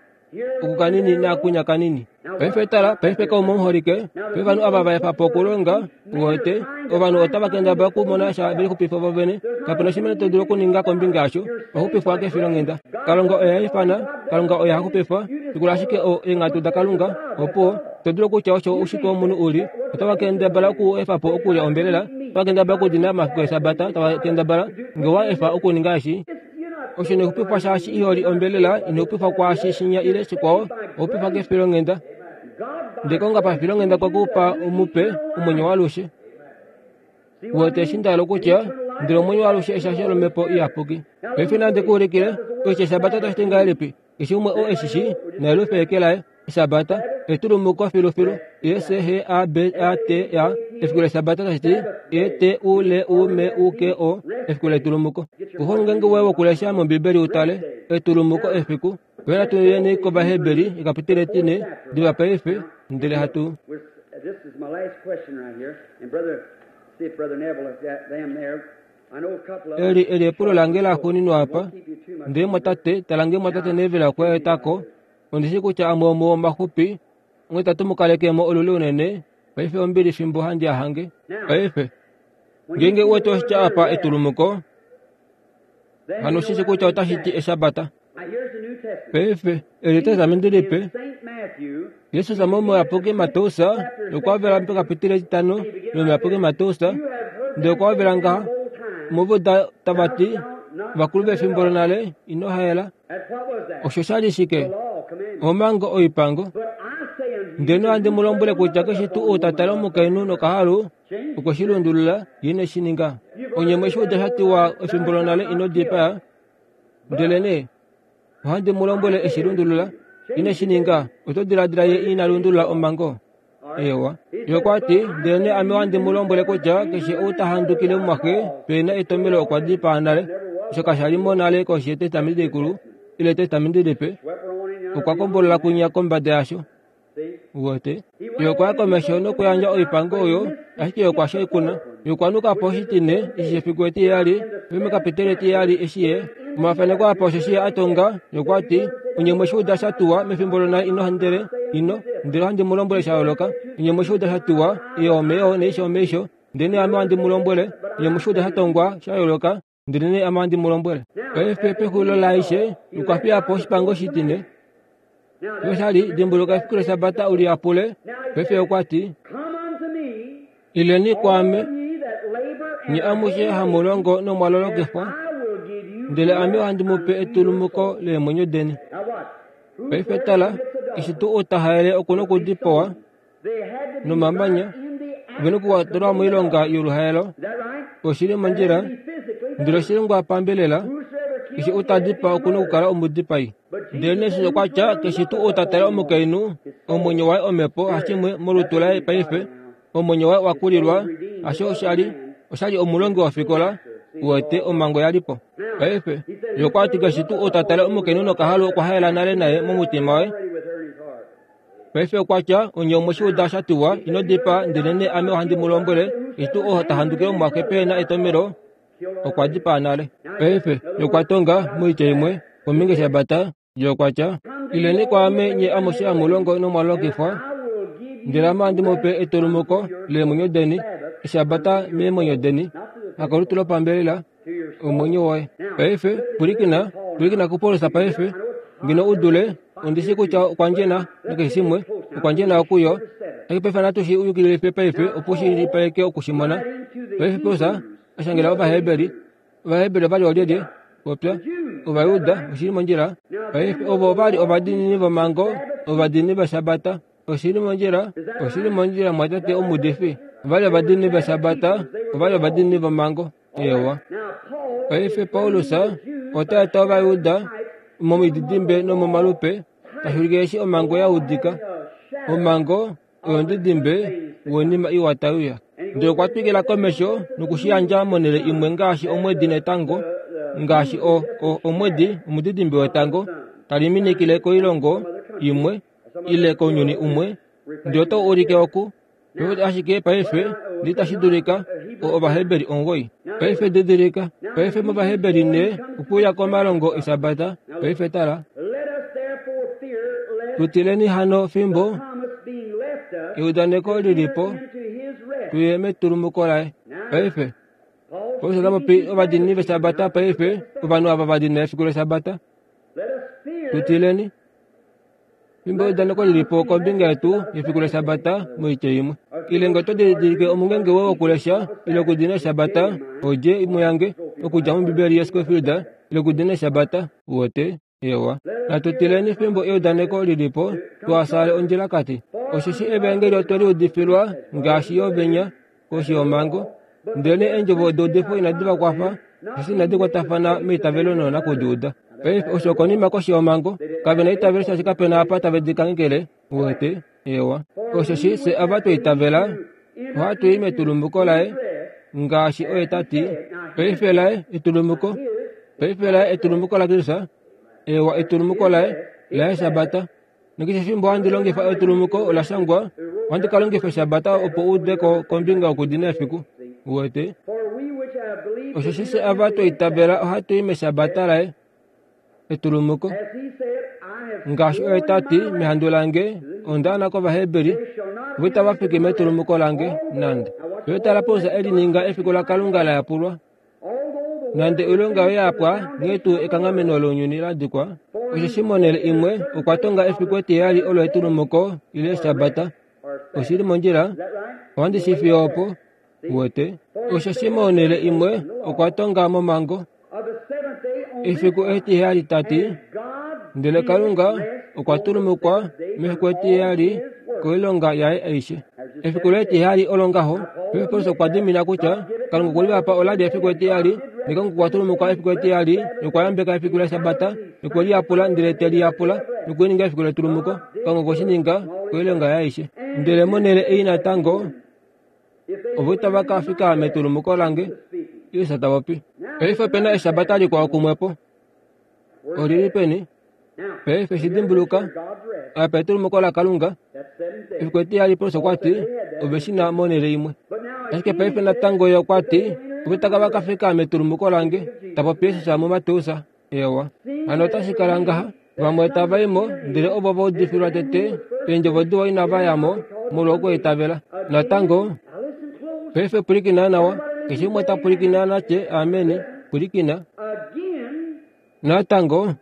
oku kanini naakunya kanini. Paife tala, paife kaume omuholike, paife ovanhu ava va efa po okulonga, uwete, ovanhu otava kendabala okumona sha ve lixupifa vo vene. Kape na oshinima to dulu okuninga kombinga yasho. Owa xupifwa kefilonghenda. Kalunga oye ha ifana, Kalunga oye ha xupifa. Shikula ashike eenghatu daKalunga, opo to dulu okutya osho oushitwe womunhu u li. Otava kendabala oku efa po okulya ombelela, otava kendabala okudina omafiku Eshabata, tava kendabala, nge owa efa okuninga eshi, Osho ino xupifwa shaashi iho li ombelela, ino xupifwa kwaashi shinya ile shikwao, owa xupifwa kefilonghenda. Ndele Kalunga pafilonghenda okwe ku pa omupe, omwenyo waalushe. Uwete eshi nda hala okutya? Ndele omwenyo waalushe eshasho lOmhepo Iyapuki. Paife nandi ku ulikile kutya Eshabata otashi ti ngahelipi. Keshe umwe oo e shi shii, na yelufe eke laye. Eshabata, etulumuko filufilu, E-S-H-A-B-A-T-A, efiku lEshabata tashi ti E-T-U-L-U-M-U-K-O, efiku letulumuko. Kufa omungenge woye wokulesha mOmbibeli u tale, etulumuko, efiku. Paife natu yeni kOvaheberi, ekapiteli etine, diva paife, ndele hatu. Eli eli epulo lange laxuuninwa apa. Ndele mwatate, tala nge mwatate Neville okwa eta ko. Ondi shii kutya amwe omuo omaxupi, onghee itatu mu kaleke mo olule unene. Paife ombili fimbo handi a hange. Paife, ngeenge u wete oshitya apa etulumuko, hano oshi shii kutya otashi ti Eshabata. Paife, eli Etestamenti Lipe, Jesus momuyapuki Mateus okwa vela pekapitile etitano lomuyapuki Mateus, ndele okwa vela ngaha, Muvo tava ti, Vakulu vefimbo lonale, ino haela. Osho sha li shike? Omhango oipango. Ndele ohandi mu lombwele kutya keshe tuu ou ta tale omukainhu nokahalu, okwe shi lundulula, ye ine shi ninga. Onye mwe shi uda sha tiwa efimbo lonale, Ino dipaa. Ndelenee ohandi mu lombwele e shi lundulula, ine shi ninga. Oto diladila ye ina lundulula omhango? Eewa. Ye okwa ti, Ndelenee ame ohandi mu lombwele kutya keshe ou ta handukile omumwaxe pe na etomhelo okwa dipaa nale. Osho kasha li mo nale koshi yEtestamenti Likulu ile Etestamenti Lipe. Okwa kombolola kwinya kombada yasho. Uwete? Ye okwa ya komesho nokuyandja oipango oyo, ashike ye okwa shaikuna. Ye okwa nuka po oshitine eshi shefiku etiheyali, vemekapiteli etiheyali eshi ye omafaneko apa osheshi ye a tonga. Ye okwa ti, Onye mwe shi uda sha tuwa mefimbo lonale ino ndele ino ndele ohandi mu lombwele sha yooloka. Onye mwe shi uda sha tuwa, eyo omeyo neisho omeisho. Ndelenee ame ohandi mu lombwele, onye mwe shi uda sha tongwa sha yooloka, Ndelenee ame ohandi mu lombwele, paife pexulilo laaishe, okwa fiya po oshipango shitine, osho li, Dimbuluka efiku lEshabata u li yapule. Paife okwa ti, Ileni kwaame, nye amushe hamu longo nomwa lolokifwa, Ndele ame ohandi mu pe etulumuko leemwenyo deni. Paife tala, eshi tuu ou ta haele oku na okudipawa nomamanya, ove na okukwatelwa moilonga yoluhaelo. Oshi li mondjila, ndele oshi longwa pambelela. Keshe ou ta dipaa oku na okukala omudipai. Ndele Jesus okwa tya, Keshe tuu ou ta tale omukainhu, omwenyo waye omhepo hashimwe molutu laye paife, omwenyo waye owa kulilwa. Hasho osha li, osha li omulongi wofikola, uwete, omhango ya li po. Paife, ye okwa ti keshe tuu ou ta tale omukainhu nokahalu okwa haela nale naye momutima waye. Paife okwa tya, Onye omwe shi uda sha tiwa, Ino dipaa, ndelenee ame ohandi mu lombwele, keshe tuu oo ta handukile omumwaxe pehe na etomhelo, okwa dipaa nale. Paife, ye okwa tonga, moitya imwe, kombinga yEshabata, Ye okwa tya, Ileni kwaame nye amushe hamu longo nomwa longifwa, ndele ame ohandi mu pe etulumuko leemwenyo deni, Eshabata meemwenyo deni, hakolutu lopambelela, omwenyo woye. Paife, pwilikina, pwilikina kuPaulus paife, ngeno u dule, ondi shii kutya okwa ndjena nakeshe shimwe, okwa ndjena okuyo. Ashike paife natu shi yukililife paife opo shi shilipaleke oku shi mona. Paife Paulus a shangela Ovaheberi, Ovaheberi ova li oolyelye? Popya. Ovajuda, oshi li mondjila. Paife ovo ova li ovadiinini vomhango, ovadiinini vEshabata. Oshi li mondjila, oshi li mondjila mwatate omuudifi. Ova li ovadiinini vEshabata, ova li ovadiinini vomhango. Eewa. Paife Paulus ota eta Ovajuda momididimbe nomomalupe, tashi ulike eshi omhango ya udika. Omhango oyomudidimbe woinima iwa tai uya. Ndele okwa twikila komesho noku shi yandja monhele imwe ngaashi omwedi netango, ngaashi o, o, omwedi, omudidimbe wetango, tali minikile koilongo imwe ile kounyuni umwe, ndele otau ulike oku Paife ashike paife ndi itashi dulika o Ovaheberi 9. Paife didilika, paife mOvaheberi ne okuuya komalongo Eshabata. Paife tala. Tu tileni hano fimbo eudaneko li li po, tu ye metulumuko laye. Paife, Paulus ota popi ovadiinini vEshabata paife, ovanhu ava va dina efiku lEshabata. Tu tileni. Fimbo eudaneko li li po kombinga yetu yefiku lEshabata moitya imwe. Ile ngee oto didilike omungenge woye wokulesha ile okudina Eshabata, odje imwe yange okudja mOmbibeli yaScofield ile okudina Eshabata, uwete, ewa. Natu tileni fimbo eudaneko li li po, tuha ondjilakati. Osheshi evaengeli otwe li udifilwa ngaashi yo venya koshi yomhango, ndelenee eendjovo deudifo inadi va kwafa, osheshi inadi kwatafana meitavelo noonakudiuda. Paife osho okonima koshi yomhango, kave na eitavelo shaashi kape na apa tave di kanghekele. Uwete? Eewa. Osheshi fye ava twa itavela, ohatu i metulumuko laye, ngaashi oye ta ti, Paife laye etulumuko, paife laye etulumuko laKristus, eewa etulumuko laye, laye Eshabata. Nokeshe efimbo handi longifa etulumuko ola shangwa, ohandi ka longifa Eshabata opo u ude ko kombinga yokudina efiku. Uwete? Osheshi fye ava twa itavela ohatu i mEshabata laye, etulumuko. Ngaashi oye ta ti, Mehandu lange onda ana kOvaheberi, vo itava fiki metulumuko lange nande. Yo tala Paulus e li ninga efiku laKalunga la yapulwa. Nande oilonga yoye ya pwa, nghee tuu ekanghameno lounyuni la dikwa, osheshi monhele imwe okwa tonga efiku etiheyali olo etulumuko ile Eshabata. Oshi li mondjila, ohandi shi fiyo opo, uwete. Osheshi monhele imwe okwa tonga momhango efiku etiheyali ta ti, Ndele Kalunga okwa tulumukwa mefiku etiheyali koilonga yaye aishe. Efiku letiheyali olo ngaho, Petrus okwa dimina kutya Kalunga okwe li va pa ola li efiku etiheyali, nekalunga okwa tulumukwa efiku etiheyali nokwa yambeka efiku lEshabata nokwe li yapula ndele te li yapula noku li ninga efiku letulumuko. Kalunga okwe shi ninga koilonga yaye aishe. Ndele monhele ei natango ovo itava ka fika metulumuko lange, Jesus ta popi. Paife ope na Eshabata likwao kumwepo. Oli li peni? Paife shi dimbuluka, apa etulumuko laKalunga. Efiku etiyali Paulus okwa ti, Ove shi na monhele imwe. Ashike paife natango ye okwa ti, Ove taka va ka fika metulumuko lange, ta popi Jesus muMateus. Eewa. Hano otashi kala ngaha, vamwe tava i mo, ndele ovo va udifilwa tete eendjovo diwa inava ya mo molwokweitavela. Natango, paife pwilikina nawa, keshe umwe ta pwilikina na tye ameni, pwilikina. Natango,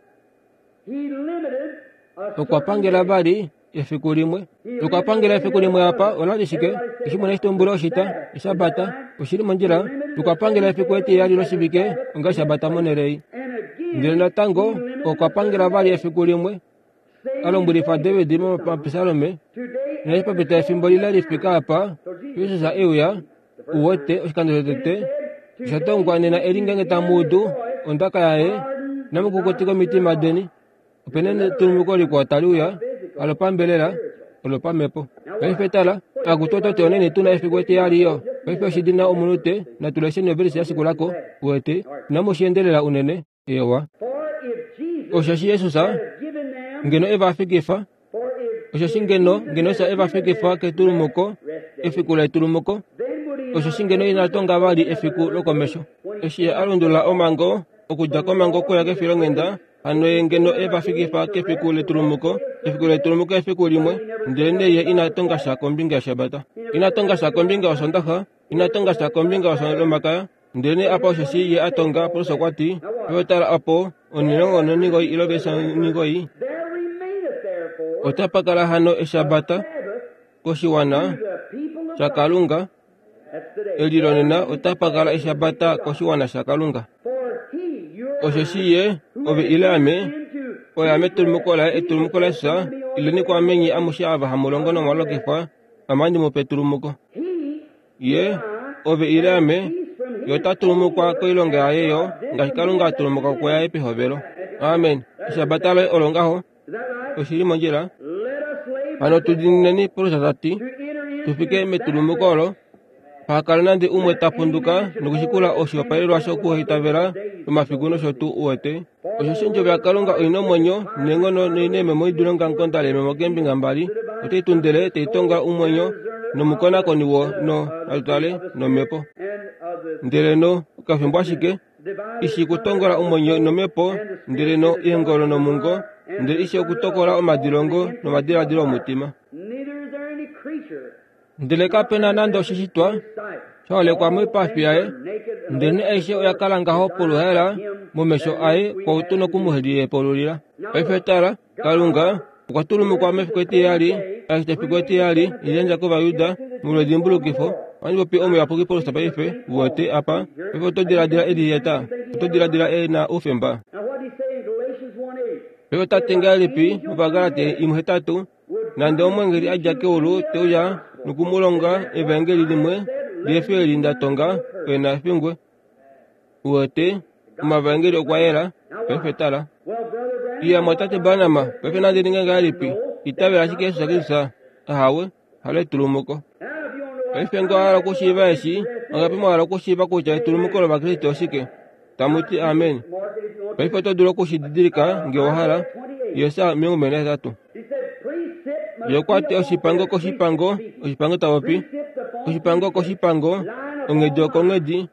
okwa pangela vali efiku limwe. Okwa pangela efiku limwe apa, ola li shike? Eshi mwene shitumbula oshita, Eshabata, oshi li mondjila. Okwa pangela efiku etiheyali loshivike onga Eshabata monhele ei. Ndele natango okwa pangela vali efiku limwe, a lombwelifa David mOmapisalome, naashi pa pita efimbo lile li fike apa, Jesus e uya, u wete, oshikando shotete, osha tongwa nena eli ngeenge tamu udu ondaka yaye, inamu kukutika omitima deni. Ope na etulumuko likwao tali uya, halopambelela, olopamhepo. Paife tala, akutu oto ti onene tu na efiku etiyali yo. Paife oshi na omunute, natu lesheni ovelise ya shikula ko, uwete, inamu shi endelela unene. Eewa. Osheshi Jesus ngeno e va fikifa, osheshi ngeno ngeno Jesus e va fikifa ketulumuko, efiku letulumuko, osheshi ngeno ina tonga vali efiku lokomesho. Eshi ye a lundulula omhango okudja komhango okuya kefilonghenda, Hano ye ngeno e va fikifa kefiku letulumuko, efiku letulumuko efiku limwe, ndelenee ye ina tonga sha kombinga yEshabata. Ina tonga sha kombinga yOsondaxa, ina tonga sha kombinga yOlomakaya, ndelenee apa osheshi ye a tonga, Paulus okwa ti, Ove tala opo, onilongo nonigoi ile ovelise onigoi, otapa kala hano Eshabata koshiwana shaKalunga, Eli lonena otapa kala Eshabata koshiwana shaKalunga. Osheshi ye, ove ile ame, oye ame etulumuko laye, etulumuko laJesus, ileni kwaame nye amushe ava hamu longo nomwa lokifwa, ame ohandi mu pe etulumuko. Ye, ove ile ame, ye ota tulumukwa koilonga yaye yo, ngaashi Kalunga a tulumuka kuyaye pehovelo. Amen. Eshabata loye olo ngaho. Oshi li mondjila. Hano tu diinineni, Paulus ta ti, tu fike metulumuko olo, paha kale nande umwe ta punduka nokushikula oshihopaelelwa shokuhaitavela omafiku nosho tuu uwete. Osheshi ondjovo yaKalunga oi na omwenyo neenghono noi na eememo i dule ongamukonda leememo keembinga mbali, otai tu ndele tai tongola omwenyo nomukonakoni wo no, natu tale, nomhepo. Ndele no, okafimbo ashike, i shii kutongola omwenyo nomhepo, ndele no eengolo nomungo, ndele i shii okutokola omadilongo nomadiladilo omutima. Ndele kape na nande oshishitwa sha holekwa moipafi yaye, ndelenee aishe oya kala ngaho poluhaela momesho aye kwou tu noku mu lihepululila. Paife tala, Kalunga okwa tulumukwa mefiku etiheyali, ashike efiku etiheyali liyandja kOvayuda molwedimbulukifo. Ohandi popi omuyapuki Paulus paife, uwete apa. Paife oto diladila e liyeta? Oto diladila e na oufemba? Paife ota ti ngahelipi mOvagalati 1:8, Nande omweengeli a dja keulu te uya noku mu longa evaengeli limwe lihe fi eli nda tonga, oye na fingwe. Uwete, omavaengeli okwa yela. Paife tala. Iya, mwatate Branham, paife nandi ninge ngahelipi? Itavela ashike Jesus Kristus. Ahawe, halo etulumuko. Paife nge owa hala okushiiva eshi, ongapi mwa hala okushiiva kutya etulumuko lOvakriste oshike? Tamu ti amen. Paife oto dulu oku shi didilika nge owa hala. Jesaja 28. Ye okwa ti oshipango koshipango, oshipango ta popi, oshipango koshipango, onghedi okonghedi,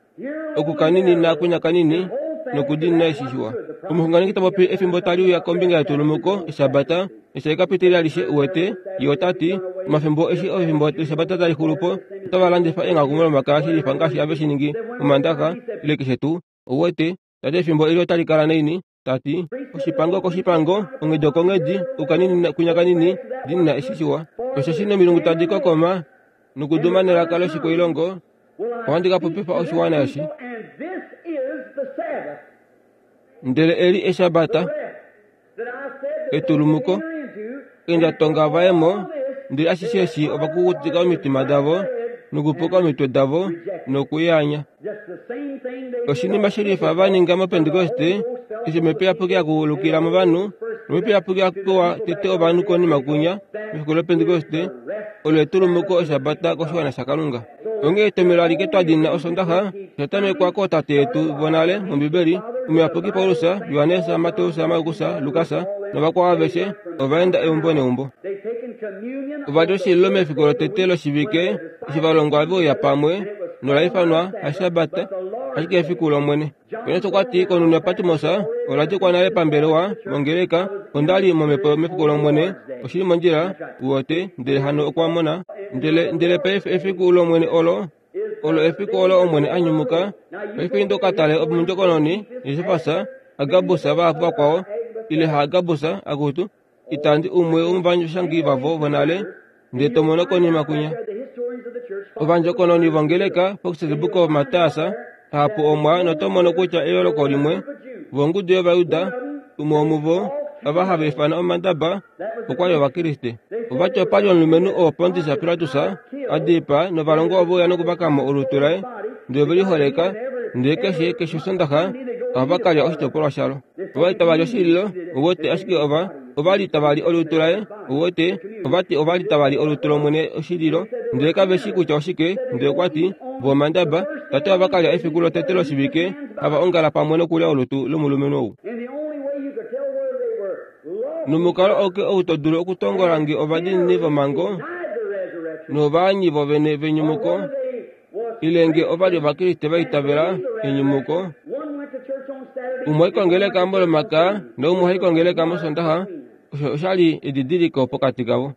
oku kanini naakunya kanini nokudiinina eshi shiwa. Omuxunganeki ta popi efimbo tali uya kombinga yetulumuko, Eshabata, eshi ka pitilila alishe uwete, ye ota ti, omafimbo eshi efimbo lEshabata tali xulu po, otava landifa eenghaku mOlomakaya shilifa ngaashi have shi ningi mOmandaxa ile keshe tuu. Ouwete, ta ti efimbo eli otali kala naini? Ta ti, oshipango koshipango, onghedi okonghedi, okukanini kunya kanini, diinina eshi shiwa. Osheshi nomilungu tadi kokoma nokuduma nelaka loshikwailongo, ohandi ka popifa oshiwana eshi. Ndele eli Eshabata, etulumuko, inda tonga vaye mo, ndele ashishe eshi ova kukutika omitima davo nokupuka omitwe davo nokuyaanya. Oshinima shelifa va ninga mOpentekoste, eshi Omhepo Iyapuki ya kulukila movanhu, nOmhepo Iyapuki ya pewa tete ovanhu konima kunya, mefiku lOpentekoste, olo etulumuko Eshabata koshiwana shaKalunga. Onghee etomhelo alike twa dina Osondaxa osha tamekwa kootate yetu vonale mOmbibeli, Omuyapuki Paulus, Johannes, Mateus, Markus, Lukas novakwao aveshe ova enda eumbo neumbo. Ova li oshililo mefiku lotete loshivike eshi va longwa ve uya pamwe nola ifanwa Eshabata, ashike efiku lOmwene. Johannes okwa ti, Konhunhu yaPatmos ola dikwa nale pambelewa mongeleka, onda li momhepo mefiku lOmwene, oshi li mondjila, uwete, ndele hano okwa mona. Ndele, ndele paife efiku lOmwene olo, olo efiku olo Omwene a nyumuka. Paife inda uka tale omundjokononi, Josefas, Agabus vahapu vakwao, ile haAgabus, akutu, itandi umwe womovanyashangi vavo vonale, ndele to mono konima kwinya. Ovandjokononi vongeleka Fox's Book of Martyrs, ahapu omwa noto mono kutya eyooloko limwe. Vongudu yOvajuda, umwe womuvo, ava hava ifana omandaba, okwa li Ovakriste. Ova ti opa li omulumenhu oo Pontius Pilatus a dipaa novalongwa ove uya nokuvaka mo olutu laye, ndele ove li holeka, ndele keshe keshe Osondaxa ohava ka lya oshitopolwa shalo. Ova li tava li oshililo, uwete, ashike ova ova li tava li olutu laye, uwete, ova ti ova li tava li olutu lOmwene oshililo, ndele kave shii kutya oshike, ndele okwa ti, Vo omandaba, tate ohava ka lya efiku lotete loshivike, hava ongala pamwe nokulya olutu lomulumenhu ou. Nomukalo auke ou to dulu okutongola nge ovadiinini vomhango novaanyi vovene venyumuko, ile nge ova li Ovakriste va itavela enyumuko, umwe hai kongeleka mOlomakaya naumwe ohai kongeleka mOsondaxa, osho osha li edidiliko pokati kavo.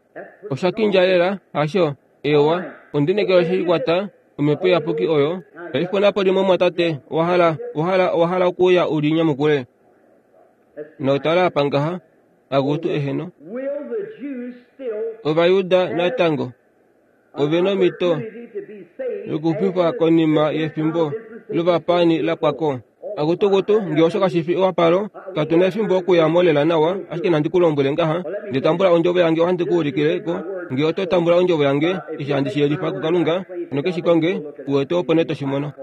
Osha kindja lela, hasho? Eewa, ondi nekelo she kwata omhepo iyapuki oyo. Paife onapo limwe omwatate, owa hala, owa hala, owa hala okuuya u li nyamukule. Notala apa ngaha, akutu eheno. Ovajuda natango ove nomhito yokuxupifwa konima yefimbo lovapaani la pwa ko. Akutukutu, nge osho kashi fi ewapalo, katu na efimbo okuya mo lela nawa, ashike nandi ku lombwele ngaha, nge tambula ondjovo yange ohandi ku ulikile ko, nge oto tambula ondjovo yange, eshi handi shi yelifa kuKalunga, noke shi konge, u wete opo nee to shi mono.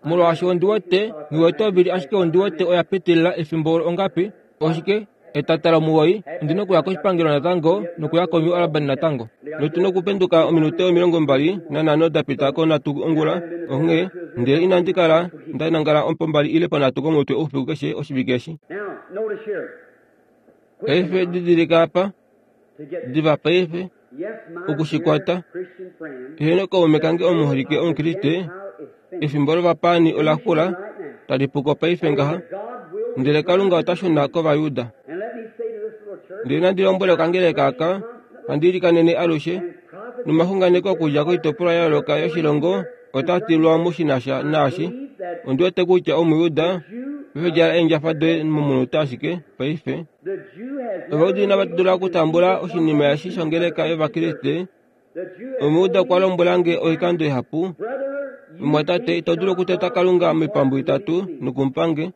Molwaashi ondi wete, nghi wete ovili ashike ondi wete oya pitilila efimbo olo ongapi, oshike, etata lomuwoi, ondi na okuya koshipangelo natango nokuya koNew Albany natango. Notu na okupenduka ominute 25 da pita ko nhatu ongula, onghee, ndele inandi kala nda nangala pombali ile ponhatu komutwe oufiku keshe oshivike eshi. Paife didilika apa, diva paife, oku shi kwata. Heeno kaume kange omuholike Omukriste, efimbo lovapaani ola xula, tali puko paife ngaha, ndele Kalunga ota shuna kOvajuda. Ndele nandi lombwele okangeleka aka, handi ilikanene alushe, nomaxunganeko okudja koitopolwa ya yooloka yoshilongo otaa tilwa mo shi na sha naashi. Ondi wete kutya Omujuda, paife djala eendjafa doye momunute ashike, paife. Ovajuda inava dula okutambula oshinima eshi shongeleka yOvakriste. Omujuda okwa lombwela nge oikando ihapu, Mumwatate, ito dulu okuteta Kalunga moipambu itatu noku mu pa nge.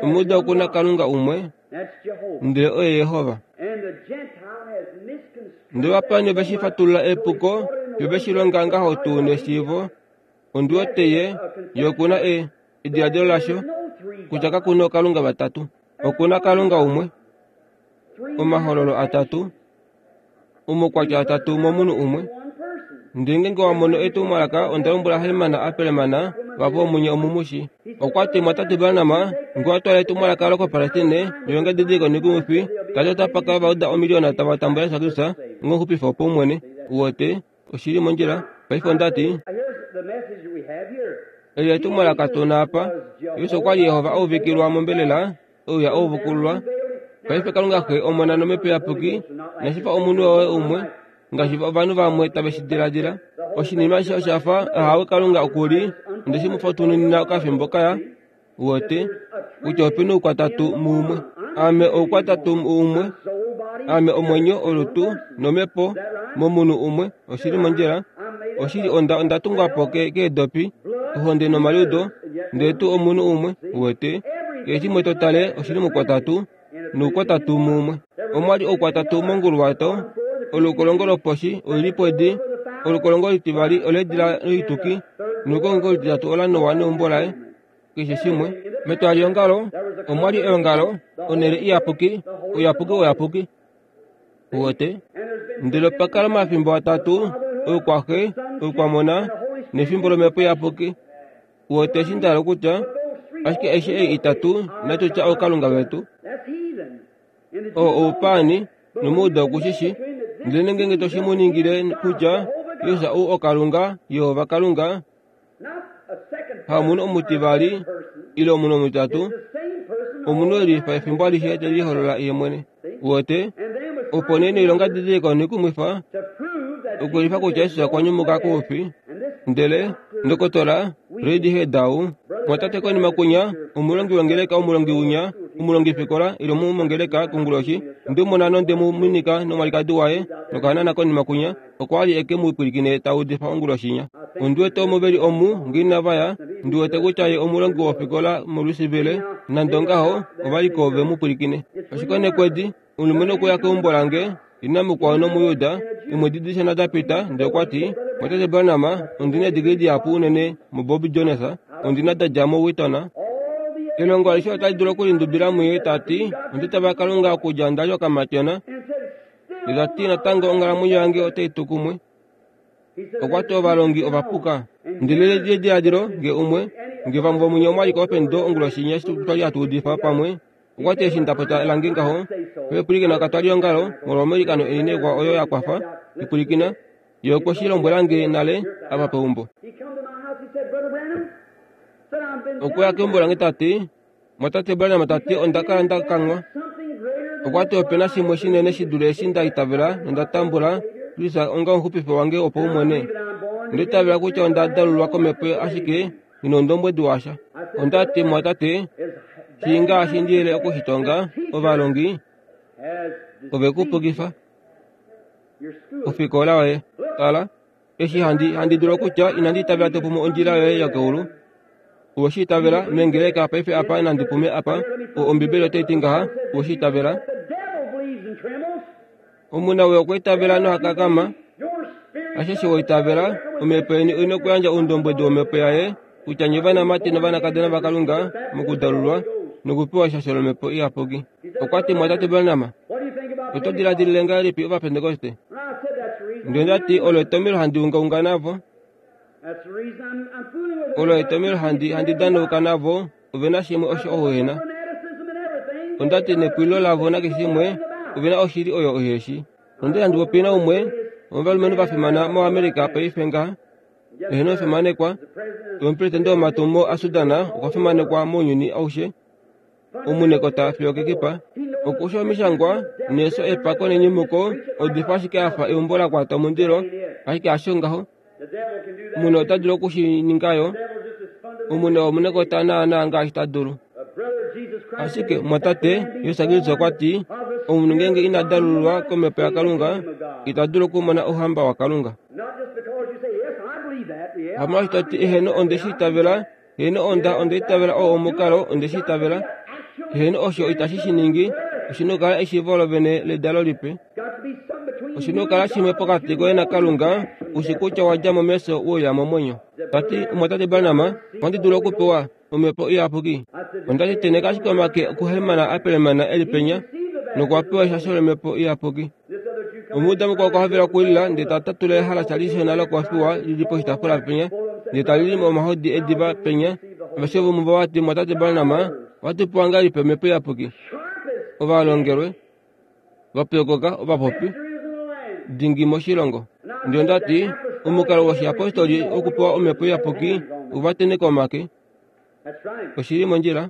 Omujuda oku na Kalunga umwe, ndele oye Jehova. Ndele ovapaani ove shi fatulula epuko, yo ve shi longa ngaho tuu neshiivo. Ondi wete ye, ye oku na e, ediladilo lasho, kutya kaku nookalunga vatatu. Oku na Kalunga umwe, omahololo atatu, omaukwatya atatu momunhu umwe. Ndele ngeenge wa mono etumwalaka, onda lombwela Herman Appelman, vavo omunye omumushi. Okwa ti, Mwatate Branham, nge owa twala etumwalaka lokoPalestine, lilonga edidiliko nekumwifi, tali otapa kala va uda omiliona tava tambula Jesus Kristus ongomuxupifi wopaumwene. Uwete, oshi li mondjila. Paife onda ti, Eli etumwalaka tu na apa. Jesus okwa li Jehova a uvikilwa mombelela, e uya a uvukululwa. Paife Kalunga Xe, Omona nOmhepo Iyapuki inashi fa omunhu woye umwe, ngaashi ovanhu vamwe tave shi diladila. Oshinima eshi osha fa, ahawe Kalunga oku li, onde shi mu fatununina okafimbo kaya, uwete, kutya ope na oukwatatu muumwe. Ame oukwatatu muumwe. Ame omwenyo, olutu, nomhepo, momunhu umwe. Oshi li mondjila. Oshili onda, onda tungwa po ke, keedopi, ohonde nomaliudo, ndele tuu omunhu umwe, uwete. Keshe shimwe to tale, oshi li moukwatatu, noukwatatu muumwe. Omwa li oukwatatu monguluwato, olukolongo loposhi oli li podi, olukolongo olutivali oleedila loituki, nolukolongo olutitatu ola Noa neumbo laye. Keshe shimwe. Metwaliongalo omwa li eongalo, onhele iyapuki, ouyapuki wouyapuki. Uwete? Ndele opa kala omafimbo atatu, oukwaxe, oukwamona, nefimbo lomhepo iyapuki. Uwete eshi nda hala okutya? Ashike eshi ei itatu, inatu tya ookalunga vetu. Oo oupaani, nomuuda oku shi shi. Ndele ngeenge to shi mu ningile kutya, Jesus ou oKalunga, Jehova Kalunga, hamunhu omutivali ile omunhu omutitatu, omunhu e lifa efimbo alishe te liholola ye mwene. Uwete? Opo nee noilonga didiliko noikumwifa okulifa kutya Jesus okwa nyumuka koufi. Ndele ndokotola Reid Hedau, mwatate konima kunya, omulongi wongeleka, omulongi unya, omulongifikola ile omumongeleka konguloshi, nde mu mona nonde mu minika nomwalikadi waye nokahanana konima kunya. Okwa li e ke mu pwilikine ta udifa onguloshinya. Ondi wete omo ve li omu, nge inava ya. Ndi wete kutya ye omulongi wofikola moLouisville, nande ongaho, ova li ko ve mu pwilikine. Oshikonekwedi, omulumenhu okwe uya keumbo lange, ina mukwao nOmujuda, eemwedi dishona da pita, ndele okwa ti, Mwatate Branham, ondi na eedigili dihapu unene muBob Jones, ondi na da dja moWheaton. Elongo alishe otali dulu okulindubila muye, ta ti, Onda itavela Kalunga okudja nda li okamatyona. Ndele ta ti, Natango onghalamwenyo yange otai tu kumwe. Okwa ti ovalongi ova puka. Ndele lediladilo nge umwe, nge vamwe vomunye omwa li ko oPendo onguloshi inya eshi twa li hatu udifa pamwe, okwa ti eshi nda popya lange ngaho, pwilikina katwaliyongalo molwa omailikano eni naikwa oyo ya kwafa, ipwilikina, ye okwe shi lombwela nge nale apa peumbo. Okwe ya keumbo lange ta ti, Mwatate Branham ta ti onda kala nda kanghwa. Okwa ti ope na shimwe shinene shi dule eshi nda itavela nonda tambula Kristus onga omuxupifi wange wopaumwene. Onda itavela kutya onda dalulwa komhepo ashike nghi na oundombwedi washa. Onda ti, Mwatate, shii ngaashi ndi yele oku shi tonga, ovalongi ove ku pukifa. Ofikola yoye. Tala, eshi handi, handi dulu okutya inandi itavela to pumu ondjila yoye yokeulu. Owe shi itavela mengeleka paife apa nandi pume apa, o Ombibeli otai ti ngaha, owe shi itavela. Omunawii okwa itavela noha kakama. Ashishe wa itavela, omhepo yeni oi nokuyandja oundombwedi womhepo yaye kutya nye ovanamati novanakadona vaKalunga mokudalulwa nokupewa eshasho lOmhepo Iyapuki. Okwa ti, Mwatate Branham, oto diladilile ngahelipi Ovapentekoste? Ndele onda ti, Olo etomhelo handi ungaunga navo. Olo etomhelo handi, handi danauka navo. Ove na shimwe osho ou e na. Onda ti, Nepwililo lavo nakeshe shimwe, ove na oshili oyo uhe shii. Onda li handi popi naumwe womovalumenhu va fimana moAmerica paife ngaha, eheno omufimanekwa, omupresidente womatumo aSudan okwa fimanekwa mounyuni aushe, omunekota fiyo okekipa. Okusha omishangwa neso epako nenyumuko odifa ashike a fa eumbo la kwata omundilo, ashike hasho ngaho. Omunhu ota dulu oku shi ninga yo. Omunhu omunekota naanaa ngaashi ta dulu. Ashike omumwatate Jesus Kristus okwa ti, omunhu ngeenge ina dalululwa komhepo yaKalunga, ita dulu okumona Ouhamba waKalunga. Hamolwaashi to ti, Eheno, onde shi itavela. Heeno, onda, onda itavela oo omukalo, onde shi itavela. Heeno, osho itashi shi ningi. Oshi na okukala eshiivo lovene ledalo lipe. Oshi na okukala shimwe pokati koye naKalunga, u shi kutya wa dja mo mefyo we uya momwenyo. Ta ti, Omumwatate Branham, ohandi dulu okupewa Omhepo Iyapuki? Onda ti, Tenheka ashike omake okuhemana a pelemana e li penya, nokwa pewa eshasho lOmhepo Iyapuki. Omujuda mukwao okwa hovela okulila ndele ta tatula ehalasa lishona lokofiwa li li poshitaafula penya, ndele ta lili omahodi ediva penya. Aveshe vomuvo va ti, Mwatate Branham, ohatu pewa ngahelipi Omhepo Iyapuki? Ovalongelwe, va pyokoka, ovapopi dingi moshilongo. Ndele onda ti, Omukalo woshiyapostoli wokupewa Omhepo Iyapuki ova tenheka omake. Oshi li mondjila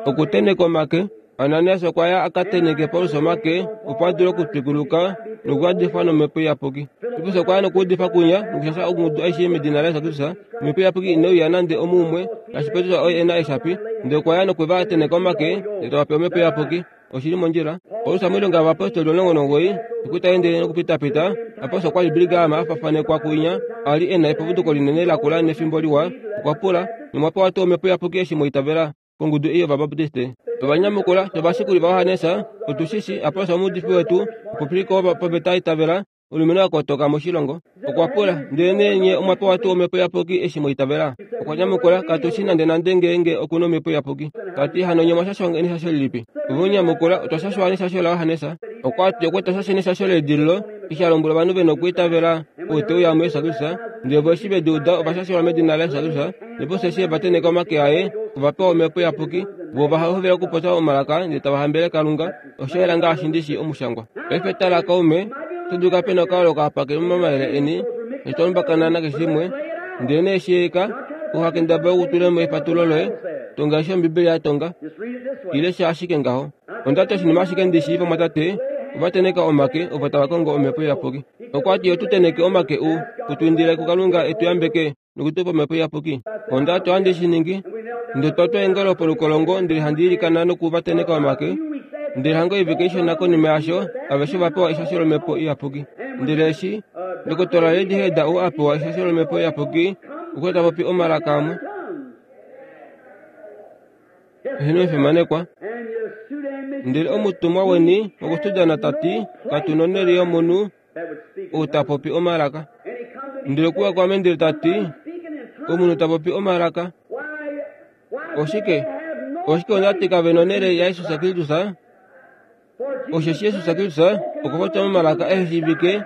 okutenheka omake. Ananias okwa ya a ka tenheke Paulus omake opo a dule okutwikuluka nokuyadifwa nomhepo iyapuki. Filippus okwa ya nokuudifa kunya nokushasha ongudu aishe medina laJesus Kristus. Omhepo iyapuki inai uya nande omuumwe, ngaashi Petrus oye e na eeshapi, ndele okwa ya nokwe va tenheka omake ndele tava pewa omhepo iyapuki. Oshi li mondjila. Paulus moilonga yovayapostoli 19 eshi ta ende nokupitapita, Paulus okwa li Billy a fafanekwa kuinya, a li e na eputuko linene lakula nefimbo liwa. Okwa pula, Nomwa pewa tuu Omhepo Iyapuki eshi mwa itavela? Kongudu ei yOvabaptiste. Ova nyamukula, Ovashikuli vaJohannes, otu shi shii, Apollos omuudifi wetu, omupopiliko wopaveta itavela, Omulumenhu a kotoka moshilongo okwa pula, Ndelenee nye omwa pewa tuu Omhepo Iyapuki eshi mwa itavela? Okwa nyamukula, Katu shi nandenande ngeenge oku na Omhepo Iyapuki. Ta ti, Hano nye omwa shashwa neshasho lilipi? Ove mu nyamukula, Otwa shashwa neshasho laJohannes. Okwa ti, Okwe tu shasha neshasho leedililo, eshi a lombwela ovanhu ve nokwiitavela ou te uya muJesus Kristus. Ndele vo eshi ve di uda, ova shashelwa medina laJesus Kristus. Nopo eshi e va tenheka omake aye, ova pewa Omhepo Iyapuki. Vo ova hovela okupopya omalaka ndele tava hambelele Kalunga. Osha yela ngaashi ndi shii omushangwa. Paife tala, kaume, oto dulu kape na okayooloko apa ke li momayele eni, eshi to lumbakana nakeshe shimwe. Ndelenee shiika, uha kendabala okutula mo efatulo loye, tonga eshi Ombibeli ya tonga. Ile sha ashike ngaho. Onda ti oshinima ashike ndi shii vamwatate, ova tenheka omake ovo tava kongo Omhepo Iyapuki. Okwa ti otu tenheke omake u, u tu indile kuKalunga e tu yambeke. nokutu pa Omhepo Iyapuki. Onda ti ohandi shi ningi. Ndele twa twa eengolo polukolongo ndele handi ilikana noku va tenheka omake. Ndele hanga oivike ishona konima yasho, aveshe ova pewa eshasho lOmhepo Iyapuki. Ndele eshi Ndokotola Lady Heather ou a pewa eshasho lOmhepo Iyapuki, okwa ta popi omalaka amwe. Eheno efimanekwa. Ndele omutumwa weni wokuSudan ta ti, Katu nonhele yomunhu ou ta popi omalaka. Ndele okwe uya kwaame ndele ta ti, Omunhu ta popi omalaka. Oshike? Oshike onda ti kave nonhele yaJesus Kristus? Osheshi Jesus Kristus okwa popya momalaka ehe shiivike,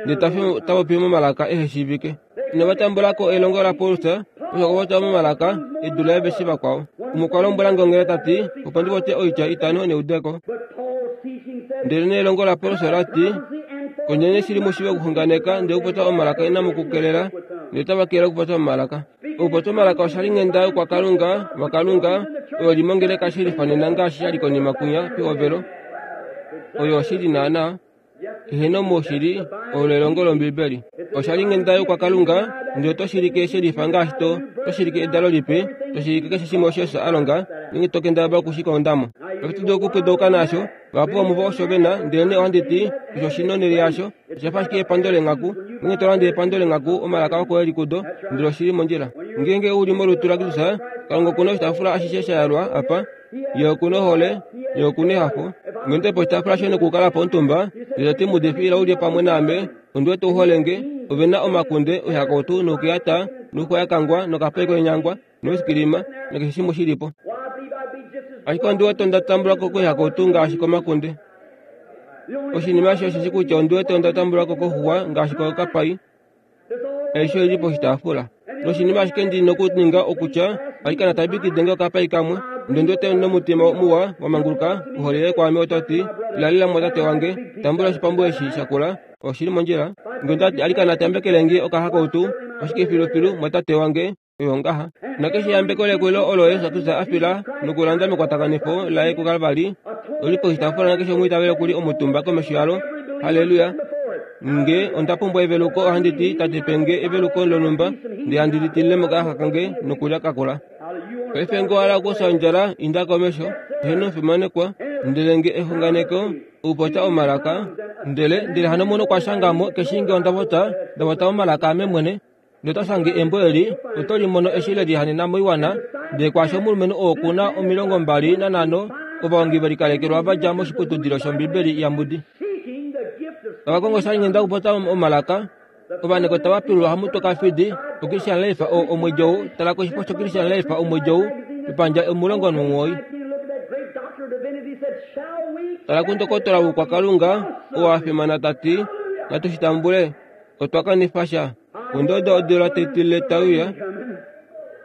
ndele ta fi ta popi momalaka ehe shiivike. Inava tambula ko elongo laPaulus, osho okwa popya momalaka e dule aveshe vakwao. Umwe okwa lombwela nge onghela ta ti, opo ndi popye oitya itano neudeko. Ndelenee elongo laPaulus ola ti, Kondjeni shili mu shiive okuxunganeka ndele okupopya omalaka inamu ku kelela, ndele otava kelele okupopya momalaka. Okupopya omalaka osha li nghenda youkwakalunga waKalunga oyo li mongeleka she lifanena ngaashi sha li konima kwinya pehovelo. Oyo oshili naanaa. Eheno moushili olo elongo lOmbibeli. Osha li nghenda youkwakalunga ndele oto shilike she lifa ngaashi to to shilike edalo lipe, to shilike keshe shimwe osho Jesus a longa, ngeenge to kendabala oku shi konda mo. Ohatu dulu okupwidauka naasho. Vahapu vomuvo osho ve na, ndelenee ohandi ti, osho shi nonhele yasho. Osha fa ashike epando leenghaku. Ngeenge to lande epando leenghaku, omalaka oko e li kudo, ndele oshi li mondjila. Ngeenge u li molutu laKristus, Kalunga oku na oshitaafula ashishe sha yalwa apa. Ye oku na ohole, Ye oku na ehafo. Ngeenge oto i poshitaafula shoye nokukala po omutumba, ndele to ti, Mudifi, ila u lye pamwe naame, ondi wete u hole nge. Ove na omakunde, oihakautu, noukeyata, nouxwa ya kangwa, nokapai koinyangwa, noiskilima, nakeshe shimwe shi li po. Ashike ondi wete onda tambula ko koihakautu ngaashi komakunde. Oshinima eshi osheshi kutya ondi wete onda tambula ko koxuwa ngaashi kokapai. Aishe oi li poshitaafula. Noshinima ashike ndi nokuninga okutya, alikana tabikide nge okapai kamwe. Ndele ondi wete nomutima muwa wa manguluka, ohole yoye kwaame oto ti, Lalila mo tate wange, tambula oshipambu eshi shakula. Oshi li mondjila. Nge onda ti, alikana tambekele nge okahakautu, oshike filufilu, mwatate wange, oyo ngaha. Nakeshe eyambeko lekulilo olo Jesus Kristus a fila nokulanda mekwatakanifo laye kuKalvari oli poshitaafula nakeshe omwiitaveli oku li omutumba komesho yalo. Halleluya! Nge onda pumbwa eveluko, ohandi ti, Tate, pe nge eveluko lonhumba, ndele handi li tilile mokayaxa kange nokulya kakula. Paife nge owa hala okufya ondjala, inda komesho. Eheno, fimanekwa. Ndele nge exunganeko, okupopya omalaka, ndele, ndele hano omunhu okwa shanga mo, keshe nge onda popya, nda popya omalaka ame mwene, Ndele ota shange embo eli, oto li mono eshi le lihanena moiwana, ndele kwaasho omulumenhu oo oku na 25 ovahongi ve likalekelwa va dja moshiputudilo shOmbibeli yaMoody. Tava kongo oshalinghenda okupopya omalaka. Ovaneko tava pilulwa hamutwe kafidi oChristian Life oo omwedi ou. Tala koshifo shoChristian Life omwedi ou, epandja 19. Tala kundokotola wOukwakalunga oo a fimana ta ti, Natu shi tambule. Otwa kanifa sha. Ondodo odula tetile tai uya.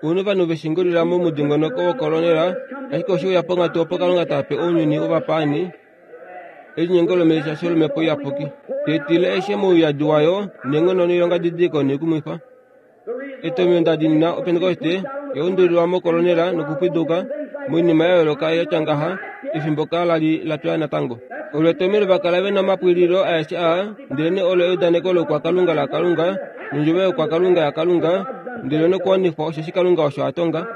Ouna ovanhu ve shingulila momudingonoko wokolonela, ashike oshe uya ponghatu opo Kalunga ta pe ounyuni wovapaani elinyengo lomelishasho lOmhepo Iyapuki. Tetile aishe mouyadi wayo neenghono noilongadidiliko noikumwifa. Etomheno nda diinina Opentekoste ya undulilwa mokolonela nokupwiduka moinima ya yooloka ya tya ngaha, efimbo ka la li la twa natango. Olo etomheno va kala ve na omapwililo aeshe aa, ndelenee olo eudaneko loukwakalunga laKalunga, nondjovo youkwakalunga yaKalunga, ndele nokuwanifwa osheshi Kalunga osho a tonga.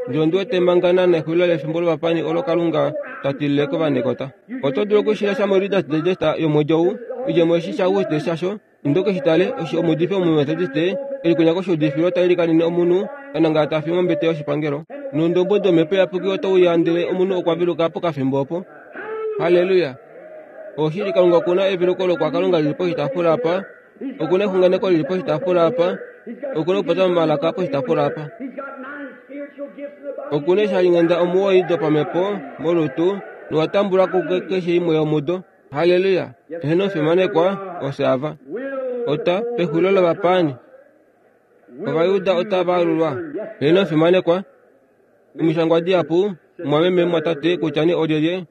Ndele ondi wete manga naana exulilo lefimbo lovapani olo Kalunga ta tilile kovanekota. Oto dulu oku shi lesha moReader's Digest yomwedi ou, oidjemo eshi shaAuguste shasho. Inda u ke shi tale, osho omuudifi Omumetodiste e li kunya koshuudifilo ta ilikanene omunhu a nangala ta fi mombete yoshipangelo. Noundombwedi wOmhepo Iyapuki otau uya ndele omunhu okwa veluka pokafimbo opo. Halleluya! Oshili, Kalunga oku na eveluko lokwakalunga li li poshitaafula apa. Oku na exunganeko li li poshitaafula apa. Oku na okupopya momalaka poshitaafula apa. Oku na eeshalinghenda omuwoi dopamhepo molutu, nowa tambula ko keshe imwe yomudo. Halleluya! Eheno fimanekwa, ofye ava. Ota, pexulilo lovapaani, Ovajuda otava alulwa. Eheno fimanekwa. Omishangwa dihapu, mumwameme, mumwatate, kutya nee olyelye,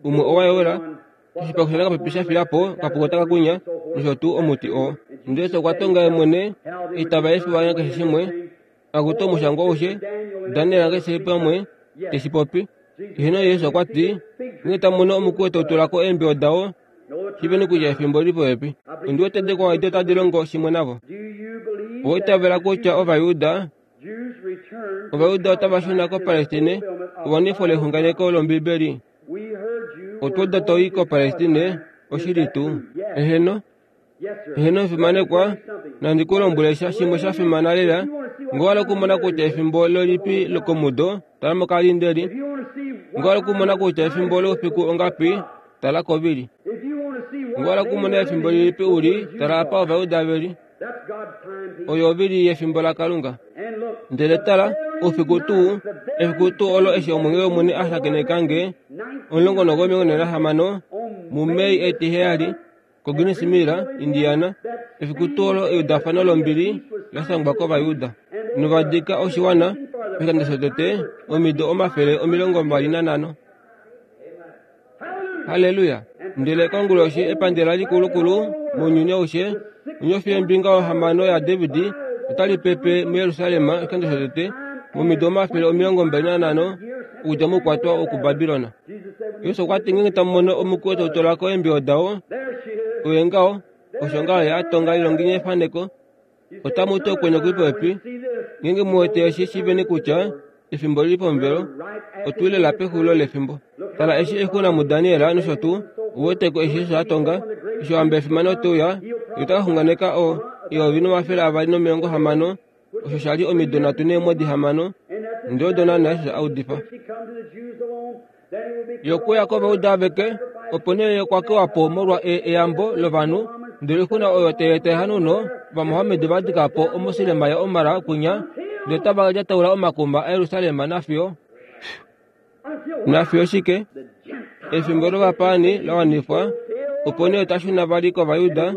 umwe owa yola, oshipaxu shanakapipi sha fiya po, okapuka otaka kunya, nosho tuu omuti oo. Ndele Jesus okwa tonga ye mwene, itava efiwa nakeshe shimwe, Akutu omushangwa aushe, Daniel keshe pamwe te shi popi. Eheno Jesus okwa ti, Ngeenge tamu mono omukwiyu tau tula ko eembiyo dao, shiiveni kutya efimbo oli li popepi. Ondi wete dikwao edi otadi longo shimwe navo. Owa itavela kutya Ovajuda Ovajuda otava shuna koPalestine ewanifo lexunganeko lOmbibeli? Otwa uda to i koPalestine, oshili tuu? Eheno. Eheno omufimanekwa, nandi ku lombwele sha shimwe sha fimana lela. Ngee owa hala okumona kutya efimbo lolipi lokomudo, tala mokalindeli. Ngee owa hala okumona kutya efimbo loufiku ongapi, tala kovili. Ngee owa hala okumona efimbo lilipi u li, tala apa Ovajuda ve li. Oyo ovili yefimbo laKalunga. Ndele tala, oufiku tuu, efiku tuu olo eshi omwenge wOmwene a shakeneka nge, 1946, muMei etiheyali, koGreen's Mill, Indiana, efiku tuu olo eudafano lombili la shangwa kOvajuda. Nova dika oshiwana, oshikando shotete, omido 25. Halleluya! Ndele konguloshi epandela likulukulu mounyuni aushe, onyofi yombinga yohamano yaDavid otali pepe muJerusalem oshikando shotete momido 25 okudja moukwatwa wokuBabilon. Jesus okwa ti ngeenge tamu mono omukwiyu tau tola ko eembiyo dao, oye ngaho, osho ngaho ye a tonga lilonginye efaneko Otamu ti okwenye okuli popepi. Ngeenge mu wete eshi shiiveni kutya efimbo oli li pomuvelo, otu li lela pexulilo lefimbo. Tala eshi oixuna muDaniel nosho tuu, u wete ko eshi Jesus a tonga, eshi ohamba yefimano te uya, ye ota ka xunganeka o, 1260, osho sha li omido nhatu neemwedi hamano, ndele odo naanaa Jesus a udifa. Ye okwe uya kOvayuda aveke, opo nee ye okwa kewa po molwa e, eyambo lovanhu, ndele oixuna oyo tai eta ehanauno, Ovamohammed va dika po omosilema yaOmar kwinya, ndele otava lyataula omakuma aJerusalem nafiyo nafiyo shike? Efimbo lovapaani la wanifwa, opo nee ota shuna vali kOvayuda,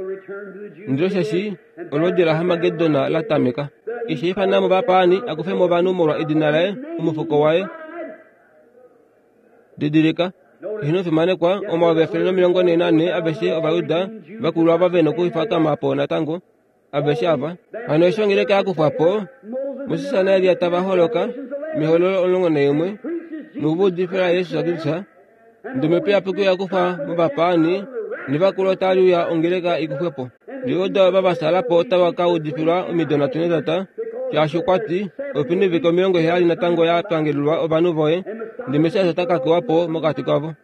ndele osheshi olwoodi laHarmagedon la tameka. Eshi a ifana mo ovapaani a kufe mo ovanhu molwa edina laye, omufuko waye. Didilika, Ino fimanekwa, 1444 aveshe Ovajuda va kulwa ava ve nokufikama po natango, aveshe ava. Hano eshi ongeleka ya kufwa po, Moses naElia tava holoka, mEhololo 11, noku udifila Jesus Kristus, ndele Omhepo Iyapuki oya kufwa movapaani, nevakulu otali uya ongeleka i kufwe po. Ndele odo ava va sala po otava ka udifilwa omido nhatu netata, shaashi okwa ti, Ope na oivike 70 natango ya pangelelwa ovanhu voye, ndele Messias ota ka kewa po mokati kavo.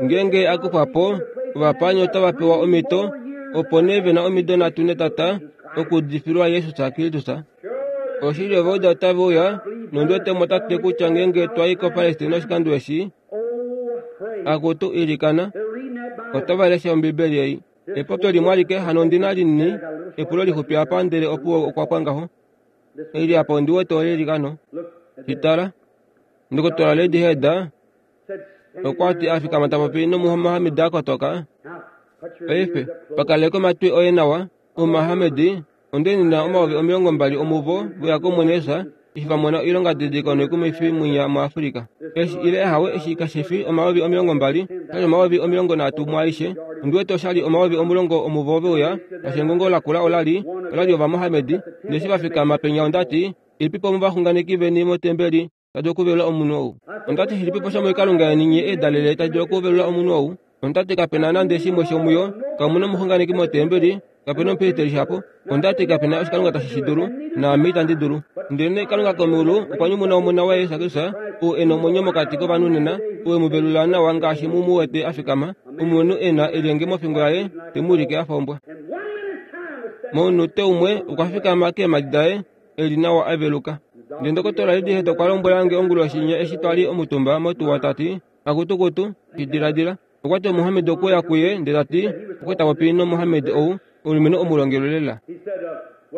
Ngeenge a kufwa po, ovapaani otava pewa omhito, opo nee ve na omido nhatu netata okuudifilwa Jesus Kristus. Oshili Ovauda otave uya, nondi wete mo tate kutya ngeenge twa i koPalestina oshikando eshi, akutu ilikana, otava lesha Ombibeli ei. Epopyo limwe alike hano ondi na linini, epulo lixupi apa ndele opuwo okwa pwa ngaho. Eli apa ondi wete ole likano. Shi tala. Ndokotola Lady Heather okwa ti a fikama ta popi nomuhamed a kotoka. Paife, pakaleka omatwi oye nawa, Omuhamed Onde nina 20,000 omuvo ve ya kOmwene Jesus eshi va mona oilongadidiliko noikumwifi mwinya muAfrika. Eshi ile ahawe eshi kashi fi 20,000, oshali 30,000 mwaaishe. Ondi wete oshali 10,000 omuvo ve uya, shaashi engongo lakula olali, olali Ovamohamedi. Ndele eshi va fikama penya onda ti, Ilipipo omovaxunganeki veni motembeli ta dulu okuvelula omunhu ou? Onda ti, Shilipipo shomoikalunga yeni nye eedalele tashi dulu okuvelula omunhu ou? Onda ti, Kape na nande shimwe shomuyo. Kamu na omuxunganeki motembeli, kape na omupristeli shapo. Onda ti, Kape na oshikalunga tashi shi dulu, naame itandi dulu. Ndelenee Kalunga komeulu okwa nyumuna Omona waye Jesus Kristus, ou e na omwenyo mokati kovanhu nena, ou e mu velula nawa ngaashi mu mu wete a fikama, omulumenhu e na elyenge mofingo yaye, te mu ulike a fa ombwa. Momunute umwe okwa fikama keemhadi daye, e li nawa a veluka. Ndele ndokotola Lady okwa lombwela nge onguloshi inya eshi twa li omutumba motuwa ta ti, Akutukutu, shi diladila. Okwa ti Omuhamed okwe uya kuye ndele ta ti, Okwe ta popi nOmuhamed ou, omulumenhu omulongelwe lela.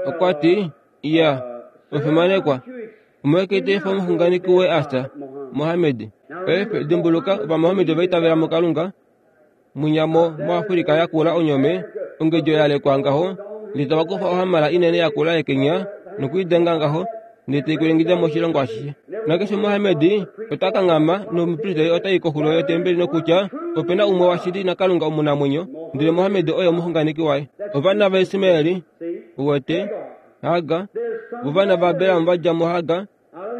Okwa ti, Iya, omufimanekwa, omolwashike ito efa omuxunganeki woye a fya, Mohammed? Paife, dimbuluka, Ovamohammed ova itavela muKalunga, Mwinya mo, moAfrika yakula onyome, ongedjo ya lekwa ngaho, ndele tava kufa ohamala inene yakula yekenya noku i denga ngaho, ndele tai kwilengida moshilongo ashishe. Nakeshe Mohamedi ota kanghama nomupristeli ota i koxulo yotembeli nokutya, Ope na umwe washili naKalunga omunamwenyo, ndele Mohamedi oye omuxunganeki waye. Ovana vaIsmaeli, uwete, Hagar, vovana vaAbraham va dja muHagar,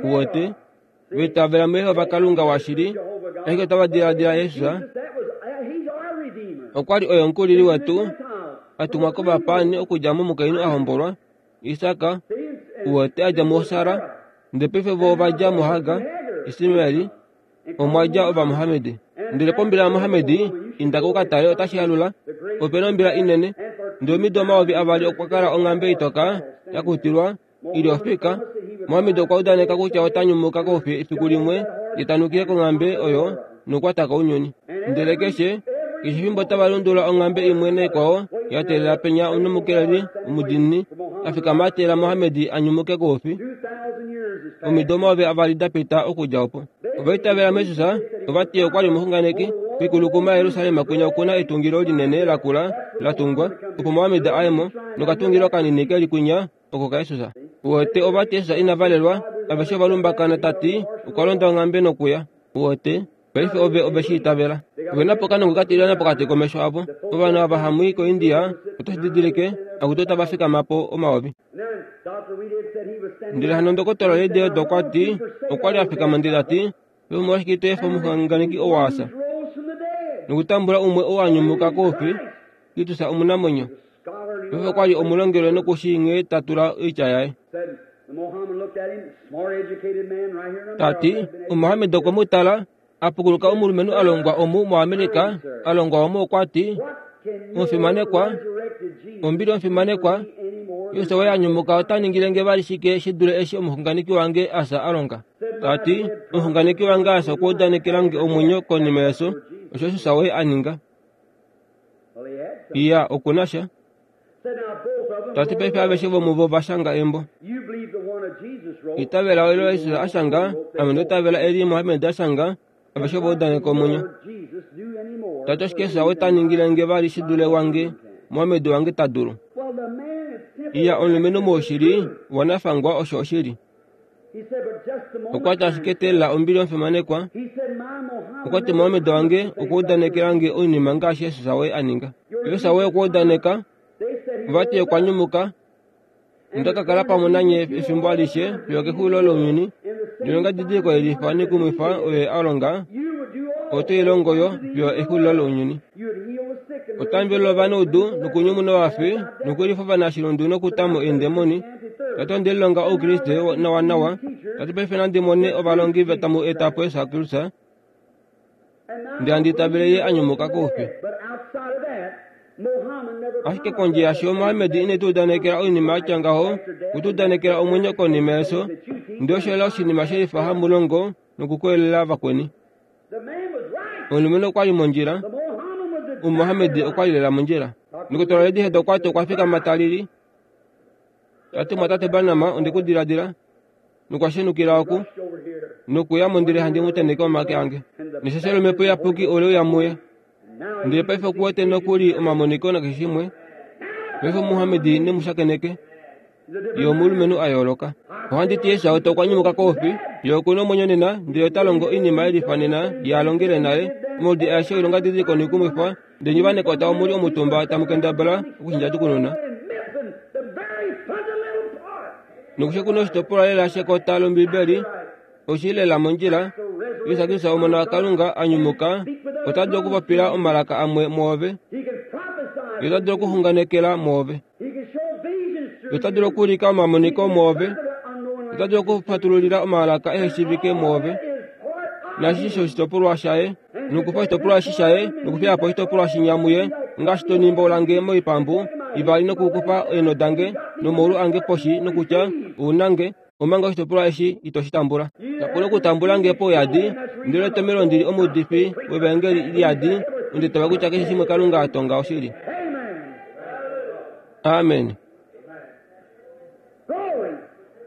uwete, va itavela muJehova Kalunga washili, ashike otava diladila Jesus okwa li oye omukulili wetu a tumwa kovapaani okudja momukainhu a hombolwa, Isak, uwete a dja muSara, ndele paife vo ova dja muHagar, Ismael, omwa dja Ovamohamedi. Ndele pombila yaMohamedi, inda ko u ka tale, otashi alula. Ope na ombila inene. Ndele omido 2000 okwa kala onghambe itoka ya kutilwa i li ofika. Mohammed okwa udaneka kutya ota nyumuka koufi efiku limwe, ye ta nukile konghambe oyo nokukwata ko ounyuni. Ndele keshe, keshe fimbo tava lundulula onghambe imwe naikwao, ya teelela penya omukeleli omudiinini a fikama a teelela Mohammed a nyumuke koufi. Omido 2000 da pita okudja opo. Ova itavela muJesus, ova ti okwa li omuxunganeki. Koikulukuma yaJerusalem kwinya oku na etungilo linene lakula la tungwa, opo Mohammed a ye mo, nokatungilo kanini ke li kwinya oko kaJesus. Uwete, ova ti Jesus ina valelwa, aveshe ova lumbakana ta ti okwa londa onghambe nokuya. Uwete, paife ove ove shi itavela. Ove na po okanongo ka tilyana pokati komesho avo. Ovanhu ava hamu i koIndia, oto shi didilike, akutu otava fikama po omayovi. Ndele hano ndokotola Reid okwa ti, okwa li a fikama ndele ta ti, Ove omolwashike ito efa omuxunganeki ou a fya, nokutambula umwe ou a nyumuka koufi, Kristus omunamwenyo? Paife okwa li omulongelwe noku shii nghee ta tula oitya yaye. Ta ti, Omuhammed okwe mu tala, a pukuluka omulumenhu a longwa omu moAmerica, a longwa omu okwa ti, Omufimanekwa, ombili omufimanekwa, Jesus woye a nyumuka ota ningile nge vali shike shi dule eshi omuxunganeki wange Asa a longa? Ta ti, omuxunganeki wange Asa okwa udanekela nge omwenyo konima yefyo, osho Jesus woye a ninga. Iya, oku na sha. Ta ti paife aveshe vomuvo va shanga embo. Itavela olo Jesus a shanga, ame ndo itavela eli Mohammed a shanga, aveshe ova udaneka omwenyo. Ta ti ashike Jesus ota ningile nge vali shi dule wange, Mohammed wange ta dulu. Iya, omulumenhu moushili wanafangwa osho oshili. Okwa ti ashike teelela ombili omufimanekwa. Okwa ti Mohammed wange okwa udanekela nge oinima ngaashi Jesus woye a ninga. Jesus woye okwa udaneka, vati okwa nyumuka, Onda ka kala pamwe nanye efimbo alishe fiyo kexulilo lounyuni. Ndele ongadidiliko yelifa nekumwifa oyo a longa, ote i longo yo fiyo exulilo lounyuni. Ota mvelula ovanaudu nokunyumuna ovafi nokulifa ovanashilundu nokuta mo eendemoni. Ta ti onde lilonga Oukriste nawanawa. Ta ti paife nandi mone ovalongi tamu eta po Jesus Kristus ndele handi itavele ye a nyumuka koufi. Ashike kondje yasho Mohammed ine tu udanekela oinima ya tya ngaho, okwe tu udanekela omwenyo konima yefyo, ndele osho lela oshinima shelifa hamu longo nokukoyelela vakweni. Omulumenhu okwa li mondjila, Omumohammed okwa li lela mondjila. Ndokotola Reidhead okwa ti okwa fikama ta lili, ta ti, Mumwatate Branham, onde ku diladila. Nokwa shenukila oku, nokuya mo ndele handi mu tenheke omake ange. Neshasho lOmhepo Iyapuki ole uya muye. Ndele paife oku wete nokuli omamoniko nakeshe shimwe. Paife Muhammed ne mu shakeneke. Ye omulumenhu a yooloka. Ohandi ti Esau okwa nyumuka koufi, ye oku na omwenyo nena, ndele ota longo oinima ye lifa nena ye a longele nale. Omaudi aeshe oilongadidiliko noikumwifa, ndele nye ovanekota omu li omutumba tamu kendabala okushinjatukununa. Nokushe kuna oshitopolwa lela shekota lOmbibeli, oshi lela mondjila. Jesus Kristus Omona waKalunga a nyumuka ota dulu okupopila omalaka amwe mwoove. Ye ota dulu okuxunganekela mwoove. Ye ota dulu okuulika omamoniko mwoove. Ota dulu okufatululila omalaka ehe shiivike mwoove. Naashi sho oshitopolwa shaye, nokufa oshitopolwa eshi shaye, nokufiya po oshitopolwa shinya muye, ngaashi to nimbola nge moipambu ivali nokukufa eenho dange nomaulu ange poshi nokutya, Ou na nge, omanga oshitopolwa eshi ito shi tambula. Kapu na okutambula nge pauyadi, ndele etomhelo ndi li omuudifi wevaengeli liyadi, onde tava kutya keshe shimwe Kalunga a tonga oshili. Amen.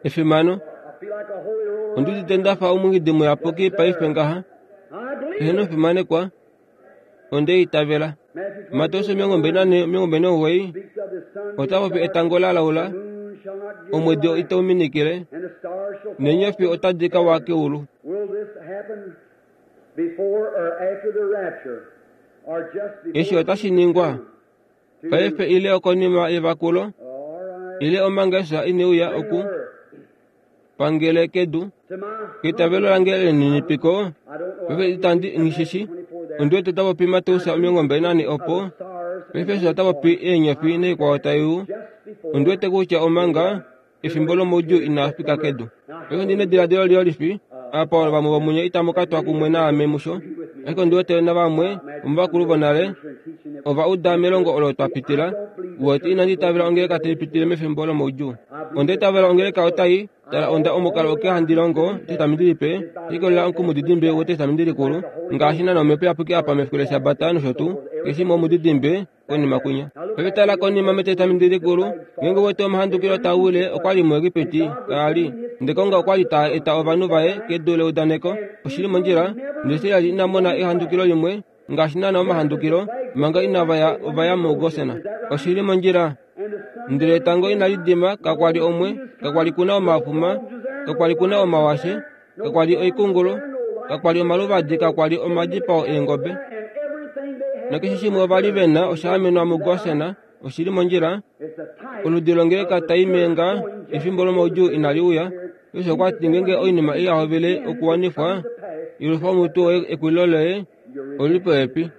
Efimano. Ondi udite nda fa omungidi muyapuki paife ngaha. Eheno omufimanekwa, onde itavela. Mateus 24, 29 ota popi etango la laula, omwedi itau minikile, neenyofi otadi ka wa keulu. Eshi otashi ningwa paife ile okonima yevakulo ile omanga Jesus ine uya oku pangele kedu. Keitavelo lange lelininipiko, paife itandi nghishishi. Ondi wete ta popi Mateus 24 opo. Paife Jesus ota popi eenyofi naikwao tai u. Ondi wete kutya omanga efimbo lomoudjuu inaa fika kedu. Paife ondi nediladilo liyolifi, apa vamwe vomunye itamu ka twa kumwe naame musho, ashike ondi wete navamwe vomovakulu vonale. Ova uda melongo olo twa pitila. Uwete inandi itavela ongeleka tai pitile mefimbo lomaudjuu. Onda itavela ongeleka otai tala onda omukalo oke handi longo Etestamenti Lipe, likolela okumudidimbe wEtestamenti Likulu, ngaashi naana Omhepo Iyapuki apa mefiku lEshabata nosho tuu, keshe imwe omudidimbe konima kwinya. Paife tala konima mEtestamenti Likulu, ngeenge wete omahandukilo taa wile okwa li muEgipiti, kaa li. Ndele Kalunga okwa li ta eta ovanhu vaye kedu leudaneko, oshi li mondjila, ndele Israel ina mona ehandukilo limwe, ngaashi naana omahandukilo, manga inava ya ova ya muGosen. Oshi li mondjila. Ndele etango inali dima, kakwa li omwe, kakwa li ku na omafuma, kakwa li ku na omawashe, kakwa li oikungulu, kakwa li omaluvadi, kakwa li omadipao eengobe. Nakeshe shimwe ova li ve na osha amenwa muGosen. Oshi li mondjila. Oludi longeleka tai menga efimbo lomaudjuu inali uya. Jesus okwa ti ngeenge oinima ei ya hovele okuwanifwa, yelufa omutwe woye ekulilo loye oli li popepi.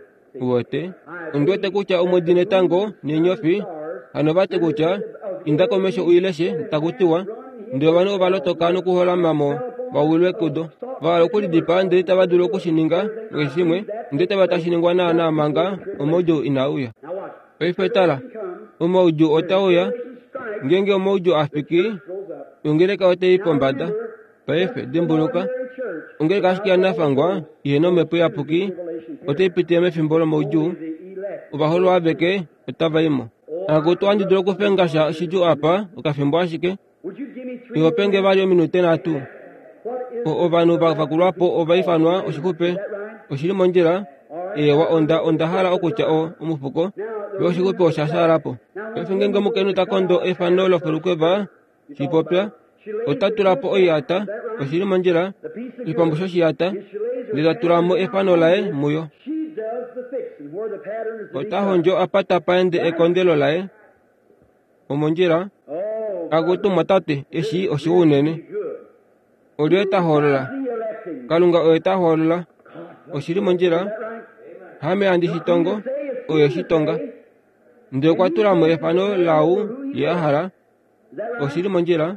Uwete? Ondi wete kutya omwedi netango neenyofi hano va ti kutya inda komesho u i leshe, taku tiwa, ndele ovanhu ova lotoka nokuholama mo va wilwe kudo. Va hala okulidipaa ndele itava dulu oku shi ninga nakeshe shimwe, ndele tava tashi ningwa naanaa manga omaudjuu inaa uya. Paife tala, omaudjuu otaa uya. Ngeenge omaudjuu a fiki, ongeleka otai i pombada. Paife, dimbuluka, ongeleka ashike yanafangwa ihe nomhepo iyapuki otai pitile mefimbo lomaudjuu. Ovaholwa aveke otava i mo. Akutu, ohandi dulu okufenga sha shidjuu apa, okafimbo ashike. Iho penge vali ominute nhatu. Ovanhu va vakulwa po ova ifanwa oshixupe. Oshi li mondjila. Eewa, onda, onda hala okutya o, omufuko. Yo oshixupe osha shaala po. Paife ngeenge omukainhu ta kondo efano lofulukweva, shi popya, ota tula po oiyata, oshi li mondjila, oshipambu shoshiyata, ndele ta tula mo efano laye muyo. Ota hondjo apa tapa ende ekondelo laye. Omondjila. Akutu mwatate, eshi oshiwa unene. Olye ta hoolola? Kalunga oye ta hoolola. Oshi li mondjila. Hame handi shi tongo, oye shi tonga. Ndele okwa tula mo efano laau ye a hala. Oshi li mondjila.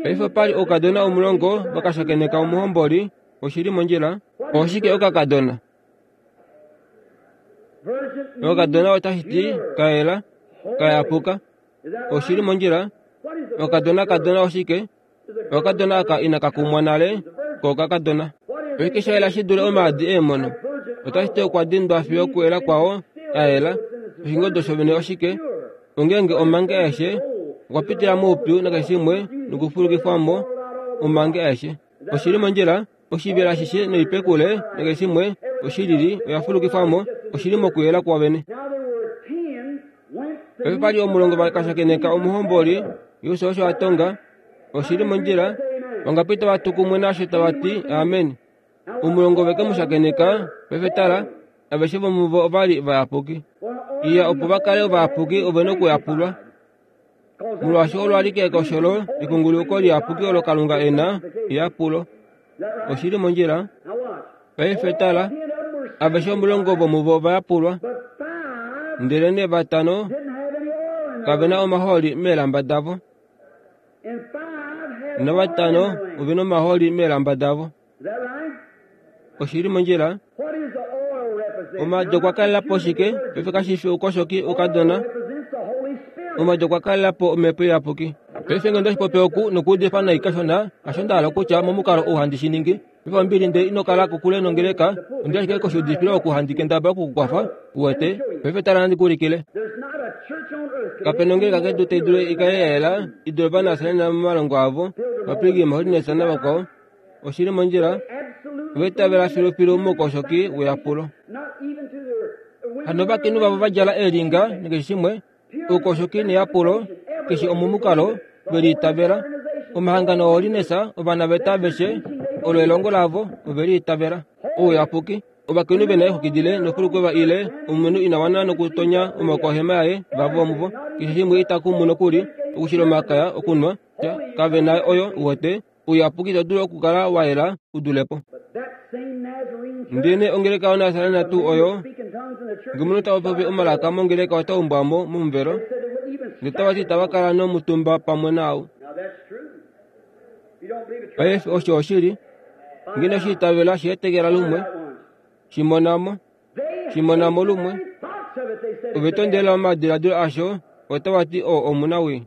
Paife opa li oukadona omulongo va ka shakeneka omuhomboli. Oshi li mondjila. Oshike okakadona? Okakadona otashi ti ka yela, ka yapuka. Oshi li mondjila. Okakadona kadona oshike? Okakadona aka inaka kumwa nale kokakadona. Oshike sha yela shi dule omaadi eemono? Otashi ti okwa dindwa fiyo okuyela kwao a yela. Oshingodo shovene oshike? Ongeenge omange aeshe okwa pitila moupyu nakeshe shimwe nokufulukifwa mo omange aeshe. Oshi li mondjila, oshivela ashishe noipekule nakeshe shimwe oshilili oya fulukifwa mo, oshi li mokuyela kwovene. Paife pa li omulongo va ka shakeneka omuhomboli, Jesus osho a tonga, oshi li mondjila, vangapi tava tu kumwe naasho tava ti amen. Omulongo ve ke mu shakeneka, paife tala, aveshe vomuvo ova li vayapuki. Iya, opo va kale ovayapuki ove na okuyapulwa. Molwaashi olo alike ekosholo lekunguluko liyapuki olo Kalunga e na, eyapulo. Oshi li mondjila. Paife tala, aveshe omulongo vomuvo ova yapulwa, ndelenee vatano kave na omahooli meelamba davo. Navatano ove na omahooli meelamba davo. Oshi li mondjila. Omaadi okwa kalela po shike? Paife kashi fi oukoshoki oukadona. Omaadi okwa kalela po omhepo iyapuki. Paife ngeno otashi popi oku nokuudifa nai kashona, hasho nda hala okutya momukalo ou handi shi ningi. Paife ombili ndele ino kala kokule nongeleka, ondi ashike koshiudifilo oku handi kendabala oku ku kwafa, uwete. Paife tala nandi ku ulikile. Kape na ongeleka kedu tai dulu i kale ya yela i dule Ovanasareni momalongo avo, Vapilgrim Holiness navakwao. Oshi li mondjila, ova itavela filufilu moukoshoki weyapulo. Hano ovakainhu vavo va djala eelinga nakeshe shimwe, oukoshoki neyapulo, keshe omomukalo, ve liitavela. Omahangano ooHoliness, ovanaveta aveshe, olo elongo lavo, ove liitavela. Ouyapuki. Ovakainhu ve na eexwiki dile nofulukwe ile omunhu ina wana nokutonya omaoko ohema yaye, vavo vomuvo, keshe shimwe ita kumu nokuli, okushila omakaya, okunwa, kave na oyo, uwete. Ouyapuki ito dulu okukala wa yela u dule po. Ndele ongeleka yoNasarena tuu oyo, nge omunhu ta popi omalaka mongeleka ota umbwa mo momuvelo, ndele tava ti itava kala nomutumba pamwe naau. Paife osho oshili. Nge ino shi itavela, shi etekela lumwe. Shi mona mo. Shi mona mo lumwe. Ove tondelela omadiladilo asho, otava ti oo omunawii.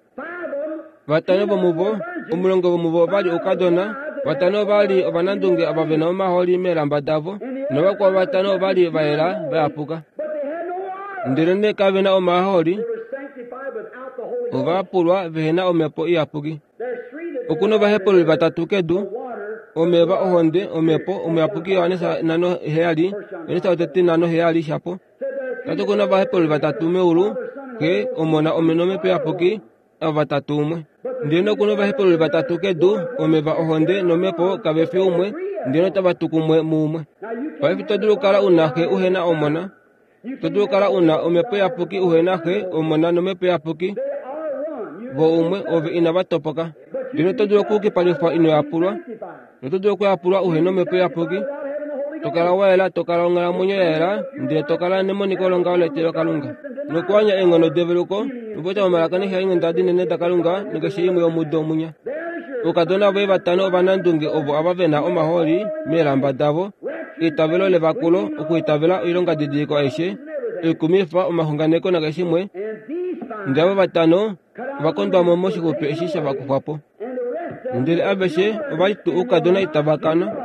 Vatano vomuvo, omulongo vomuvo ova li oukadona, vatano ova li ovanandunge ava ve na omahooli meelamba davo, novakwao vatano ova li va yela va yapuka. Ndelenee kave na omahooli, ova pulwa vehe na omhepo iyapuki. Oku na ovahepululi vatatu kedu, omeva, ohonde, omhepo, omuyapuki Johannes 5:7, Johannes wotete 5:7 shapo. Tati oku na ovahepululi vatatu meulu, Xe, Omona nomhepo iyapuki, ava vatatu umwe. Ndele oku na ovahepululi vatatu kedu, omeva, ohonde nomhepo, kave fi umwe, ndele otava tu kumwe muumwe. Paife ito dulu okukala u na Xe uhe na Omona. Ito dulu okukala u na Omhepo Iyapuki uhe na Xe, Omona nOmhepo Iyapuki. Vo umwe, ove inava topoka. Ndele oto dulu okuyukipalifwa ino yapulwa, noto dulu okuyapulwa uhe na Omhepo Iyapuki. To kala wa yela, to kala onghalamwenyo ya yela, ndele to kala nemoniko longaho letilokalunga. Nokuwanya eenghono develuko, nokupopya momalaka neeshalinghenda dinene daKalunga nokeshe imwe yomudo munya. Oukadona voye vatano ovanandunge ovo ava ve na omahooli meelamba davo, eitavelo levakulo, okuitavela oilongadidiliko aishe, oikumifa, omaxunganeko nakeshimwe, ndele ava vatano ova kondwa mo moshixupe eshi sha vakufwa po. Ndele aveshe ova li tuu oukadona itava kana.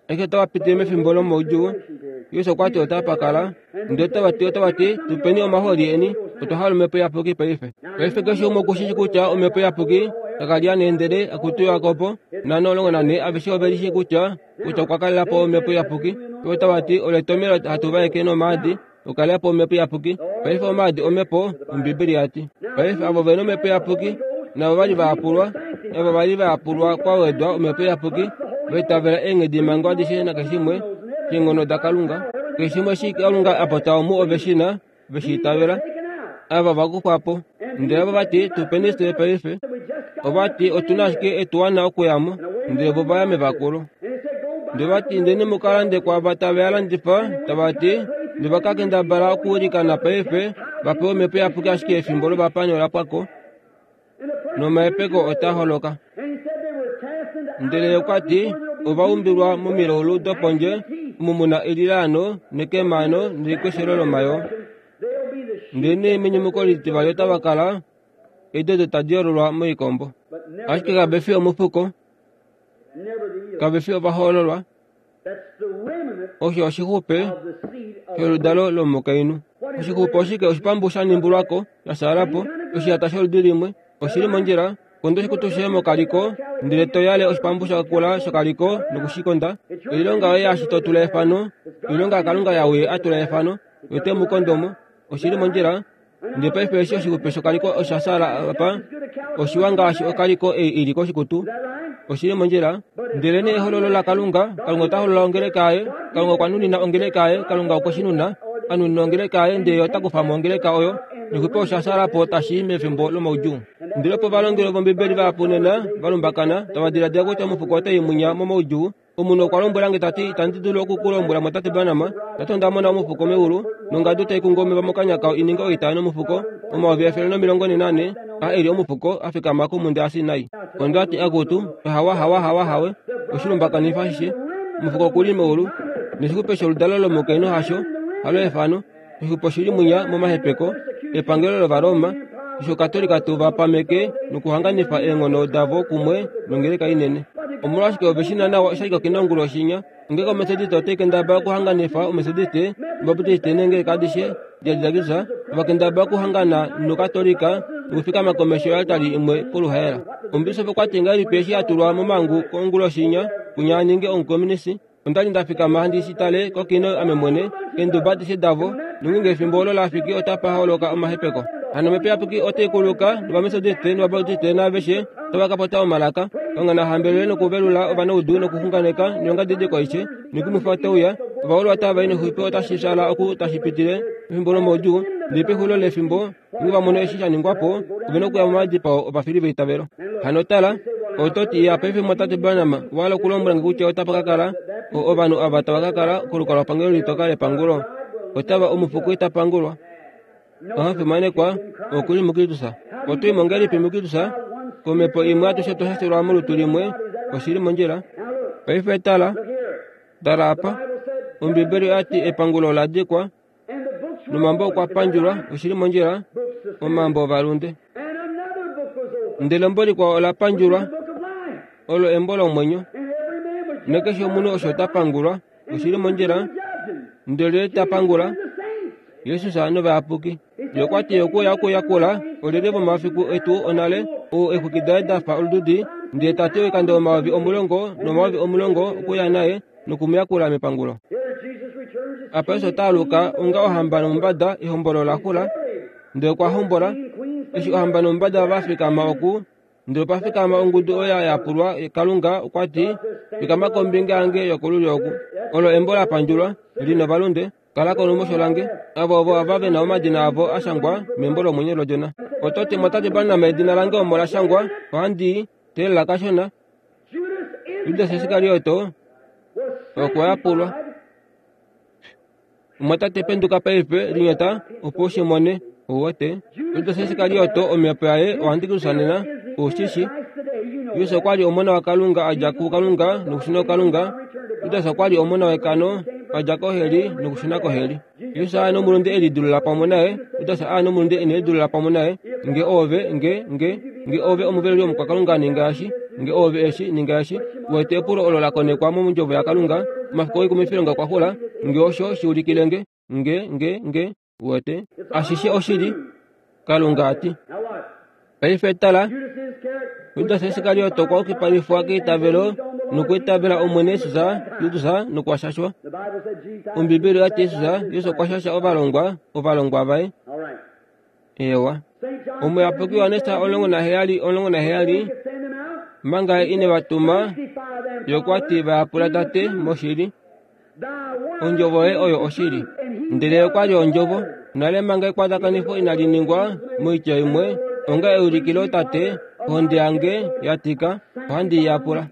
Eshi otava pitile mefimbo lomaudjuu, Jesus okwa ti otapa kala. Ndele otava ti, otava ti, tu peni omahooli eni, otwa hala omhepo iyapuki paife. Paife keshe umwe oku shi shi kutya omhepo iyapuki kaka li ane ndele akutu Jakob nano 14 aveshe ove li shii kutya kutya okwa kalela po omhepo iyapuki. Otava ti, olo etomhelo hatu vaeke nomaadi okukalela po omhepo iyapuki. Paife omaadi omhepo, Ombibeli ya ti. Paife avo ve nomhepo iyapuki navo va li va yapulwa, ava va li va yapulwa kwa wedwa omhepo iyapuki, va itavela eenghedimhango adishe nakeshimwe keenghono daKalunga. Keshimwe eshi Kalunga a popya omu ove shi na, ve shi itavela. Ava va kufwa po. Ndele vo va ti, Tu peni fye paife. Ova ti, Otu na ashike etuwana okuya mo. Ndele vo va ya mevakulo. Ndele va ti, Indeni mu ka lande kwaava tave a landifa, tava ti, Ndele va ka kendabala okuilikana paife, va pewe omhepo iyapuki ashike efimbo lovapaani ola pwa ko, nomahepeko otaa holoka. Ndele ye okwa ti, Ova umbilwa momilaulu dopondje, omu mu na elilaano nekemano nelikweshelo lomayoo. Ndelenee menyumuko litivali otava kala eedi odo tadi yoololwa moikombo. Ashike kave fi omufuko, kave fi ovahoololwa. Osho oshixupe sholudalo lomukainhu. Oshixupe oshike? Oshipambu sha nimbulwa ko, sha shaala po, oshiyata sholudi limwe. Oshi li mondjila. Konda oshikutu shoye mokaliko, ndele to yale oshipambu sha kula shokaliko noku shi konda. Oilonga yoye yaashi to tula efano, oilonga yaKalunga yaau a tula efano, ye ote mu kondo mo. Oshi li mondjila. Ndele paife eshi oshixupe shokaliko osha shaala apa, oshiwa ngaashi okaliko ei i li koshikutu. Oshi li mondjila. Ndelenee ehololo laKalunga, Kalunga ota holola ongeleka yaye. Kalunga okwa nunina ongeleka yaye. Kalunga okwe shi nuna, a nunina ongeleka yaye, ndele ye ota kufa mo ongeleka oyo. Noxupe osha shaala po tashi i mefimbo lomaudjuu. Ndele opo ovalongeli vOmbibeli vahapu nena va lumbakana, tava diladila kutya omufuko otai munya momaudjuu. Omunhu okwa lombwela nge ta ti, Itandi dulu oku ku lombwela Mwatate Branham, ta ti onda mona omufuko meulu, nongadu tai kungu omeva mokanya kao i ninge oita nomufuko, 1444, a e li omufuko, a fikama komhunda yaSinai. Onda ti, Akutu, hawa, hawa, hawa, hawe, oshilumbakanifa ashishe. Omufuko oku li meulu, noshixupe sholudalo lomukainhu hasho, halo efano. Oshixupe oshi li mwinya momahepeko epangelo lOvaroma, eshi Okatolika tu va pameke nokuhanganifa eenghono davo kumwe nongeleka inene. Omolwashike ove shi na nawa oshali kakena onguloshi inya? Ongeleka Ometodiste otai kendabala okuhanganifa Ometodiste, Obaptiste neengeleka adishe diadidakisa, ova kendabala okuhangana nOkatolika nokufikama komesho yoaltari imwe poluhaela. Omubisofi okwa ti ngahelipi eshi a tulwa momhangu onguloshi inya, kunya a ninge omukomunisi? Onda li nda fikama handi shi tale kokino ame mwene, eenduba adishe davo, nongeenge efimbo olo la fiki otapa holoka omahepeko. Hano Omhepo Iyapuki otai kuluka, nOvamesodiste nOvabaptiste naaveshe otava ka popya omalaka. Kalunga na hambelele nokuvelula ovanaudu nokuxunganeka noilongadidiliko aishe noikumwifa otai uya. Ovahololwa otava i noxupe otashi fyaala oku tashi pitile mefimbo lomaudjuu, ndele pexulilo lefimbo Ngeenge va mono eshi sha ningwa po, ove na okuya momadipao ovafili veitavelo. Hano tala, oto ti, Ya, paife Mumwatate Branham, owa hala okulombwela nge kutya otapa ka kala o, ovanhu ava tava ka kala kolukalwapangelo litoka lepangulo? Otava, omufuko ita pangulwa. Oha fimanekwa, oku li muKristus. Oto i mo ngahelipi muKristus? Komhepo imwe atushe otwa shashelwa molutu limwe. Oshi li mondjila. Paife tala, tala apa. Ombibeli oya ti epangulo ola dikwa. Nomambo okwa pandjulwa, oshi li mondjila, omambo ovalunde. Ndele embo likwao ola pandjulwa, olo embo lomwenyo. Nakeshe omunhu osho ta pangulwa, oshi li mondjila, ndele ta pangula Jesus novayapuki. Ye okwa ti okuya okuyakula olyelye vomafiku etu onale, ou eexwiki daye da fa olududi, ndele ta ti oikando 10,000 nomayovi10 okuya naye noku mu yakula mepangulo. Apa Jesus ota aluka onga ohamba nomumbada, ehombolo ola xula, ndele okwa hombola. Eshi ohamba nomumbada va fikama oku, Ndele opa fikama ongudu oyo ya yapulwa Kalunga okwa ti, Fikama kombinga yange yokolulyo oku. Olo embo la pandjulwa, li novalunde, kala kolumosho lange, avo ovo ava ve na omadina avo a shangwa membo lomwenyo lOdjona. Oto ti, Motate Branham, edina lange omo la shangwa, ohandi i teelela kashona. Judas Iskarioto okwa yapulwa. Omwatate penduka paife, linyata, opo u shi mone. Ou wete? Judas Iskarioto, omhepo yaye oantikristus nena, ou shi shi. Jesus okwa li omona waKalunga a dja kuKalunga nokushuna kuKalunga. Judas okwa li omona wekano a dja koheli nokushuna koheli. Jesus a nomulunde e lidulula pamwe naye, Judas a nomulunde ine lidulula pamwe naye. Nge oove, nge, nge, nge oove omuveluli womukwakalunga ninga eshi, nge oove eshi, ninga eshi. Uwete epulo olo la konekwa mondjovo yaKalunga, omafiku oikumifilonga okwa xula, nge osho shi ulikile nge, nge, nge, nge, uwete. Ashishe oshili, Kalunga a ti. Paife tala, Judas Iskariot okwa yukipalifwa keitavelo nokwiitavela Omwene Jesus, Judas nokwa shashwa. Ombibeli oya ti Jesus, Jesus okwa shasha ovalongwa, ovalongwa vaye. Eewa. Omuyapuki Johannes 17, 17, manga ye ine va tuma, ye okwa ti va yapula Tate moshili. Ondjovo ye oyo oshili. Ndele ye okwa li ondjovo. Nale manga ekwatakanifo inali ningwa, moitya imwe, onga eulikilo Tate, ohonde yange ya tika, ohandi i yapula.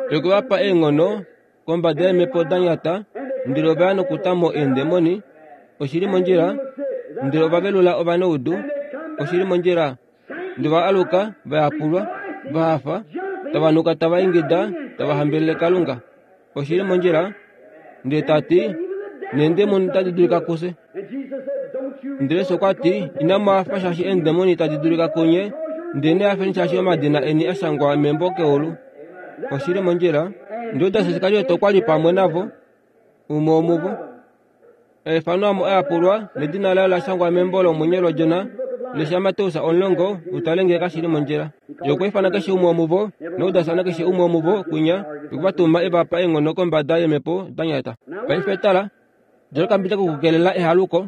Ye okwe va pa eenghono kombada yeemhepo da nyata, ndele ova ya nokuta mo eendemoni, oshi li mondjila, ndele ova velula ovanaudu, oshi li mondjila, ndele ova aluka, va yapulwa, va hafa, tava nuka tava ingida, tava hambelele Kalunga, oshi li mondjila, ndele ta ti, Neendemoni otadi dulika kufye. Ndele Jesus okwa ti, Inamu hafa shaashi eendemoni tadi dulika kunye, ndelenee hafeni shaashi omadina eni a shangwa membo keulu. Oshi li mondjila. Judas Iskariot okwa li pamwe navo, umwe womuvo. Eifano amo a yapulwa, nedina laye ola shangwa membo lomwenyo lOdjona. Lesha Mateus 10, u tale ngee kashi li mondjila. Ye okwa ifana keshe umwe womuvo, naJudas nakeshe umwe womuvo kwinya, okwe va tuma e va pa eenghono kombada yeemhepo da nyata. Paife tala, djala okambidja kokukelela ehaluko.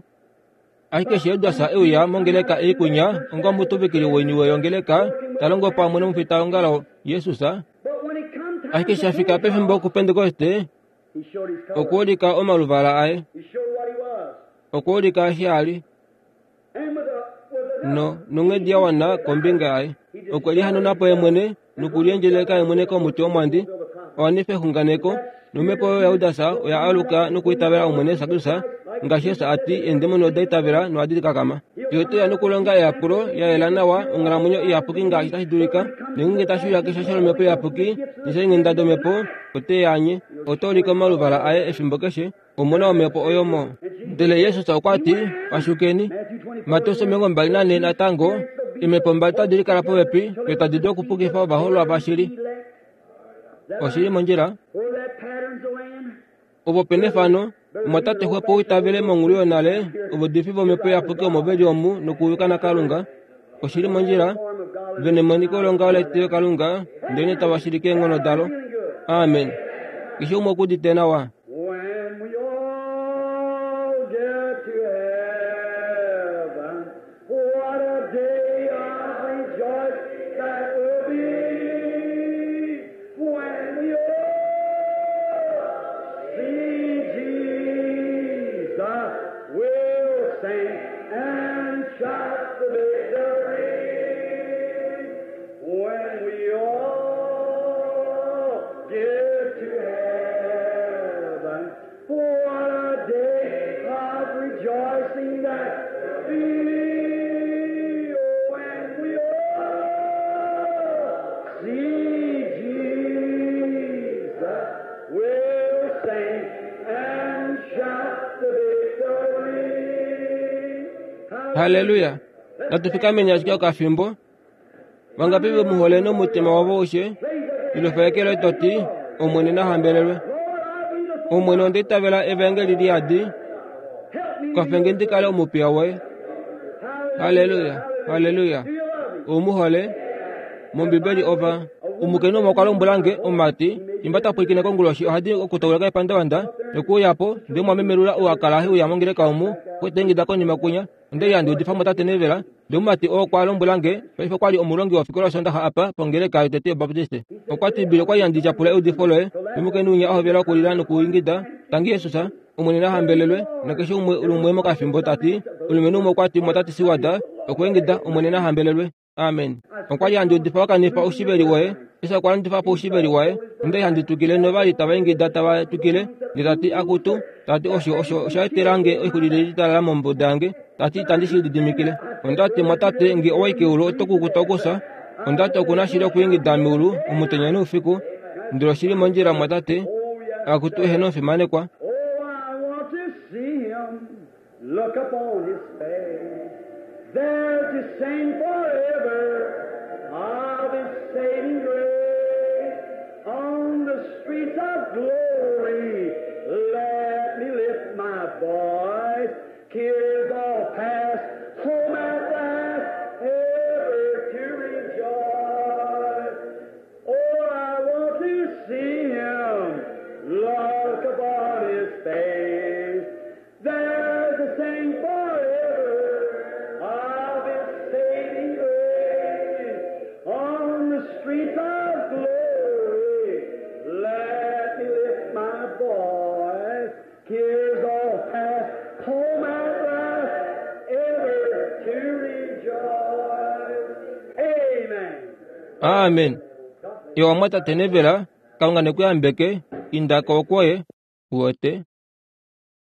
Ashike eshi Judas e uya mongeleka ei kwinya onga omutuvikili woiniwe yongeleka, ta longo pamwe nomufitaongalo Jesus, ashike eshi a fika pefimbo kuPentekoste, okwa ulika omaluvala aye. Okwa ulika eshi a li. No, nonghedi ya wana kombinga yaye. Okwe lihanuna po ye mwene nokuliendjeleka ye mwene komuti womwandi, a wanife exunganeko, nomhepo oyo yaJudas oya aluka nokwiitavela Omwene Jesus Kristus, ngaashi Jesus a ti, Eendemoni oda itavela nohadi kakama. Ye ote uya nokulonga eyapulo ya yela nawa, onghalamwenyo iyapuki ngaashi tashi dulika, nongeenge tashi uya keshasho lOmhepo Iyapuki neshainghenda dOmhepo, ote i anye. Ota ulike omaluvala aye efimbo keshe, Omu na omhepo oyo mo. Ndele Jesus okwa ti, Pashukeni. Mateus 24 natango, eemhepo mbali tadi likala popepi, yo tadi dulu okupukifa ovaholwa vashili. Oshi li mondjila. Opo pe nefano, omwatate xwepo u itavele monghulu yonale, ovaudifi vomhepo iyapuki omo ve li omu nokuyuka naKalunga. Oshi li mondjila. Ve nemoniko longaho letilokalunga, ndelenee tava shilike eenghono dalo. Amen. Keshe umwe oku udite nawa. When we all get to heaven, what a day of rejoice that will be. When we all see Jesus, we'll sing and shout the victory. When we all get to heaven. Halleluya! Natu fikameni ashike okafimbo. Vangapi ve mu hole nomutima wavo aushe? Ilofa eke loye to ti, Omwene na hambelelwe. Omwene onda itavela evaengeli li yadi. Kwafe nge ndi kale omupiya woye. Halleluya! Halleluya! Ou mu hole? MOmbibeli ova omukainhu umwe okwa lombwela nge omumati fimbo ta pwilikine konguloshi ohadi okutauluka epandavanda nokuuya po ndele omwamemelula ou a kala he uya mongeleka omu okwe ta ingida konima kwinya onda li handi udifa motate Nevela ndele omumati oo okwa lombwela nge paife okwa li omulongi wofikola yOsoondaxa apa pongeleka yotete yObaptiste okwa ti Bill okwa li handi tyapula eudifo loye nomukainhu winya a hovela okulila nokuingida tangi Jesus Omwene na hambelelwe, nakeshe umwe lumwe mokafimbo ta ti, omulumenhu umwe okwa ti, Mwatate Seward, okwa ingida, Omwene na hambelelwe. Amen. Okwa li handi udifa wa kanifa oushiveli woye. Jesus okwa landifa po oushiveli waye. Onda li handi twikile nova li tava ingida tava twikile, ndele ta ti, Akutu, ta ti, osho, osho osha etela nge oixulile litalala mombuda yange. Ta ti, Itandi shi lididimikile. Onda ti, Mwatate, nge owa i keulu oto kukuta okufya. Onda ti, Oku na shili okwiingida meulu omutenya noufiku. Ndele oshi li mondjila, mwatate. Akutu, eheno omufimanekwa. Oh, I want to see him. Look upon his face. There to sing forever of his saving grace. On the streets of glory, let me lift my voice. Tears all past, home at last, ever to rejoice. Oh, I want to see him. Look upon his face. There's to sing forever of his saving grace. On the streets of glory, let me lift my voice. Tears all past, home at last, ever to rejoice. Amen. Amen. Iwa mwatate Nevela, Kalunga ne ku yambeke, inda ko kwoye, uwete.